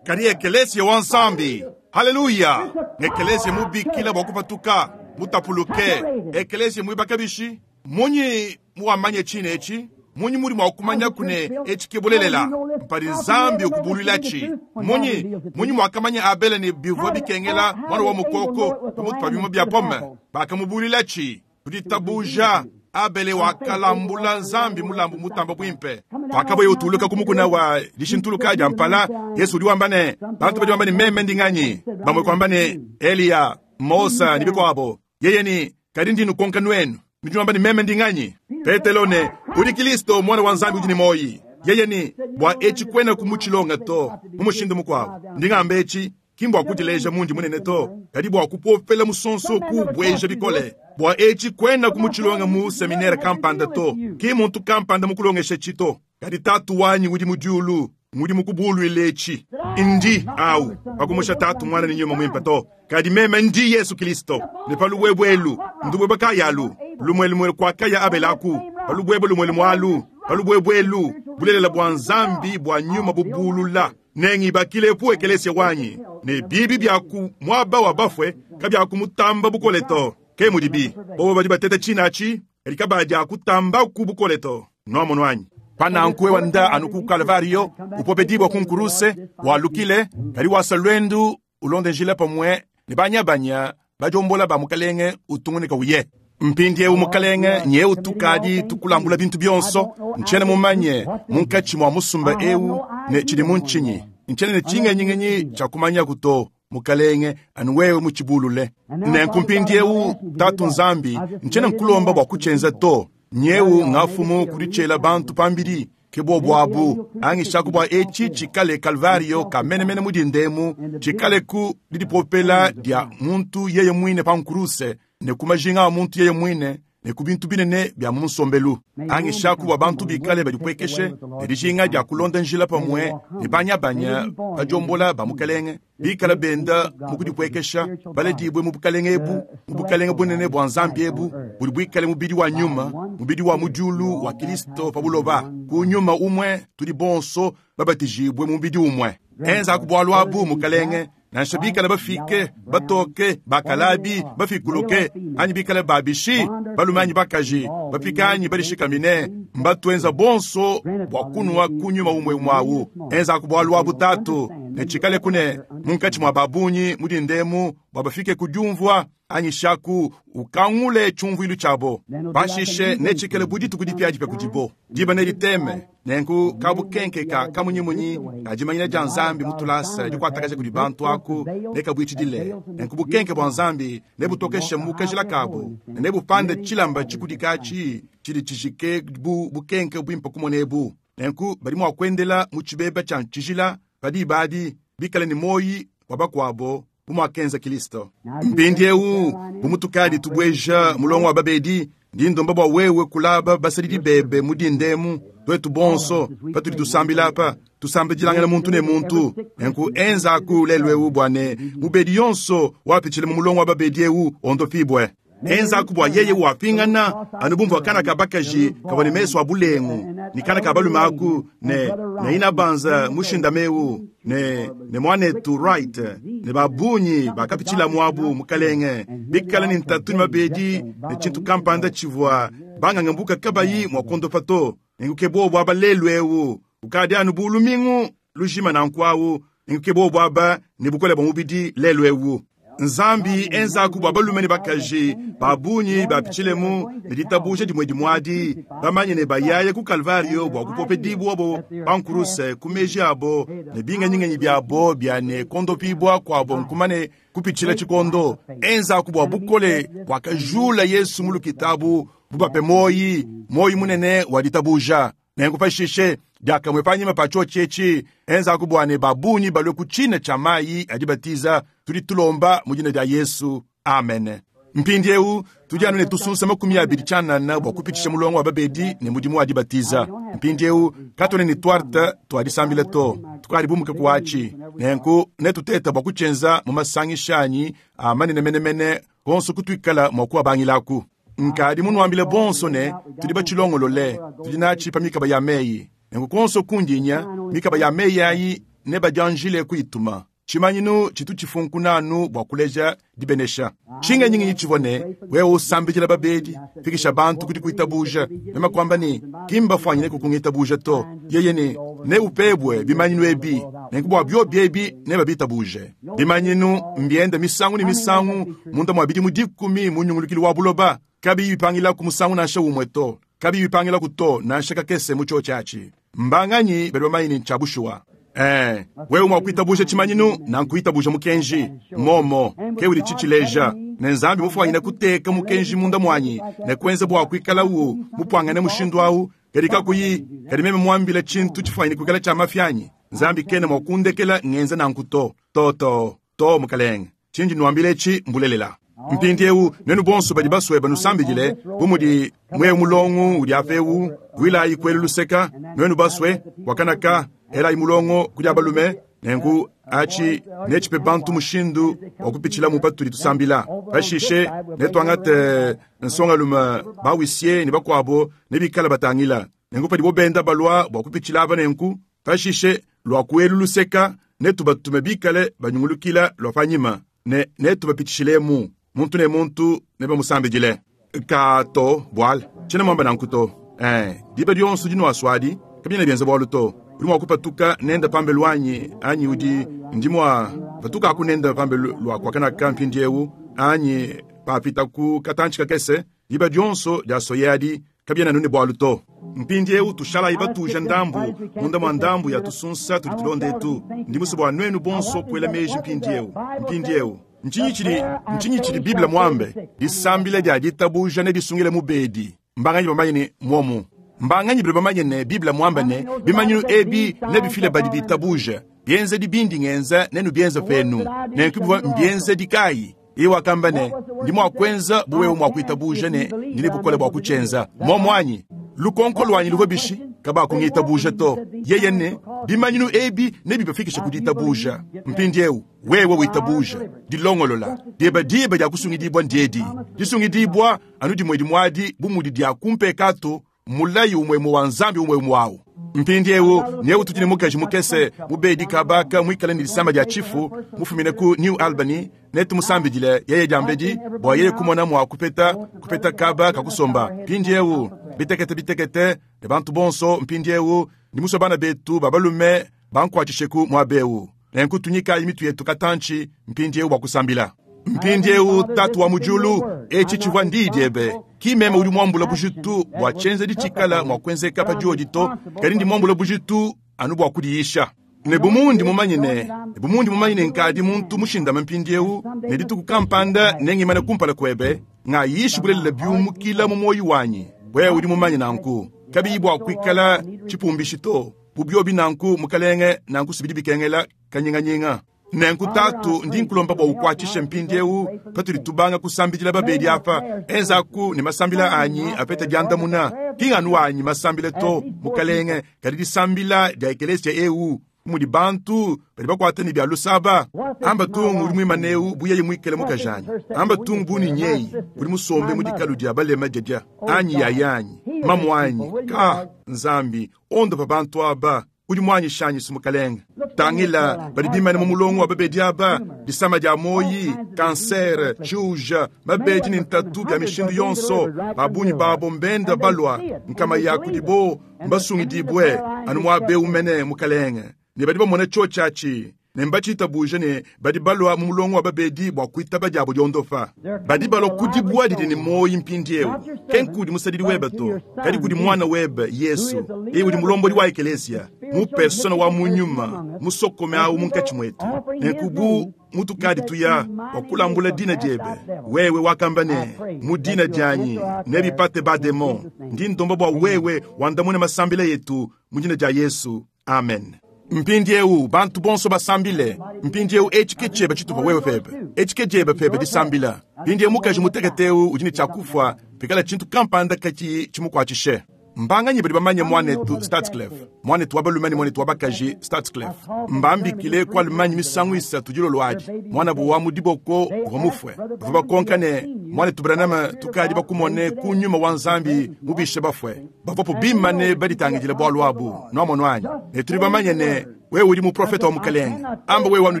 Kadi ekelesia wa Nzambi, haleluya, ngekelesia mubikila bua kupatuka, mutapuluke, ekelesia muibaka bishi? Munyi muwamanya tshine etshi? Munyi mudi mua kumanyaku ne etshi ke bulelela? Mpadi Nzambi ukubuluilatshi. Munyi, munyi muakamanya Abele ne bivua bikengela muana wa mukoko pamutu pa bimuma bia pome? Bakamubuluilatshi. Ku ditabuja, Abele wakalambula Nzambi mulambu mutamba buimpe. Pakavuaye utuluka ku mukuna wa dishintuluka dia mpala, Yesu udi wamba ne, bantu badi bamba ne meme ndi nganyi? Bamue kuamba ne, Eliya, Mose ne bikuabo. Yeye ne, kadi ndi nukonka nuenu, nudi nuamba ne meme ndi nganyi? Petelo ne, udi Kilisto, Muana wa Nzambi udi ne muoyi. Yeye ne, bua etshi kuena ku mutshilonga to. Mu mushindu mukuabo, ndi ngamba etshi, ki mbua kudileja mundi munene to, kadi bua kupopela musonso kuubueja bikole. Bua etshi kuena ku mutshilonga mu seminere kampanda to, ki muntu kampanda mukulongeshetshi to, kadi Tatu wanyi udi mu diulu ngudi mukubuluile etshi. Ndi au pakumusha Tatu, Muana ne Nyuma Muimpe to, kadi meme ndi Yesu Kilisto. Ne pa lubuebue elu, ndubuebue kayi alu? Lumue lumue kuakaya Abele aku, pa lubuebue lumue lumue alu, pa lubuebue elu, bulelela bua Nzambi bua nyuma bubulula. Nengibakilepu ekelesia wanyi, ne bibi bia ku muaba wa bafue kabiakumutamba bukole to. Ke mudibi, bobo badi bateta tshina atshi, kadi kabadiakutambaku bukole to. Nuamonu anyi? Pa nanku wewe nda anu ku Kalvario, upopedibua ku nkuruse, walukile, kadi wasa luendu ulonde njila pamue ne banyabanya badiombola ba Mukalenge, utungunuka uye. Mpindiewu Mukalenge, nyewu tukadi tukulambula bintu bionso. Ntshiena mumanye munkatshi mua musumba eu ne tshidi mu ntshinyi. Ntshiena ne tshingenyingenyi tshia kumanyaku to, Mukalenge, anu wewe mutshibulule. Nenku mpindiewu, Tatu Nzambi, ntshiena nkulomba bua kutshienza to. Nyewu ngafumu kuditshiela bantu pambidi, ke bobu abu. Angishaku bua etshi tshikale Kalvario ka menemene mu dindemu, tshikale ku didipopela dia muntu yeye muine pa nkuruse, ne ku majinga a muntu yeye muine, ne ku bintu binene bia mu nsombelu. Angishaku bua bantu bikale badipuekeshe ne dijinga dia kulonda njila pamue ne banyabanya badiombola ba Mukelenge, bikale benda mu kudipuekesha, baledibue mu bukalenge ebu, mu bukalenge bunene bua Nzambi ebu, budi buikale mubidi wa nyuma, mubidi wa mu diulu wa Kilisto pa buloba. Ku nyuma umue tudi bonso babatijibue mu mubidi umue. Enzaku bualu abu, Mukalenge, nansha bikale bafike, batoke, bakalabi, bafikuluke, anyi bikale babishi, balume anyi bakaji, bapika anyi badishikamine, mbatuenza bonso bua kunua ku nyuma umue umue awu. Enzaku bualu abu, Tatu, ne tshikaleku ne munkatshi mua ba bungi mu dindemu bua bafike ku diumvua anyishaku ukangule tshiumvuilu tshiabo. Pashishe netshikale bu dituku dipiadipia kudibo, diba nediteme, nenku kabukenke ka kamunyimunyi ka dimanyina dia Nzambi mu tulasa dikuatakaja kudi bantu aku nekabuitshidile. Nenku bukenke bua Nzambi nebutokeshe mu kajila kabu ne nebupande tshilamba tshikudika atshi tshidi tshijike bu bukenke buimpe kumona ebu. Nenku badi mwa kwendela mu cibeba cya cijila pa diba adi, bikale ne mwoyi wa bakwabo bu mwakenza Kilisto. Mpindyewu, bu mutukadi tubweja mulongo wa babedi, ndi ndomba bwa wewe kulaba basadidi bebe mu dinda emu, twetu bonso, patudi tusambila apa, tusambidilangana muntu ne muntu. Nenku enzaku lelu ewu bwa ne mubedi yonso wapitshila mu mulongo wa babedi ewu ondopibwe. Enzaku bwa yeye wapingana anu bu mvwa kana ka bakaji kavwa ne mesu a bulengu, ne kana ka balume aku, ne, ne inabanza mushindame ewu, ne, ne mwanetu Wright, ne ba bungi bakapitshila muabu, Mukalenge, bikale ne ntatu ne mabedi ne tshintu kampanda tshivwa banganga-mbuka kabayi mwa kuondopa to. Nenku ke bobu aba lelu ewu, kukadi anu bu lumingu lujima nanku awu, nenku ke bobu aba ne bukole bwa mubidi lelu ewu. Nzambi, enzaku bwa balume ne bakaji ba bungi bapitshilemu ne ditabuja dimwe dimwe adi, bamanye ne bayaya ku Kalvario bwa kupopedibwabo pa nkuruse ku meji abo ne bingenyingenyi byabo bya ne kondopibwa kwabo nkumane kupitshila tshikondo. Enzaku bwa bukole bwakajula Yesu mu lukitabu bubape muoyi, muoyi munene wa ditabuja. Nenku pashishe, diakamue panyima pa tshiotshi etshi, enzaku bua ne ba bungi balue ku tshina tshia mayi a dibatiza, tudi tulomba mu dina dia Yesu. Amene. Mpindiewu, tudi anu ne tusunsa 20 tshianana bua kupitshisha mulongo wa babedi ne mudimu wa dibatiza. Mpindiewu, katuena ne tuarte tua disambila to, tukadi bumuke ku atshi. Nenku netuteta bua kutshienza mu masangisha anyi a manene menemene konso kutuikala mua kuabangilaku. Nkadi munuambile bonso ne, tudi batshilongolole, tudi natshi pa mikaba ya meyi. Nenku kuonso kundi nya, mikaba ya meyi ayi nebadianjile kuyituma. Tshimanyinu tshitu tshifunkuna anu bua kuleja dibenesha. Tshingenyingenyi tshivua ne, wewe usambidila babedi, fikisha bantu ku dikuitabuja. Meme kuamba ne, ki mbafuanyine kukungitabuja to. Yeye ne, neupebue bimanyinu ebi, nenku bua biobi ebi nebabitabuje. Bimanyinu mbienda misangu ne misangu munda mua bidimu dikumi mu nyungulukilu wa buloba, kabiyi bipangilaku musangu nansha umue to, kabiyi bipangilaku to nansha kakese mu tshiotshi atshi. Mbanganyi badi bamanye ne ntshia bushuwa? Ee, wewe mua kuitabuja tshimanyinu, nanku itabuja mukenji. Momo ke udi tshitshileja ne Nzambi mufuanyine kuteka mukenji munda muanyi ne kuenza bua kuikalawu mupuangane mushindu au, kadi kakuyi, kadi meme muambile tshintu tshifuanyine kuikala tshia mafi anyi? Nzambi kena mua kundekela ngenza nanku to. To, to, to, Mukalenge. Tshindi nnuambila etshi mbulelela. Mpindiewu, nuenu bonso badi basue banusambidile, bu mudi muewu mulongo udi apa ewu, vuilayi kuelu luseka, nuenu basue, bua kana ka, elayi mulongo ku dia balume, nenku atshi netshipe bantu mushindu wa kupitshilamu patudi tusambila. Pashishe netuangate nsongalume ba huissier ne bakuabo nebikale batangila. Nenku padibo benda balua bua kupitshila aba nenku, pashishe lua ku elu luseka netubatume bikale banyungulukila lua panyima, ne netubapitshishilemu, muntu ne muntu nebamusambidile. Ka to, buala, tshiena muamba nanku to. Ee, diba dionso dinuasuadi, kabiena bienza bualu to. Udi mua kupatuka nenda pambelu anyi, anyi udi, ndi mua patukaku nenda pambelu lua kuakanaka mpindiewu, anyi papitaku katantshi kakese, diba dionso diasoye adi, kabiena anu ne bualu to. Mpindiewu tushalayi batuja ndambu munda mua ndambu ya tusunsa tudi tulonda etu. Ndi musue bua nuenu bonso kuela meji mpindiewu. Mpindiewu, ntshinyi tshidi, ntshinyi tshidi Bible muambe? Disambila dia ditabuja nedisungile mubedi. Mbanganyi bamanye ne muomu? Mbanganyi badi bamanye ne Bible muambe ne bimanyinu ebi nebifile badi bitabuja? Bienzedi bindi ngenza nenubienze penu. Nenku bivua mbienzedi kayi? Yeye wakamba ne, Ndi mua kuenza bu wewe mua kuitabuja ne ndi ne bukole bua kutshienza. Muomu anyi? Lukonko luanyi luvua bishi? Kabakungitabuja to. Yeye ne, Bimanyinu ebi nebibafikishe ku ditabuja. Mpindieu wewe witabuja, dilongolola diebe diba dia kusungidibua ndiedi. Disungidibua anu dimue dimue adi bu mudi dia ku mpekatu Mulayi umue-umue wa Nzambi umue-umue au. Mpindieu, nyewu tudi ne mukaji mukese mubedi kabaka muikale ne disama dia tshifu mufumine ku New Albany, netumusambidile yeye diambedi bua yeye kumona mua kupeta kupeta kaba ka kusomba. Mpindieu, bitekete bitekete ne bantu bonso mpindieu, ndi musue bana betu ba balume bankuatshisheku muaba eu. Nenku tunyikayi mitu yetu katantshi mpindieu bua kusambila. Mpindieu, Tatu wa mu Diulu, etshi tshivua ndiyi diebe. Ki meme udi muambula bujitu bua tshienzedi tshikala mua kuenzeka pa diodi to, kadi ndi muambula bujitu anu bua kudiyisha. Ne bu mundi mumanye ne, ne bu mundi mumanye ne nkadi muntu mushindame mpindieu, ne dituku kampanda nengimane kumpala kuebe, ngayishi bulelela biumukila mu muoyo wanyi. Wewe udi mumanye nanku. Kabiyi bua kuikala tshipumbishi to. Bu biobi nanku, Mukalenge, nanku si bidi bikengela kanyinganyinga. Nenku, Tatu, ndi nkulomba bua ukwatshishe mpindiewu patudi tubanga kusambidila babedi apa. Enzaku ne masambila anyi apete diandamuna, ki ng'anu anyi masambila to, Mukalenge, kadi disambila dia ekeleesiya ewu, bu mudi bantu badi bakwata ne bia lusa aba. Amba tung udi mwimane ewu bu yeye mwikale mukajanyi. Amba tung bu ne nyeyi udi musombe mu dikalu dia balema dyadya, anyi yayanyi, mamuanyi. Kaa, Nzambi, ondopa bantu aba. Udi muanyishanyi's, Mukalenge. Tangila, badi bimane mu mulongo wa babedi aba, disama dia muoyi, kansere, tshiuja, mabedi ne ntatu bia mishindu yonso. Ba bungi babo mbenda balua, nkama ya kudibo mbasungidibue anu muaba eu mene, Mukalenge. Ne badi bamona cioci aci, ne mbacitabuje ne badi balua mu mulongo wa babedi bua kuitaba diabo diondopa. Badi balua ku dibua didi ne muoyi mpindiewu, ke nkudi musadidi webe to, kadi kudi Muana webe, Yesu, yeye udi mulombodi wa Ekeleziya, mu persona wa mu nyuma musokome awu munkatshi muetu. Nenku bu mutukadi tuya bua kulambula dina diebe, wewe wakamba ne, Mu dina dianyi nebipate ba-demon. Ndi ndomba bua wewe wandamune masambila etu mu dina dia Yesu. Amen. Mpindiewu bantu bonso basambile. Mpindiewu etshi ke tshiebe tshitupa wewe pebe. Etshi ke diebe pebe disambila. Mpindiewu mukaji mutekete eu udi ne tshia kufua pikala tshintu kampanda katshiyi tshimukuatshishe. Mbanganyi badi bamanye muanetu Stadsklev, muanetu wa balume ne muanetu wa bakaji Stadsklev? Mbambikile ku Allemagne misangu isatu dilolo adi. Muanabu wa mu diboko uvua mufue. Bavua bakonka ne, Muanetu Branham, tukadi bakumone ku nyuma wa Nzambi mubishe bafue. Bavwapo biimane baditangidila bwalu abu. Nwamonu anyi? Ne tudi bamanye ne wewe udi muprofeta wa Mukalenge. Amba wewe anu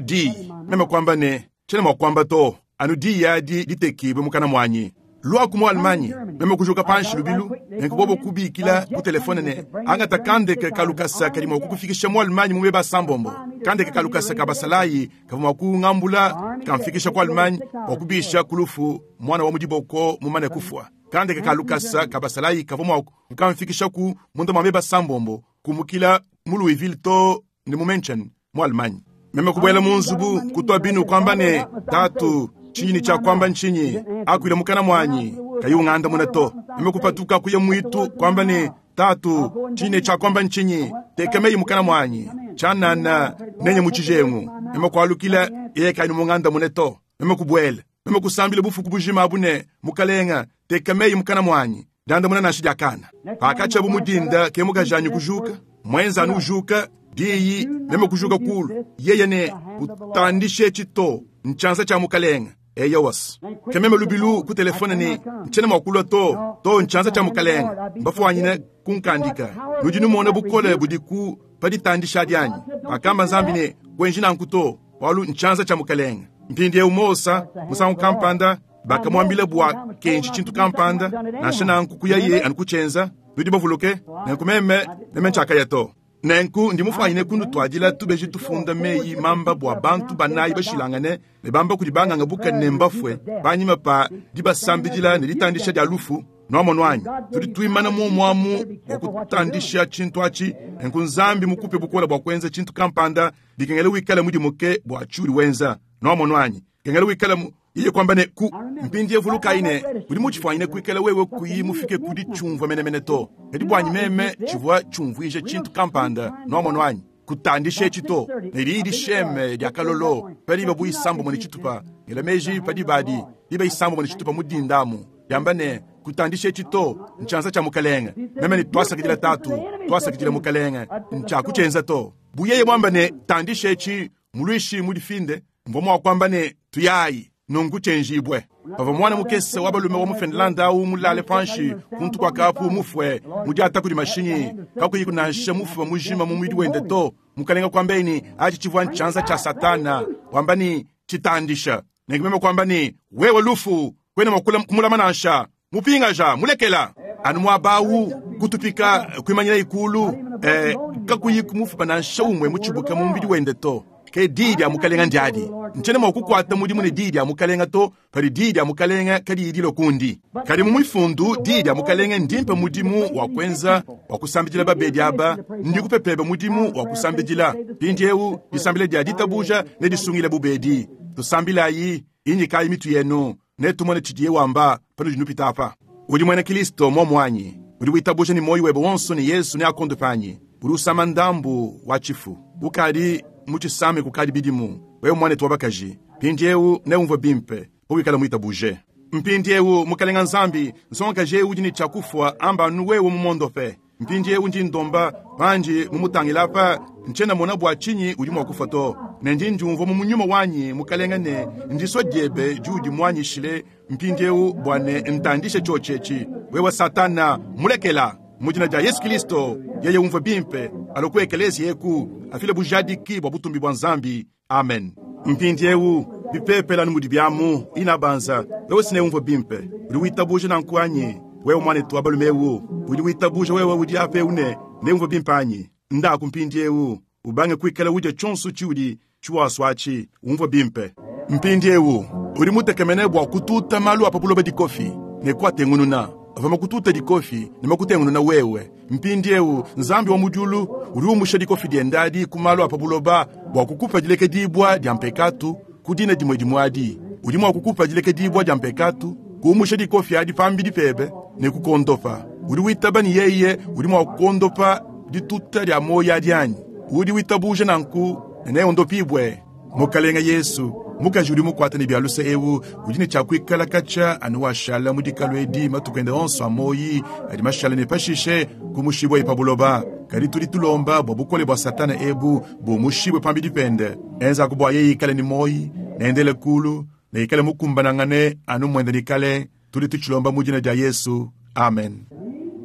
diyi. Meme kwamba ne, Tshiena mwa kwamba to, anu diyi adi ditekiibwe mukana mwanyi. Lwaku mu Allemagne. Meme kujuka panshi lubilu, nenku bobo kubiikila ku telefone ne, Angata kandeke ka lukasa kadi mwa kukufikisha mu Allemagne mu meba asambombo. Kandeke ka lukasa ka basalayi kavwa mwa kungambula kamfikisha ku Allemagne bwa kubiisha ku lufu mwana wa mu diboko mumane kufwa. Kandeke ka lukasa ka basalayi kavua mua kukamfikishaku munda mua meba asambombo, kumukila mu Louisville too ne mu München, mu Allemagne. Meme kubuela mu nzubu, kutua binu, kuamba ne, Tatu, tshindi ne tshia kuamba ntshinyi? Akuila mukana muanyi, kayi ungandamuna to. Meme kupatuka kuya muitu, kuamba ne, Tatu, tshindi ne tshia kuamba ntshinyi? Teka meyi mukana muanyi, tshianana nenye mu tshijengu. Meme kualukila, yeye kayi mungandamune to. Meme kubuela. Meme kusambila bufuku bujima abu ne, Mukalenga, teka meyi mukana muanyi. Diandamuna nansha dia kana. Pakatshiabu mu dinda, ke mukajanyi kujuka, muenza anu ujuka, diyi, meme kujuka kulu. Yeye ne, Kutandisha etshi to, ntshianza tshia Mukalenga. Eyowas. Ke meme lubilu ku telefone ne, Ntshiena mua kulua to, to, ntshianza tshia Mukalenga. Mbafuanyine kunkandika. Nudi numona bukole budiku pa ditandisha adi anyi? Pakamba Nzambi ne, Kuenji nanku to, bualu ntshianza tshia Mukalenga. Mpindieu Mose, musangu kampanda, bakamuambila bua kenji tshintu kampanda, nansha nanku kuyaye anu kutshienza. Nudi bavuluke? Nenku meme, meme ntshiakaya to. Nenku ndi mufwanyine kunutuadila tubeji tufunda meyi mamba bua bantu banayi bashilangane ne bamba kudi banganga buka ne mbafue panyima pa dibasambidila ne ditandisha dia lufu. Nwamonu anyi? Tudi twimana mwomo amu bua kutandisha tshintu atshi. Nenku Nzambi mukupe bukole bua kuenza tshintu kampanda, bikengela wikale mudimuke bua tshiudi wenza. Nwamonu anyi? Kengela wikale mu yeye kwamba ne ku mpindieu vulukayi ne udi mutshifwanyine kuikala wewe kuyi mufike ku ditshiumvwa menemene to. Kadi bwanyi meme tshivwa tshiumvwija tshintu kampanda, nwamonu anyi? Kutandisha etshi to. Ne diyi disheme dya kalolo pa diba bu isambombo ne tshitupa, ngela meji pa diba adi, diba isambombo ne tshitupa mu dinda amu, dyamba ne, Kutandisha etshi to, ntshianza tshya Mukalenge. Meme ne, Twasakidila Taatu, twasakidila Mukalenge. Ntshiakutshienza to. Bu yeye mwamba ne, Tandisha etshi, Muluishi mudifinde, mvua mua kuamba ne, Tuyayi! Nunku tshienjibue. Pavua muana mukese wa balume wa mu Finlande au mulale panshi kuntu kua kapu mufue, mudiata kudi mashinyi, kakuyiku nansha mufuba mujima mu mubidi wende to, mukalenge kuambaye ne, atshi tshivua ntshianza tshia Satana, wamba ne, Tshitandisha! Nenku meme kuamba ne, Wewe lufu, kuena mua kumulama nansha! Mupingaja, mulekela! Anu muaba au, kutupika, kuimanyinaye kuulu, e, kakuyi kumufuba nansha umue mutshibuke mu mubidi wende to. Ke diyi dia Mukalenga ndiadi. Ntshiena mua kukuata mudimu ne diyi dia Mukalenga to padi diyi dia Mukalenga kadiyi dilua kundi. Kadi mu Mifundu, diyi dia Mukalenga ndimpe mudimu wa kuenza wa kusambidila babedi aba, ndikupe pebe mudimu wa kusambidila. Mpindieu, disambila dia ditabuja nedisungile bubedi. Tusambilayi, inyikayi mitu yenu. Netumone tshidiye wamba panudi nupita apa. Udi muena Kilisto, muomu anyi? Udi witabuja ne muoyo webe wonso ne Yesu neakuondope anyi? Udi usama ndambu wa tshifu. Ukadi mutshisame kukadi bidimu. Wewe muanetu wa bakaji, mpindieu neumvue bimpe pawikala muitabuje. Mpindieu, Mukalenga Nzambi, nsongakaji eu udi ne tshia kufua, amba anu wewe mumuondope. Mpindieu ndi ndomba pandi mumutangila apa, ntshiena mmona bua tshinyi udi mua kufua to. Ne ndi ndiumvua mu nyuma wanyi, Mukalenga, ne ndisua diebe diudi muanyishile mpindieu bua ne ntandishe tshiotshi etshi. Wewe Satana, mulekela! Mu dina dia Yesu Kilisto, yeye umvue bimpe, alue ku ekeleziya eku, afile bujadiki bua butumbi bua Nzambi. Amen. Mpindieu, bipepele anu mudibi amu, inabanza, wewe si neumvue bimpe. Udi witabuja nanku anyi? Wewe muanetu wa balume eu, udi witabuja wewe udi apa eu ne neumvue bimpe anyi? Ndaku mpindieu, ubange kuikala udia tshionso tshiudi tshiwasua atshi, umvue bimpe. Mpindieu, udi mutekemene bua kututa malu a pa buloba dikofi ne kuatengununa. Avua makututa dikofi ne makutengununa wewe. Mpindieu, Nzambi wa mu diulu udi umusha dikofi diende adi ku malu a pa buloba bua kukupa dilekedibua dia mpekatu ku dina dimue dimue adi. Udi mua kukupa dilekedibua dia mpekatu, kuumusha dikofi adi pambidi pebe ne kukuondopa. Udi witaba ne yeye udi mua kuondopa dituta dia muoyo adi anyi? Udi witabuja nanku ne neondopibue. Mukalenge Yesu, mukaji udi mukuate ne bia luse eu udi ne tshia kuikala katshia anu washala mu dikalu edi matuku ende onso a muoyi adi mashale ne pashishe kumushibuaye pa buloba. Kadi tudi tulomba bua bukole bua Satana ebu bumushibue pambidi pende. Enzaku bua yeye ikale ne muoyi, ne endele kulu, ne ikale mukumbanangane anu muende ne kale. Tudi tutshilomba mu dina dia Yesu. Amen.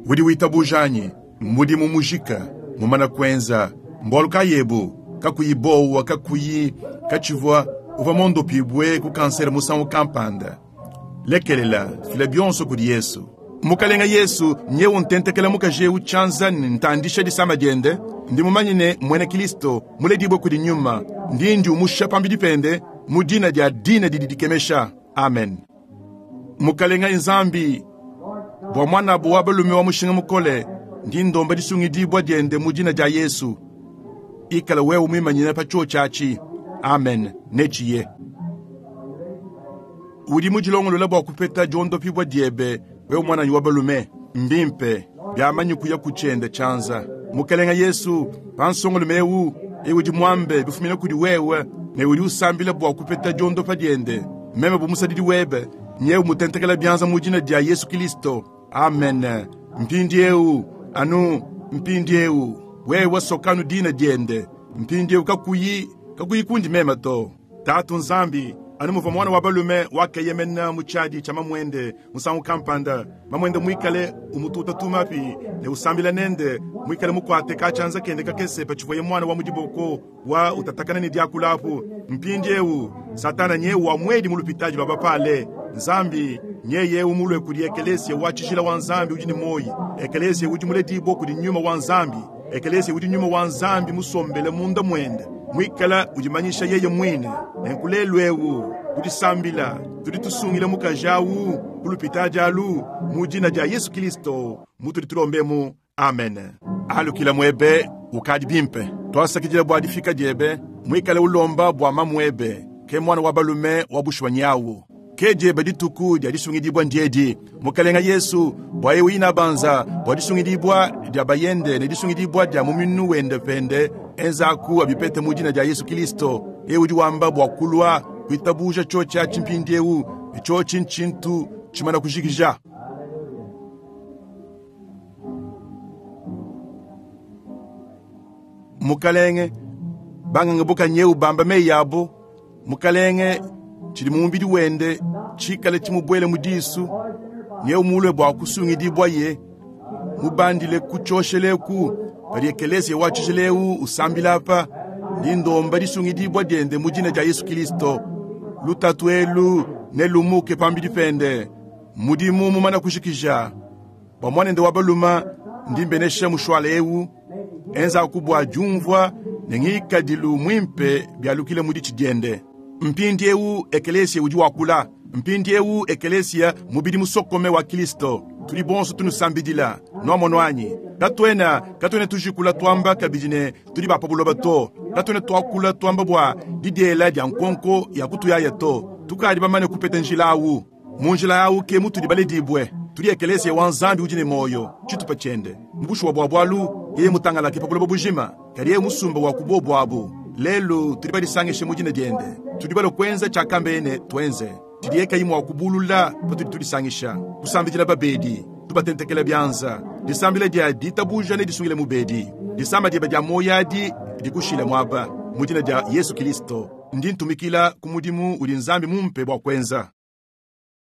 Udi witabuja anyi? Mudimu mujika, mumana kuenza. Mbualu kayi ebu? Kakuyi bowa, kakuyi katshivua, uvua mondopibue ku kansere musangu kampanda. Lekelela, fila bionso kudi Yesu. Mukalenga Yesu, nyewu ntentekela mukaji eu tshianza ne ntandisha disama diende. Ndi mumanye ne muena Kilisto, muledibue kudi Nyuma, ndi ndiumusha pambidi pende mu dina dia dina didi dikemesha. Amen. Mukalenga Nzambi, bua muanabo wa balume wa mushinga mukole, ndi ndomba disungidibua diende mu dina dia Yesu. Ikala wewe muimanyine pa tshiotshi atshi. Amen. Netshiye. Udi mudilongolola bua kupeta diondopibua diebe, wewe muananyi wa balume? Mbimpe. Biamanyi kuya ku tshiende tshianza. Mukalenga Yesu, pa nsongalume eu, eu udi muambe bifumina kudi wewe ne udi usambila bua kupeta diondopa diende, meme bu musadidi webe, nyewu mutentekela bianza mu dina dia Yesu Kilisto. Amen. Mpindieu, anu mpindieu, wewe sokanu dina diende. Mpindieu kakuyi, kakuyi kundi meme to. Tatu Nzambi, anu muvua muana wa balume wakeyemena mu tshiadi tshia mamuende musangu kampanda, mamuende muikale umututa tumapi ne usambila nende, muikale mukuate katshianza kende kakese patshivuaye muana wa mu diboko wa utatakana ne diakula apu. Mpindieu Satana nyewu wa muedi mu lupitadi lua bapale. Nzambi nyeye eu mulue kudi ekelesia wa tshijila wa Nzambi udi ne muoyi, ekelesia udi muledibue kudi nyuma wa Nzambi, ekelesia udi nyuma wa Nzambi musombele munda muende, muikala udimanyisha yeye muine. Nenku lelu eu kudisambila tudi tusungila mukaji au ku lupitadi alu mu dina dia Yesu Kilisto mutudi tulombemu. Amen. Alukila muebe, ukadi bimpe. Tuasakidila bua difika diebe, muikale ulomba bua mamuebe, ke muana wa balume wa bushuwa nyawu. Ke diebe dituku dia disungidibua ndiedi, Mukalenga Yesu, bua eu inabanza bua disungidibua dia bayende ne disungidibua dia muminu wende pende, enzaku abipete mu dina dia Yesu Kilisto. Eu udi wamba bua kulua kuitabuja tshiotshi atshi mpindieu, ne tshiotshi ntshintu tshimana kujikija. Mukalenge, banganga bukanyeu bamba meyi abo, Mukalenge, tshidi mu mubidi wende tshikale tshimubuele mu disu, nyeu mulue bua kusungidibuaye, mubandile ku tshioshelu eku, padi ekeleziya wa tshijila eu usambila apa, ndi ndomba disungidibua diende mu dina dia Yesu Kilisto. Lutatu elu nelumuke pambidi pende. Mudimu mumana kujikija bua muanende wa balume, ndi mbenesha mushuala eu, enzaku bua diumvua ne ngikadilu muimpe bialukile mu ditshi diende. Mpindieu ekelesia udi wakula. Mpindieu ekelesia mubidi musokome wa Kilisto. Tudi bonso tunusambidila. Nuamono anyi? Katuena, katuena tujikula tuamba kabidi ne tudi ba pa buloba to. Katuena tuakula tuamba bua didiela dia nkonko ya kutuyaya to. Tukadi bamane kupeta njila awu. Mu njila awu ke mutudi baledibue. Tudi ekeleesiya wa Nzambi udi ne mwoyo, citupa Cyende. Mu bushuwa bwa bwalu, Yeye mmutangalake pa buloba bujima, kadi Yeye musumba wa ku bobo abu. Lelu tudi badisangishe mu Dina Dyende. Tudi balue kwenza cyakambeye ne twenze, cidiye kayi mwa kubuulula patudi tudisangisha, kusambidila babeedi, tubatentekela byanza. Disambila dya diitabuuja nedisungile mubeedi. Disama dyebe dya mwoyi adi dikushile mwaba, mu Dina dya Yesu Kilisto. Ndi ntumikila ku mudimu udi Nzambi mumpe bwa kwenza.